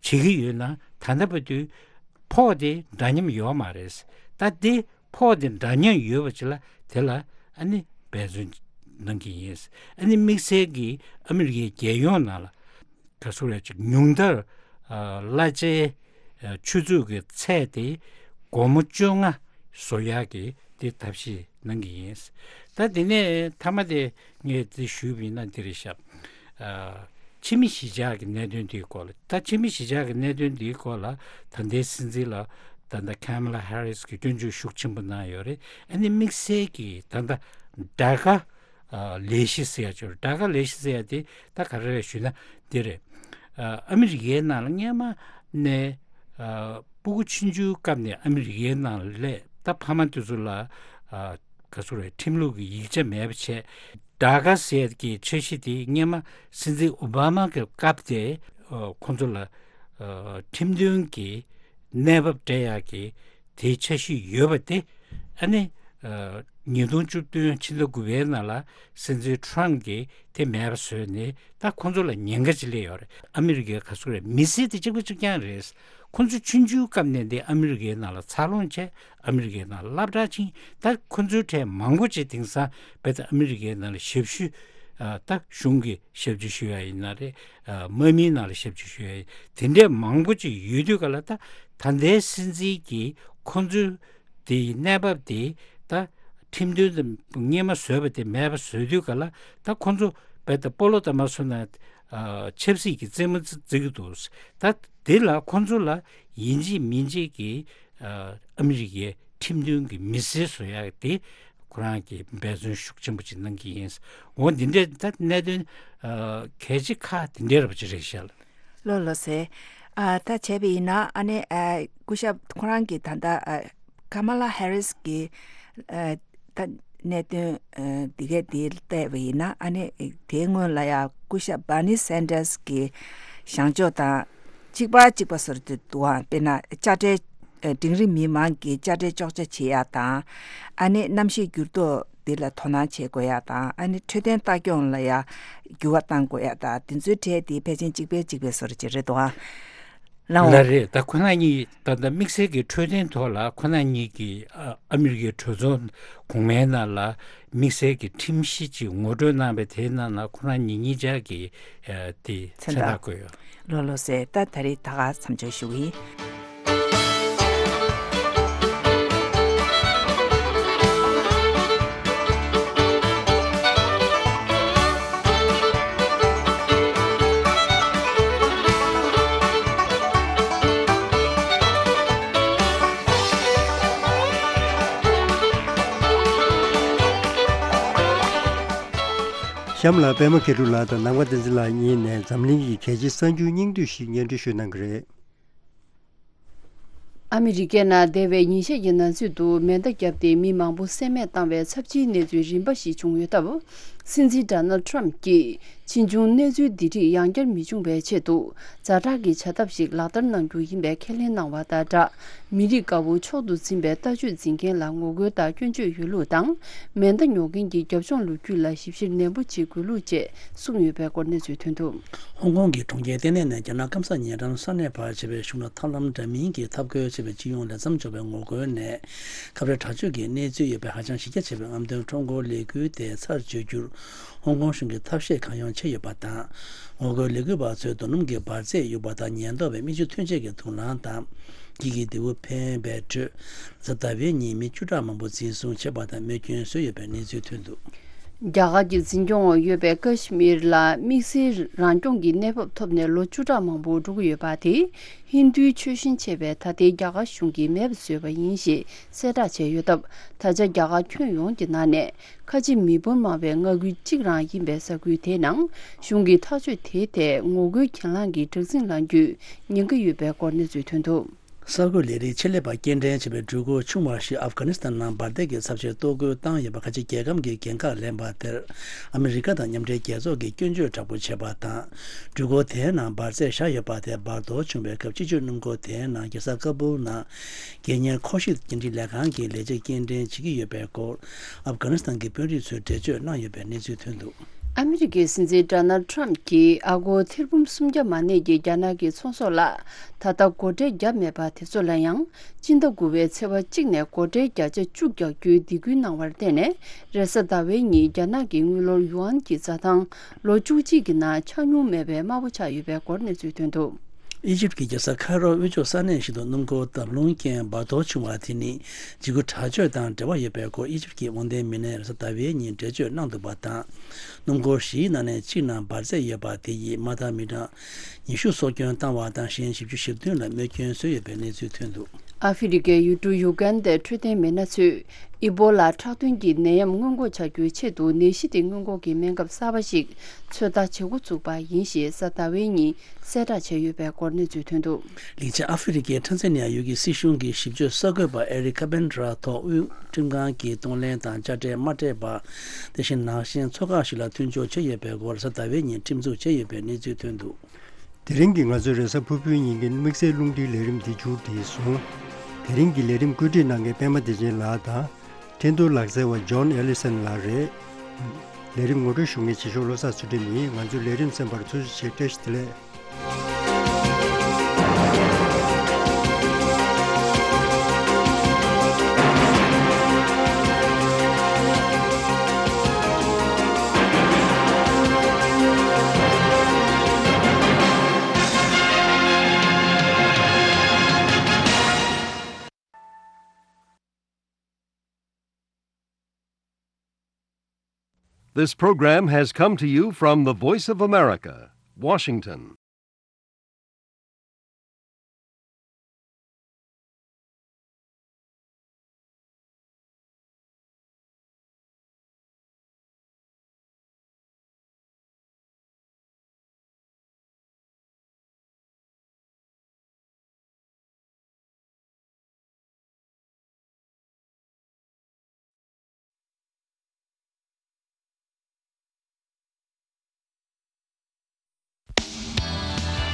ཀྱི་ཡོད་ན། ད་ལྟ་བར་དུ་ཕོགས་དེ་འདྲ་མཉམ་ཡོད་མ་རེད། ད་དེ་ཕོགས་དེ་འདྲ་མཉམ་ཡོད་པ་ཅིག་ལ་དེ་ལ་ཨ་ནི་འབད་བརྩོན་གནང་གི་ཡིན། ཨ་ནི་དམིགས་བསལ་གྱིས་ཨ་མི་རི་ཀའི་རྒྱལ་ཡོངས་ནང་ལ་ག་ཚོད་རེད། ཅིག་ཉུང་མཐར་ཨ་གླ་ཆའི་ཨ་ཆུ་ཚོད་ཀྱི་ཚད་དེ་སྒོར་མོ་བཅོ་ལྔ་བཟོ་ཡག་གི་དེ་ཐབས་ཤེས་གནང་གི་ཡིན། ད་དེ་ནས་མཐའ་མ་དེ་ངས་དེ་ཞུས་པ་ཡིན་ན་འདི་རེད་ཤག་ཨ་ཕྱི་མི་གཞིས་ཆགས་ཀྱི་གནད་དོན་དེའི་སྐོར་ལ། ད་ཕྱི་མི་གཞིས་ཆགས་ཀྱི་གནད་དོན་དེའི་སྐོར་ལ་ད་ལྟའི་སྲིད་འཛིན་ལ་ད་ལྟ་ཁེ་མ་ལ་ཧེ་རིས་ཀྱིས་སྐྱོན་བརྗོད་ཤུགས་ཆེན་པོ་གནང་ཡོད་རེད། ཨ་ནི་དམིགས་བསལ་གྱིས་ད་ལྟ་ཌ་ཀ་ཨ་ལས་གཞི་ཟེར་ཡ་ཅིག་ཡོད་རེད། ཌ་ཀ་ལས་གཞི་ཟེར་ཡ་དེ་ད་ག་རེ་རེད་ཞུས་ན་འདི་རེད། ཨ་ཨ་མི་རི་ཀའི་ནང་ལ་སྔོན་མ་ནས་ཨ་སྤུ་གུ་ཆུང་ཆུང་སྐབས་ནས་ཨ་མི་རི་ཀའི་ནང་ལ་སླེབས། ད་ཕ་མ་དེ་ཚོ་ལ་ཨ་ག་ཚོད་རེད། ཁྲིམས་ལུགས་ཀྱི་ཡིག་ཆ་མེད་པ་བྱས། ཌ་ཀ་ཟེར་གྱི་འཆར་གཞི་དེ་སྔོན་མ་སྲིད་འཛིན་ཨོ་བྷ་མ་གི་སྐབས་དེ་ཨ་ཁོང་ཚོ་ལ་ཨ་ཁྲིམས་མཐུན་གྱི་གནས་བབ་སྤྲད་ཡག་གི་དེའི་འཆར་གཞི་ཡོད་པ་དེ། ཨ་ནི་ཨ་ཉིས་སྟོང་བཅུ་བདུན་ཕྱི་ཟླ་དགུ་པའི་ནང་ལ་སྲིད་འཛིན་ཊམ་གྱིས་དེ་མེད་པ་བཟོས་ནས། ད་ཁོང་ཚོ་ལ་ཉེན་ཁ་ཅིག་སླེབས་ཡོད་རེད། ཨ་མི་རི་ཀའི་ག་ཚོད་རེད། མི་སེར་དེ་གཅིག་པ་གཅིག་རྐྱང་རེད། ཁོང་ཚོ་ཆུང་ཆུང་སྐབས་ནས་འདི་ཨ་མི་རི་ཀའི་ནང་ལ་འཚར་ལོངས་བྱས། ཨ་མི་རི་ཀའི་ནང་ལ་སློབ་གྲྭ་ཕྱིན། ད་ཁོ་ཚོའི་གྲས་མང་པོ་ཅིག་དེང་སང་རྦད་དེ་ཨ་མི་རི་ཀའི་ནང་ལ་ཞབས་ཞུ། ཨ་ད་གཞུང་གི་ཞབས་ཕྱི་ཞུ་ཡ་ཡིན་ན་རེད། ཨ་དམག་མིའི་ནང་ལ་ཞབས་ཕྱི་ཞུ་ཡ་ཡིན། དེ་འདྲས་མང་པོ་ཅིག་ཡོད་དུས་ག་ལ། ད་ད་ལྟའི་སྲིད་འཛིན་གྱིས་ཁོ་ཚོའི་དེའི་གནས་བབ་དེ་ད་ ཁྲིམས་མཐུན་དུ་སྔོན་མ་བཟོས་པ་དེ་མེད་པ་བཟོས་དུས་ག་ལ་ད་ཁོ་ཚོ་རྦད་དེ་སྤོ་ལོ་ལྟ་མ་བཟོ་ན་ཆབ་སྲིད་ཀྱི་རྩེད་མོ་རྩེ་གི་འདུག་ད་དེ་ལ་ཁོ་ཚོ་ལ་ཡིན་གཅིག་མིན་གཅིག་གི་ཨ་མི་རི་ཀའི་ཁྲིམས་མཐུན་གྱི་མི་སེར་བཟོ་ཡག་དེ་ཁོ་རང་གིས་འབད་བརྩོན་ཤུགས་ཆེན་པོ་ཅིག་གནང་གི་ཡིན། འོ་འདི་འདྲའི་ད་གནད་དོན་གལ་ཆེ་ཁག་དེ་འདྲའི་ར་བ་ཅིག་རེད་ཤག་ལགས། ལགས་ལགས་སེ། ཨ་ད་བྱས་པ་ཡིན་ན་ཨ་ནི་ཨ་སྐུ་ཞབས་ཁོ་རང་གིས་ད་ལྟ་ཨ་ཀ་མ་ལ་ཧེ་རིས་ཀྱི་ཨ་ད་གནད་དོན་ཨ་འདི་གས་འདི་བལྟས་པ་ཡིན་ན་ཨ་ནི་དེའི་སྔོན་ལ་ཡང་སྐུ་ཞབས་བྷར་ནི་སན་ཌར་སི་གི་བཞེངས་ཕྱོགས་དང་གཅིག་པ་གཅིག་པ་བཟོ་འདྲ་འདུག་ཨ། དཔེར་ན་དཔྱ་ཁྲལ་ཨ་འབྲིང་རིམ་མི་མང་གི་དཔྱ་ཁྲལ་གཅོག་ཆ་བྱེད་ཡག་དང་ཨ་ནི་གནམ་གཤིས་འགྱུར་ལྡོག་འདི་ལ་དོ་སྣང་བྱེད་དགོས་ཡག་དང་ཨ་ནི་འཕྲོད་བསྟེན་ལྟ་སྐྱོང་ལ་ཡང་འགྱུར་བ་གཏང་དགོས་ཡག་དང་དེ་ཚོའི་གྲས་དེ་ཕལ་ཆེར་གཅིག་པའི་གཅིག་པའི་བཟོ་འདྲ་ཅིག་རེད་འདུག་ཨ། ལགས་འོང་། ལགས་རེད། ད་ཁོ་ན་གཉིས་ད་ལྟ་དམིགས་བསལ་གྱི་འཕྲོད་བསྟེན་ཐོག་ལ་ཁོ་ན་གཉིས་ཀྱིས་ཨ་ཨ་མི་རི་ཀའི་གྲོས་ཚོགས་གོང་མའི་ནང་ལ་དམིགས་བསལ་གྱི་ཁྲིམས་གཞི་ཅིག་ངོ་སྤྲོད་གནང་བའི་དེའི་ནང་ལ་ཁོ་ན་གཉིས་གཉིས་ཆ་གིས་ཨ་དེ་མཚན་མཚན་རྟགས་རྟགས་བཀོད་ཡོད། ལགས་ལགས་སེ། ད་ད་རེས་ད་ག་མཚམས་འཇོག་ཞུ་གི་ཡིན། གཤམ་ལ་པད་མ་མཁས་གྲུབ་ལགས་དང་ནམ་མཁའ་བསྟན་འཛིན་ལགས་གཉིས་ནས་འཛམ་གླིང་གི་གལ་ཆེའི་གསར་འགྱུར་སྙིང་བསྡུས་ཤིག་སྙན་སྒྲོན་ཞུ་གནང་གི་རེད། ཨ་མི་རི་ཀའི་ནང་འདས་པའི་ཉིན་ཤས་ཀྱི་ནང་ཚུད་དུ་མེ་མདའ་བརྒྱབ་སྟེ་མི་མང་པོ་བསད་རྨས་བཏང་བའི་ཚབས་ཆེའི་གནས་ཚུལ་རིམ་པ་ཞིག་བྱུང་ཡོད་སྟབས། སྲིད་འཛིན་ཌོ་ནལ་ཌི་ཊརམ་ཕ་གྱིས་ཕྱིས་འབྱུང་གནས་ཚུལ་འདི་རིགས་ཡང་བསྐྱར་མི་འབྱུང་བའི་ཆེད་དུ་ཛ་དྲག་གི་བྱ་ཐབས་ཤིག་ལག་བསྟར་གནང་རྒྱུ་ཡིན་པའི་ཁས་ལེན་གནང་བ་དང་སྦྲགས། མི་རིགས་དགའ་བོ་མཆོག་ཏུ་འཛིན་པའི་ལྟ་སྤྱོད་འཛིན་མཁན་ལ་ངོ་རྒོལ་དང་སྐྱོན་བརྗོད་ཡོད་ལུགས་དང་། མེ་མདའ་ཉོ་མཁན་གྱི་རྒྱབ་ལྗོངས་ལོ་རྒྱུས་ལ་ཞིབ་བཤེར་ནན་པོ་བྱེད་དགོས་ལུགས་བཅས་གསུངས་ཡོད་པའི་སྐོར་གནས་ཚུལ་ཐོན་འདུག་ཧོང་ཀོང་གི་གྲོང་ཁྱེར་ལྟེ་གནས་ནས་རྒྱ་ནག་སྐམ་ས་ཉེ་འགྲམ་ས་གནས་བར་བྱེད་པའི་གཞུང་ལ་ཐབས་ལམ་འདྲ་མིན་གྱི་འཐབ་རྒོལ་བྱེད་པའི་སྤྱི་ཡོངས་ལས་མཚམས་འཇོག་པའི་ངོ་རྒོལ་ནས་ཁ་བྲལ་དྲག་སྤྱོད་ཀྱི་གནས་ཚུལ་ཡོད་པའི་ཧ་ཅང་གཞི་རྒྱ་ཆེ་བའི་རྔམ་སྟོན་ཁྲོམ་སྐོར་ལས་འགུལ་དེ་ཚར་གཅོད་རྒྱུར་ཧོང་ཀོང་གཞུང་གིས་ཐབས་ཤེས་གང་ཡོང་བྱས་ཡོད་པ་དང་། ངོ་རྒོལ་ལས་འགུལ་བ་ཚོས་རྡོ་སྣུམ་གྱི་འབར་རྫས་གཡུགས་པ་དང་ཉེན་རྟོག་པས་མིག་ཆུ་ཐོན་ཆས་ཀྱི་དུག་རླངས་དང་། འགྱིག་གི་རྡེའུ་འཕེན་པའི་ཁྲོད། གཟའ་ཟླ་བའི་ཉིན་མི་བཅུ་ཕྲག་མང་པོ་འཛིན་བཟུང་བྱས་པ་དང་རྨས་སྐྱོན་བཟོས་ཡོད་པའི་གནས་ཚུལ་ཐོན་འདུག་རྒྱ་གར་གྱི་འཛིན་སྐྱོང་འོག་ཡོད་པའི་ཀ་ཤི་མིར་ལ་དམིགས་བསལ་རང་སྐྱོང་གི་གནས་བབ་ཐོབ་ནས་ལོ་བཅུ་ཕྲག་མང་པོ་འགྲོ་གི་ཡོད་པ་དེ། ཧིན་རྡུའི་ཆོས་གཞན་བྱས་པའི་ད་ལྟའི་རྒྱ་གར་གཞུང་གིས་མེད་པ་བཟོས་པ་ཡིན་ཞེས་གསལ་བསྒྲགས་བྱས་ཡོད་སྟབས། ད་ཆ་རྒྱ་གར་ཁྱོན་ཡོངས་ཀྱི་ནང་ནས་ཁ་ཆེ་མི་འབོར་མང་བའི་མངའ་ཁུལ་གཅིག་རང་ཡིན་པའི་ས་ཁུལ་དེའི་ནང་གཞུང་གི་ཐག་གཅོད་དེའི་ཐད་ངོ་རྒོལ་གྱེན་ལངས་ཀྱི་སྦྲག་སྲིད་ལངས་རྒྱུའི་ཉེན་ཁ་ཡོད་པའི་སྐོར་གནས་ཚུལ་ཐོན་འདུག་གསར་འགོད་ལས་རིགས་ཆེད་ལས་པ་སྐྱེལ་འདྲེན་བྱས་པའི་འགྲུལ་འཁོར་ཆུང་བ་ཞིག་ཨབ་གྷ་ནི་སི་ཐན་ནང་འབར་མདེལ་གྱི་ཚབས་ཆེའི་གཏོར་རྒོལ་བཏང་ཡོད་པ་ཁ་ཆེ་རྒྱལ་ཁམས་ཀྱི་འགན་ཁག་ལེན་པ་དེར་ཨ་མི་རི་ཀ་དང་མཉམ་འབྲེལ་རྒྱལ་ཚོགས་ཀྱིས་སྐྱོན་བརྗོད་དྲག་པོ་བྱས་པ་དང་། འགྲུལ་འཁོར་དེའི་ནང་འབར་རྫས་བཞག་ཡོད་པ་དེ་འབར་གཏོར་བྱུང་བའི་སྐབས་སྤྱི་སྤྱོད་སྣུམ་འཁོར་དེའི་ནང་གེ་སར་ཀ་པུལ་ནང་སྒེར་གཉེར་འཁོར་ཞིག་འགན་འཁྲི་ལས་ཁང་གི་ལས་བྱེད་སྐྱེལ་འདྲེན་བྱེད་ཀྱི་ཡོད་པའི་སྐོར་ཨབ་གྷ་ནི་སི་ཐན་གྱི་དཔོན་རིགས་ཚོས་འགྲེལ་བརྗོད་གནང་ཡོད་པའི་གནས་ཚུལ་ཐོན་འདུག་ཨ་མི་རི་ཀའི་སྲིད་འཛིན་ཌོ་ནལ་ཌི་ཊརམ་ཕ་གྱིས་ཨ་སྒོར་ཐེར་འབུམ་སུམ་བརྒྱ་མ་གནས་ཀྱི་རྒྱ་ནག་གི་ཚོང་ཟོག་ལ་ད་ལྟ་སྒོ་ཁྲལ་བརྒྱབ་མེད་པ་དེ་ཚོ་ལ་ཡང་སྤྱི་ཟླ་དགུ་པའི་ཚེས་པ་གཅིག་ནས་སྒོ་ཁྲལ་བརྒྱ་ཆ་བཅུ་རྒྱག་རྒྱུའི་སྡིགས་སྐུལ་གནང་བར་བརྟེན་ནས། རེས་གཟའ་ཟླ་བའི་ཉིན་རྒྱ་ནག་གི་དངུལ་ལོར་ཡུའན་གྱི་འཛའ་ཐང་ལོ་བཅུ་གཅིག་གི་ནང་ཆག་མྱོང་མེད་པའི་དམའ་པོ་ཆགས་ཡོད་པའི་སྐོར་གནས་ཚུལ་ཐོན་འདུག་ཨི་ཇིབ་ཀྱི་རྒྱལ་ས་ཁའི་རོ་དབུས་ཕྱོགས་ས་གནས་ཤིག་ཏུ་སྣུམ་འཁོར་འདམ་རླུང་རྐྱེན་འབར་གཏོར་བྱུང་བ་དེ་ནི་འཇིགས་སྐུལ་དྲག་སྤྱོད་དང་འབྲེལ་བ་ཡོད་པའི་སྐོར་ཨི་ཇིབ་ཀྱི་དབང་ལྡན་མི་སྣས་རེས་གཟའ་ཟླ་བའི་ཉིན་འགྲེལ་བརྗོད་གནང་འདུག་པ་དང་། སྣུམ་འཁོར་བཞིའི་ནང་ནས་གཅིག་ནང་འབར་རྫས་ཡོད་པ་དེ་ཡིས་མ་མཐའ་མི་གྲངས་ཉི་ཤུ་སྲོག་སྐྱོན་བཏང་བ་དང་གཞན་བཞི་བཅུ་ཞེ་བདུན་ལ་རྨས་སྐྱོན་བཟོས་ཡོད་པའི་གནས་ཚུལ་ཐོན་འདུག་ཨ་ཧྥེ་རི་ཀའི་ཡུལ་གྲུ་ཡུ་གན་དའི་འཕྲོད་བསྟེན་མི་སྣ་ཚོས་ཨི་སྦོ་ལ་ཁྲག་འཐུང་གི་ནད་ཡམས་སྔོན་འགོག་བྱ་རྒྱུའི་ཆེད་དུ་ནད་གཞི་དེ་སྔོན་འགོག་གི་སྨན་ཁབ་གསར་པ་ཞིག་ཚོད་ལྟ་བྱེད་འགོ་བཙུགས་པ་ཡིན་ཞེས་གཟའ་ཟླ་བའི་ཉིན་གསལ་བསྒྲགས་བྱས་ཡོད་པའི་སྐོར་གནས་ཚུལ་ཐོན་འདུག་ལིང་ཅི་ཨ་ཧྥེ་རི་ཀའི་ཊན་ཛ་ནི་ཡ་ཡུལ་གྱི་སྲིད་གཞུང་གི་ཞིབ་དཔྱོད་གསར་འགོད་པ་ཨེ་རིག་ཁ་པན་ར་ཐོག་དབུས་ཁྲིམས་ཁང་གིས་གཏོང་ལེན་དང་དཔྱ་ཁྲལ་མ་སྤྲད་པ། དེ་བཞིན་ནག་ཞན་ཚོགས་ཁག་ཞིག་ལ་མཐུན་སྦྱོར་བྱས་ཡོད་པའི་སྐོར་གཟའ་ཟླ་བའི་ཉིན་ཁྲིམས་འཛུགས་བྱས་ཡོད་པའི་གནས་ཚུལ་ཐོན་འདུག་དེ་རིང་གི་ང་ཚོའི་རེས་གཟའ་ཕུར་བུའི་ཉིན་གྱི་དམིགས་བསལ་རླུང་འཕྲིན་ལས་རིམ་འདི་མཇུག་བསྒྲིལ་སོང་། དེ་རིང་གི་ལས་རིམ་བཀོད་སྒྲིག་གནང་མཁན་པད་མ་བདེ་ཆེན་ལགས་དང་། འཕྲིན་གཏོང་ལག་རྩལ་བ་ཇོན་ཨེ་ལི་སན་ལགས་རེད། ལས་རིམ་ངོ་སྤྲོད་ཞུ་མཁན་རྗེས་ཕྱོགས་བློ་བཟང་ཚུལ་ཁྲིམས་ཡིན། ང་ཚོའི་ལས་རིམ་གསན་པར་ཐུགས་རྗེ་ཆེ། བཀྲ་ཤིས་བདེ་ལེགས། This program has come to you from the Voice of America, Washington.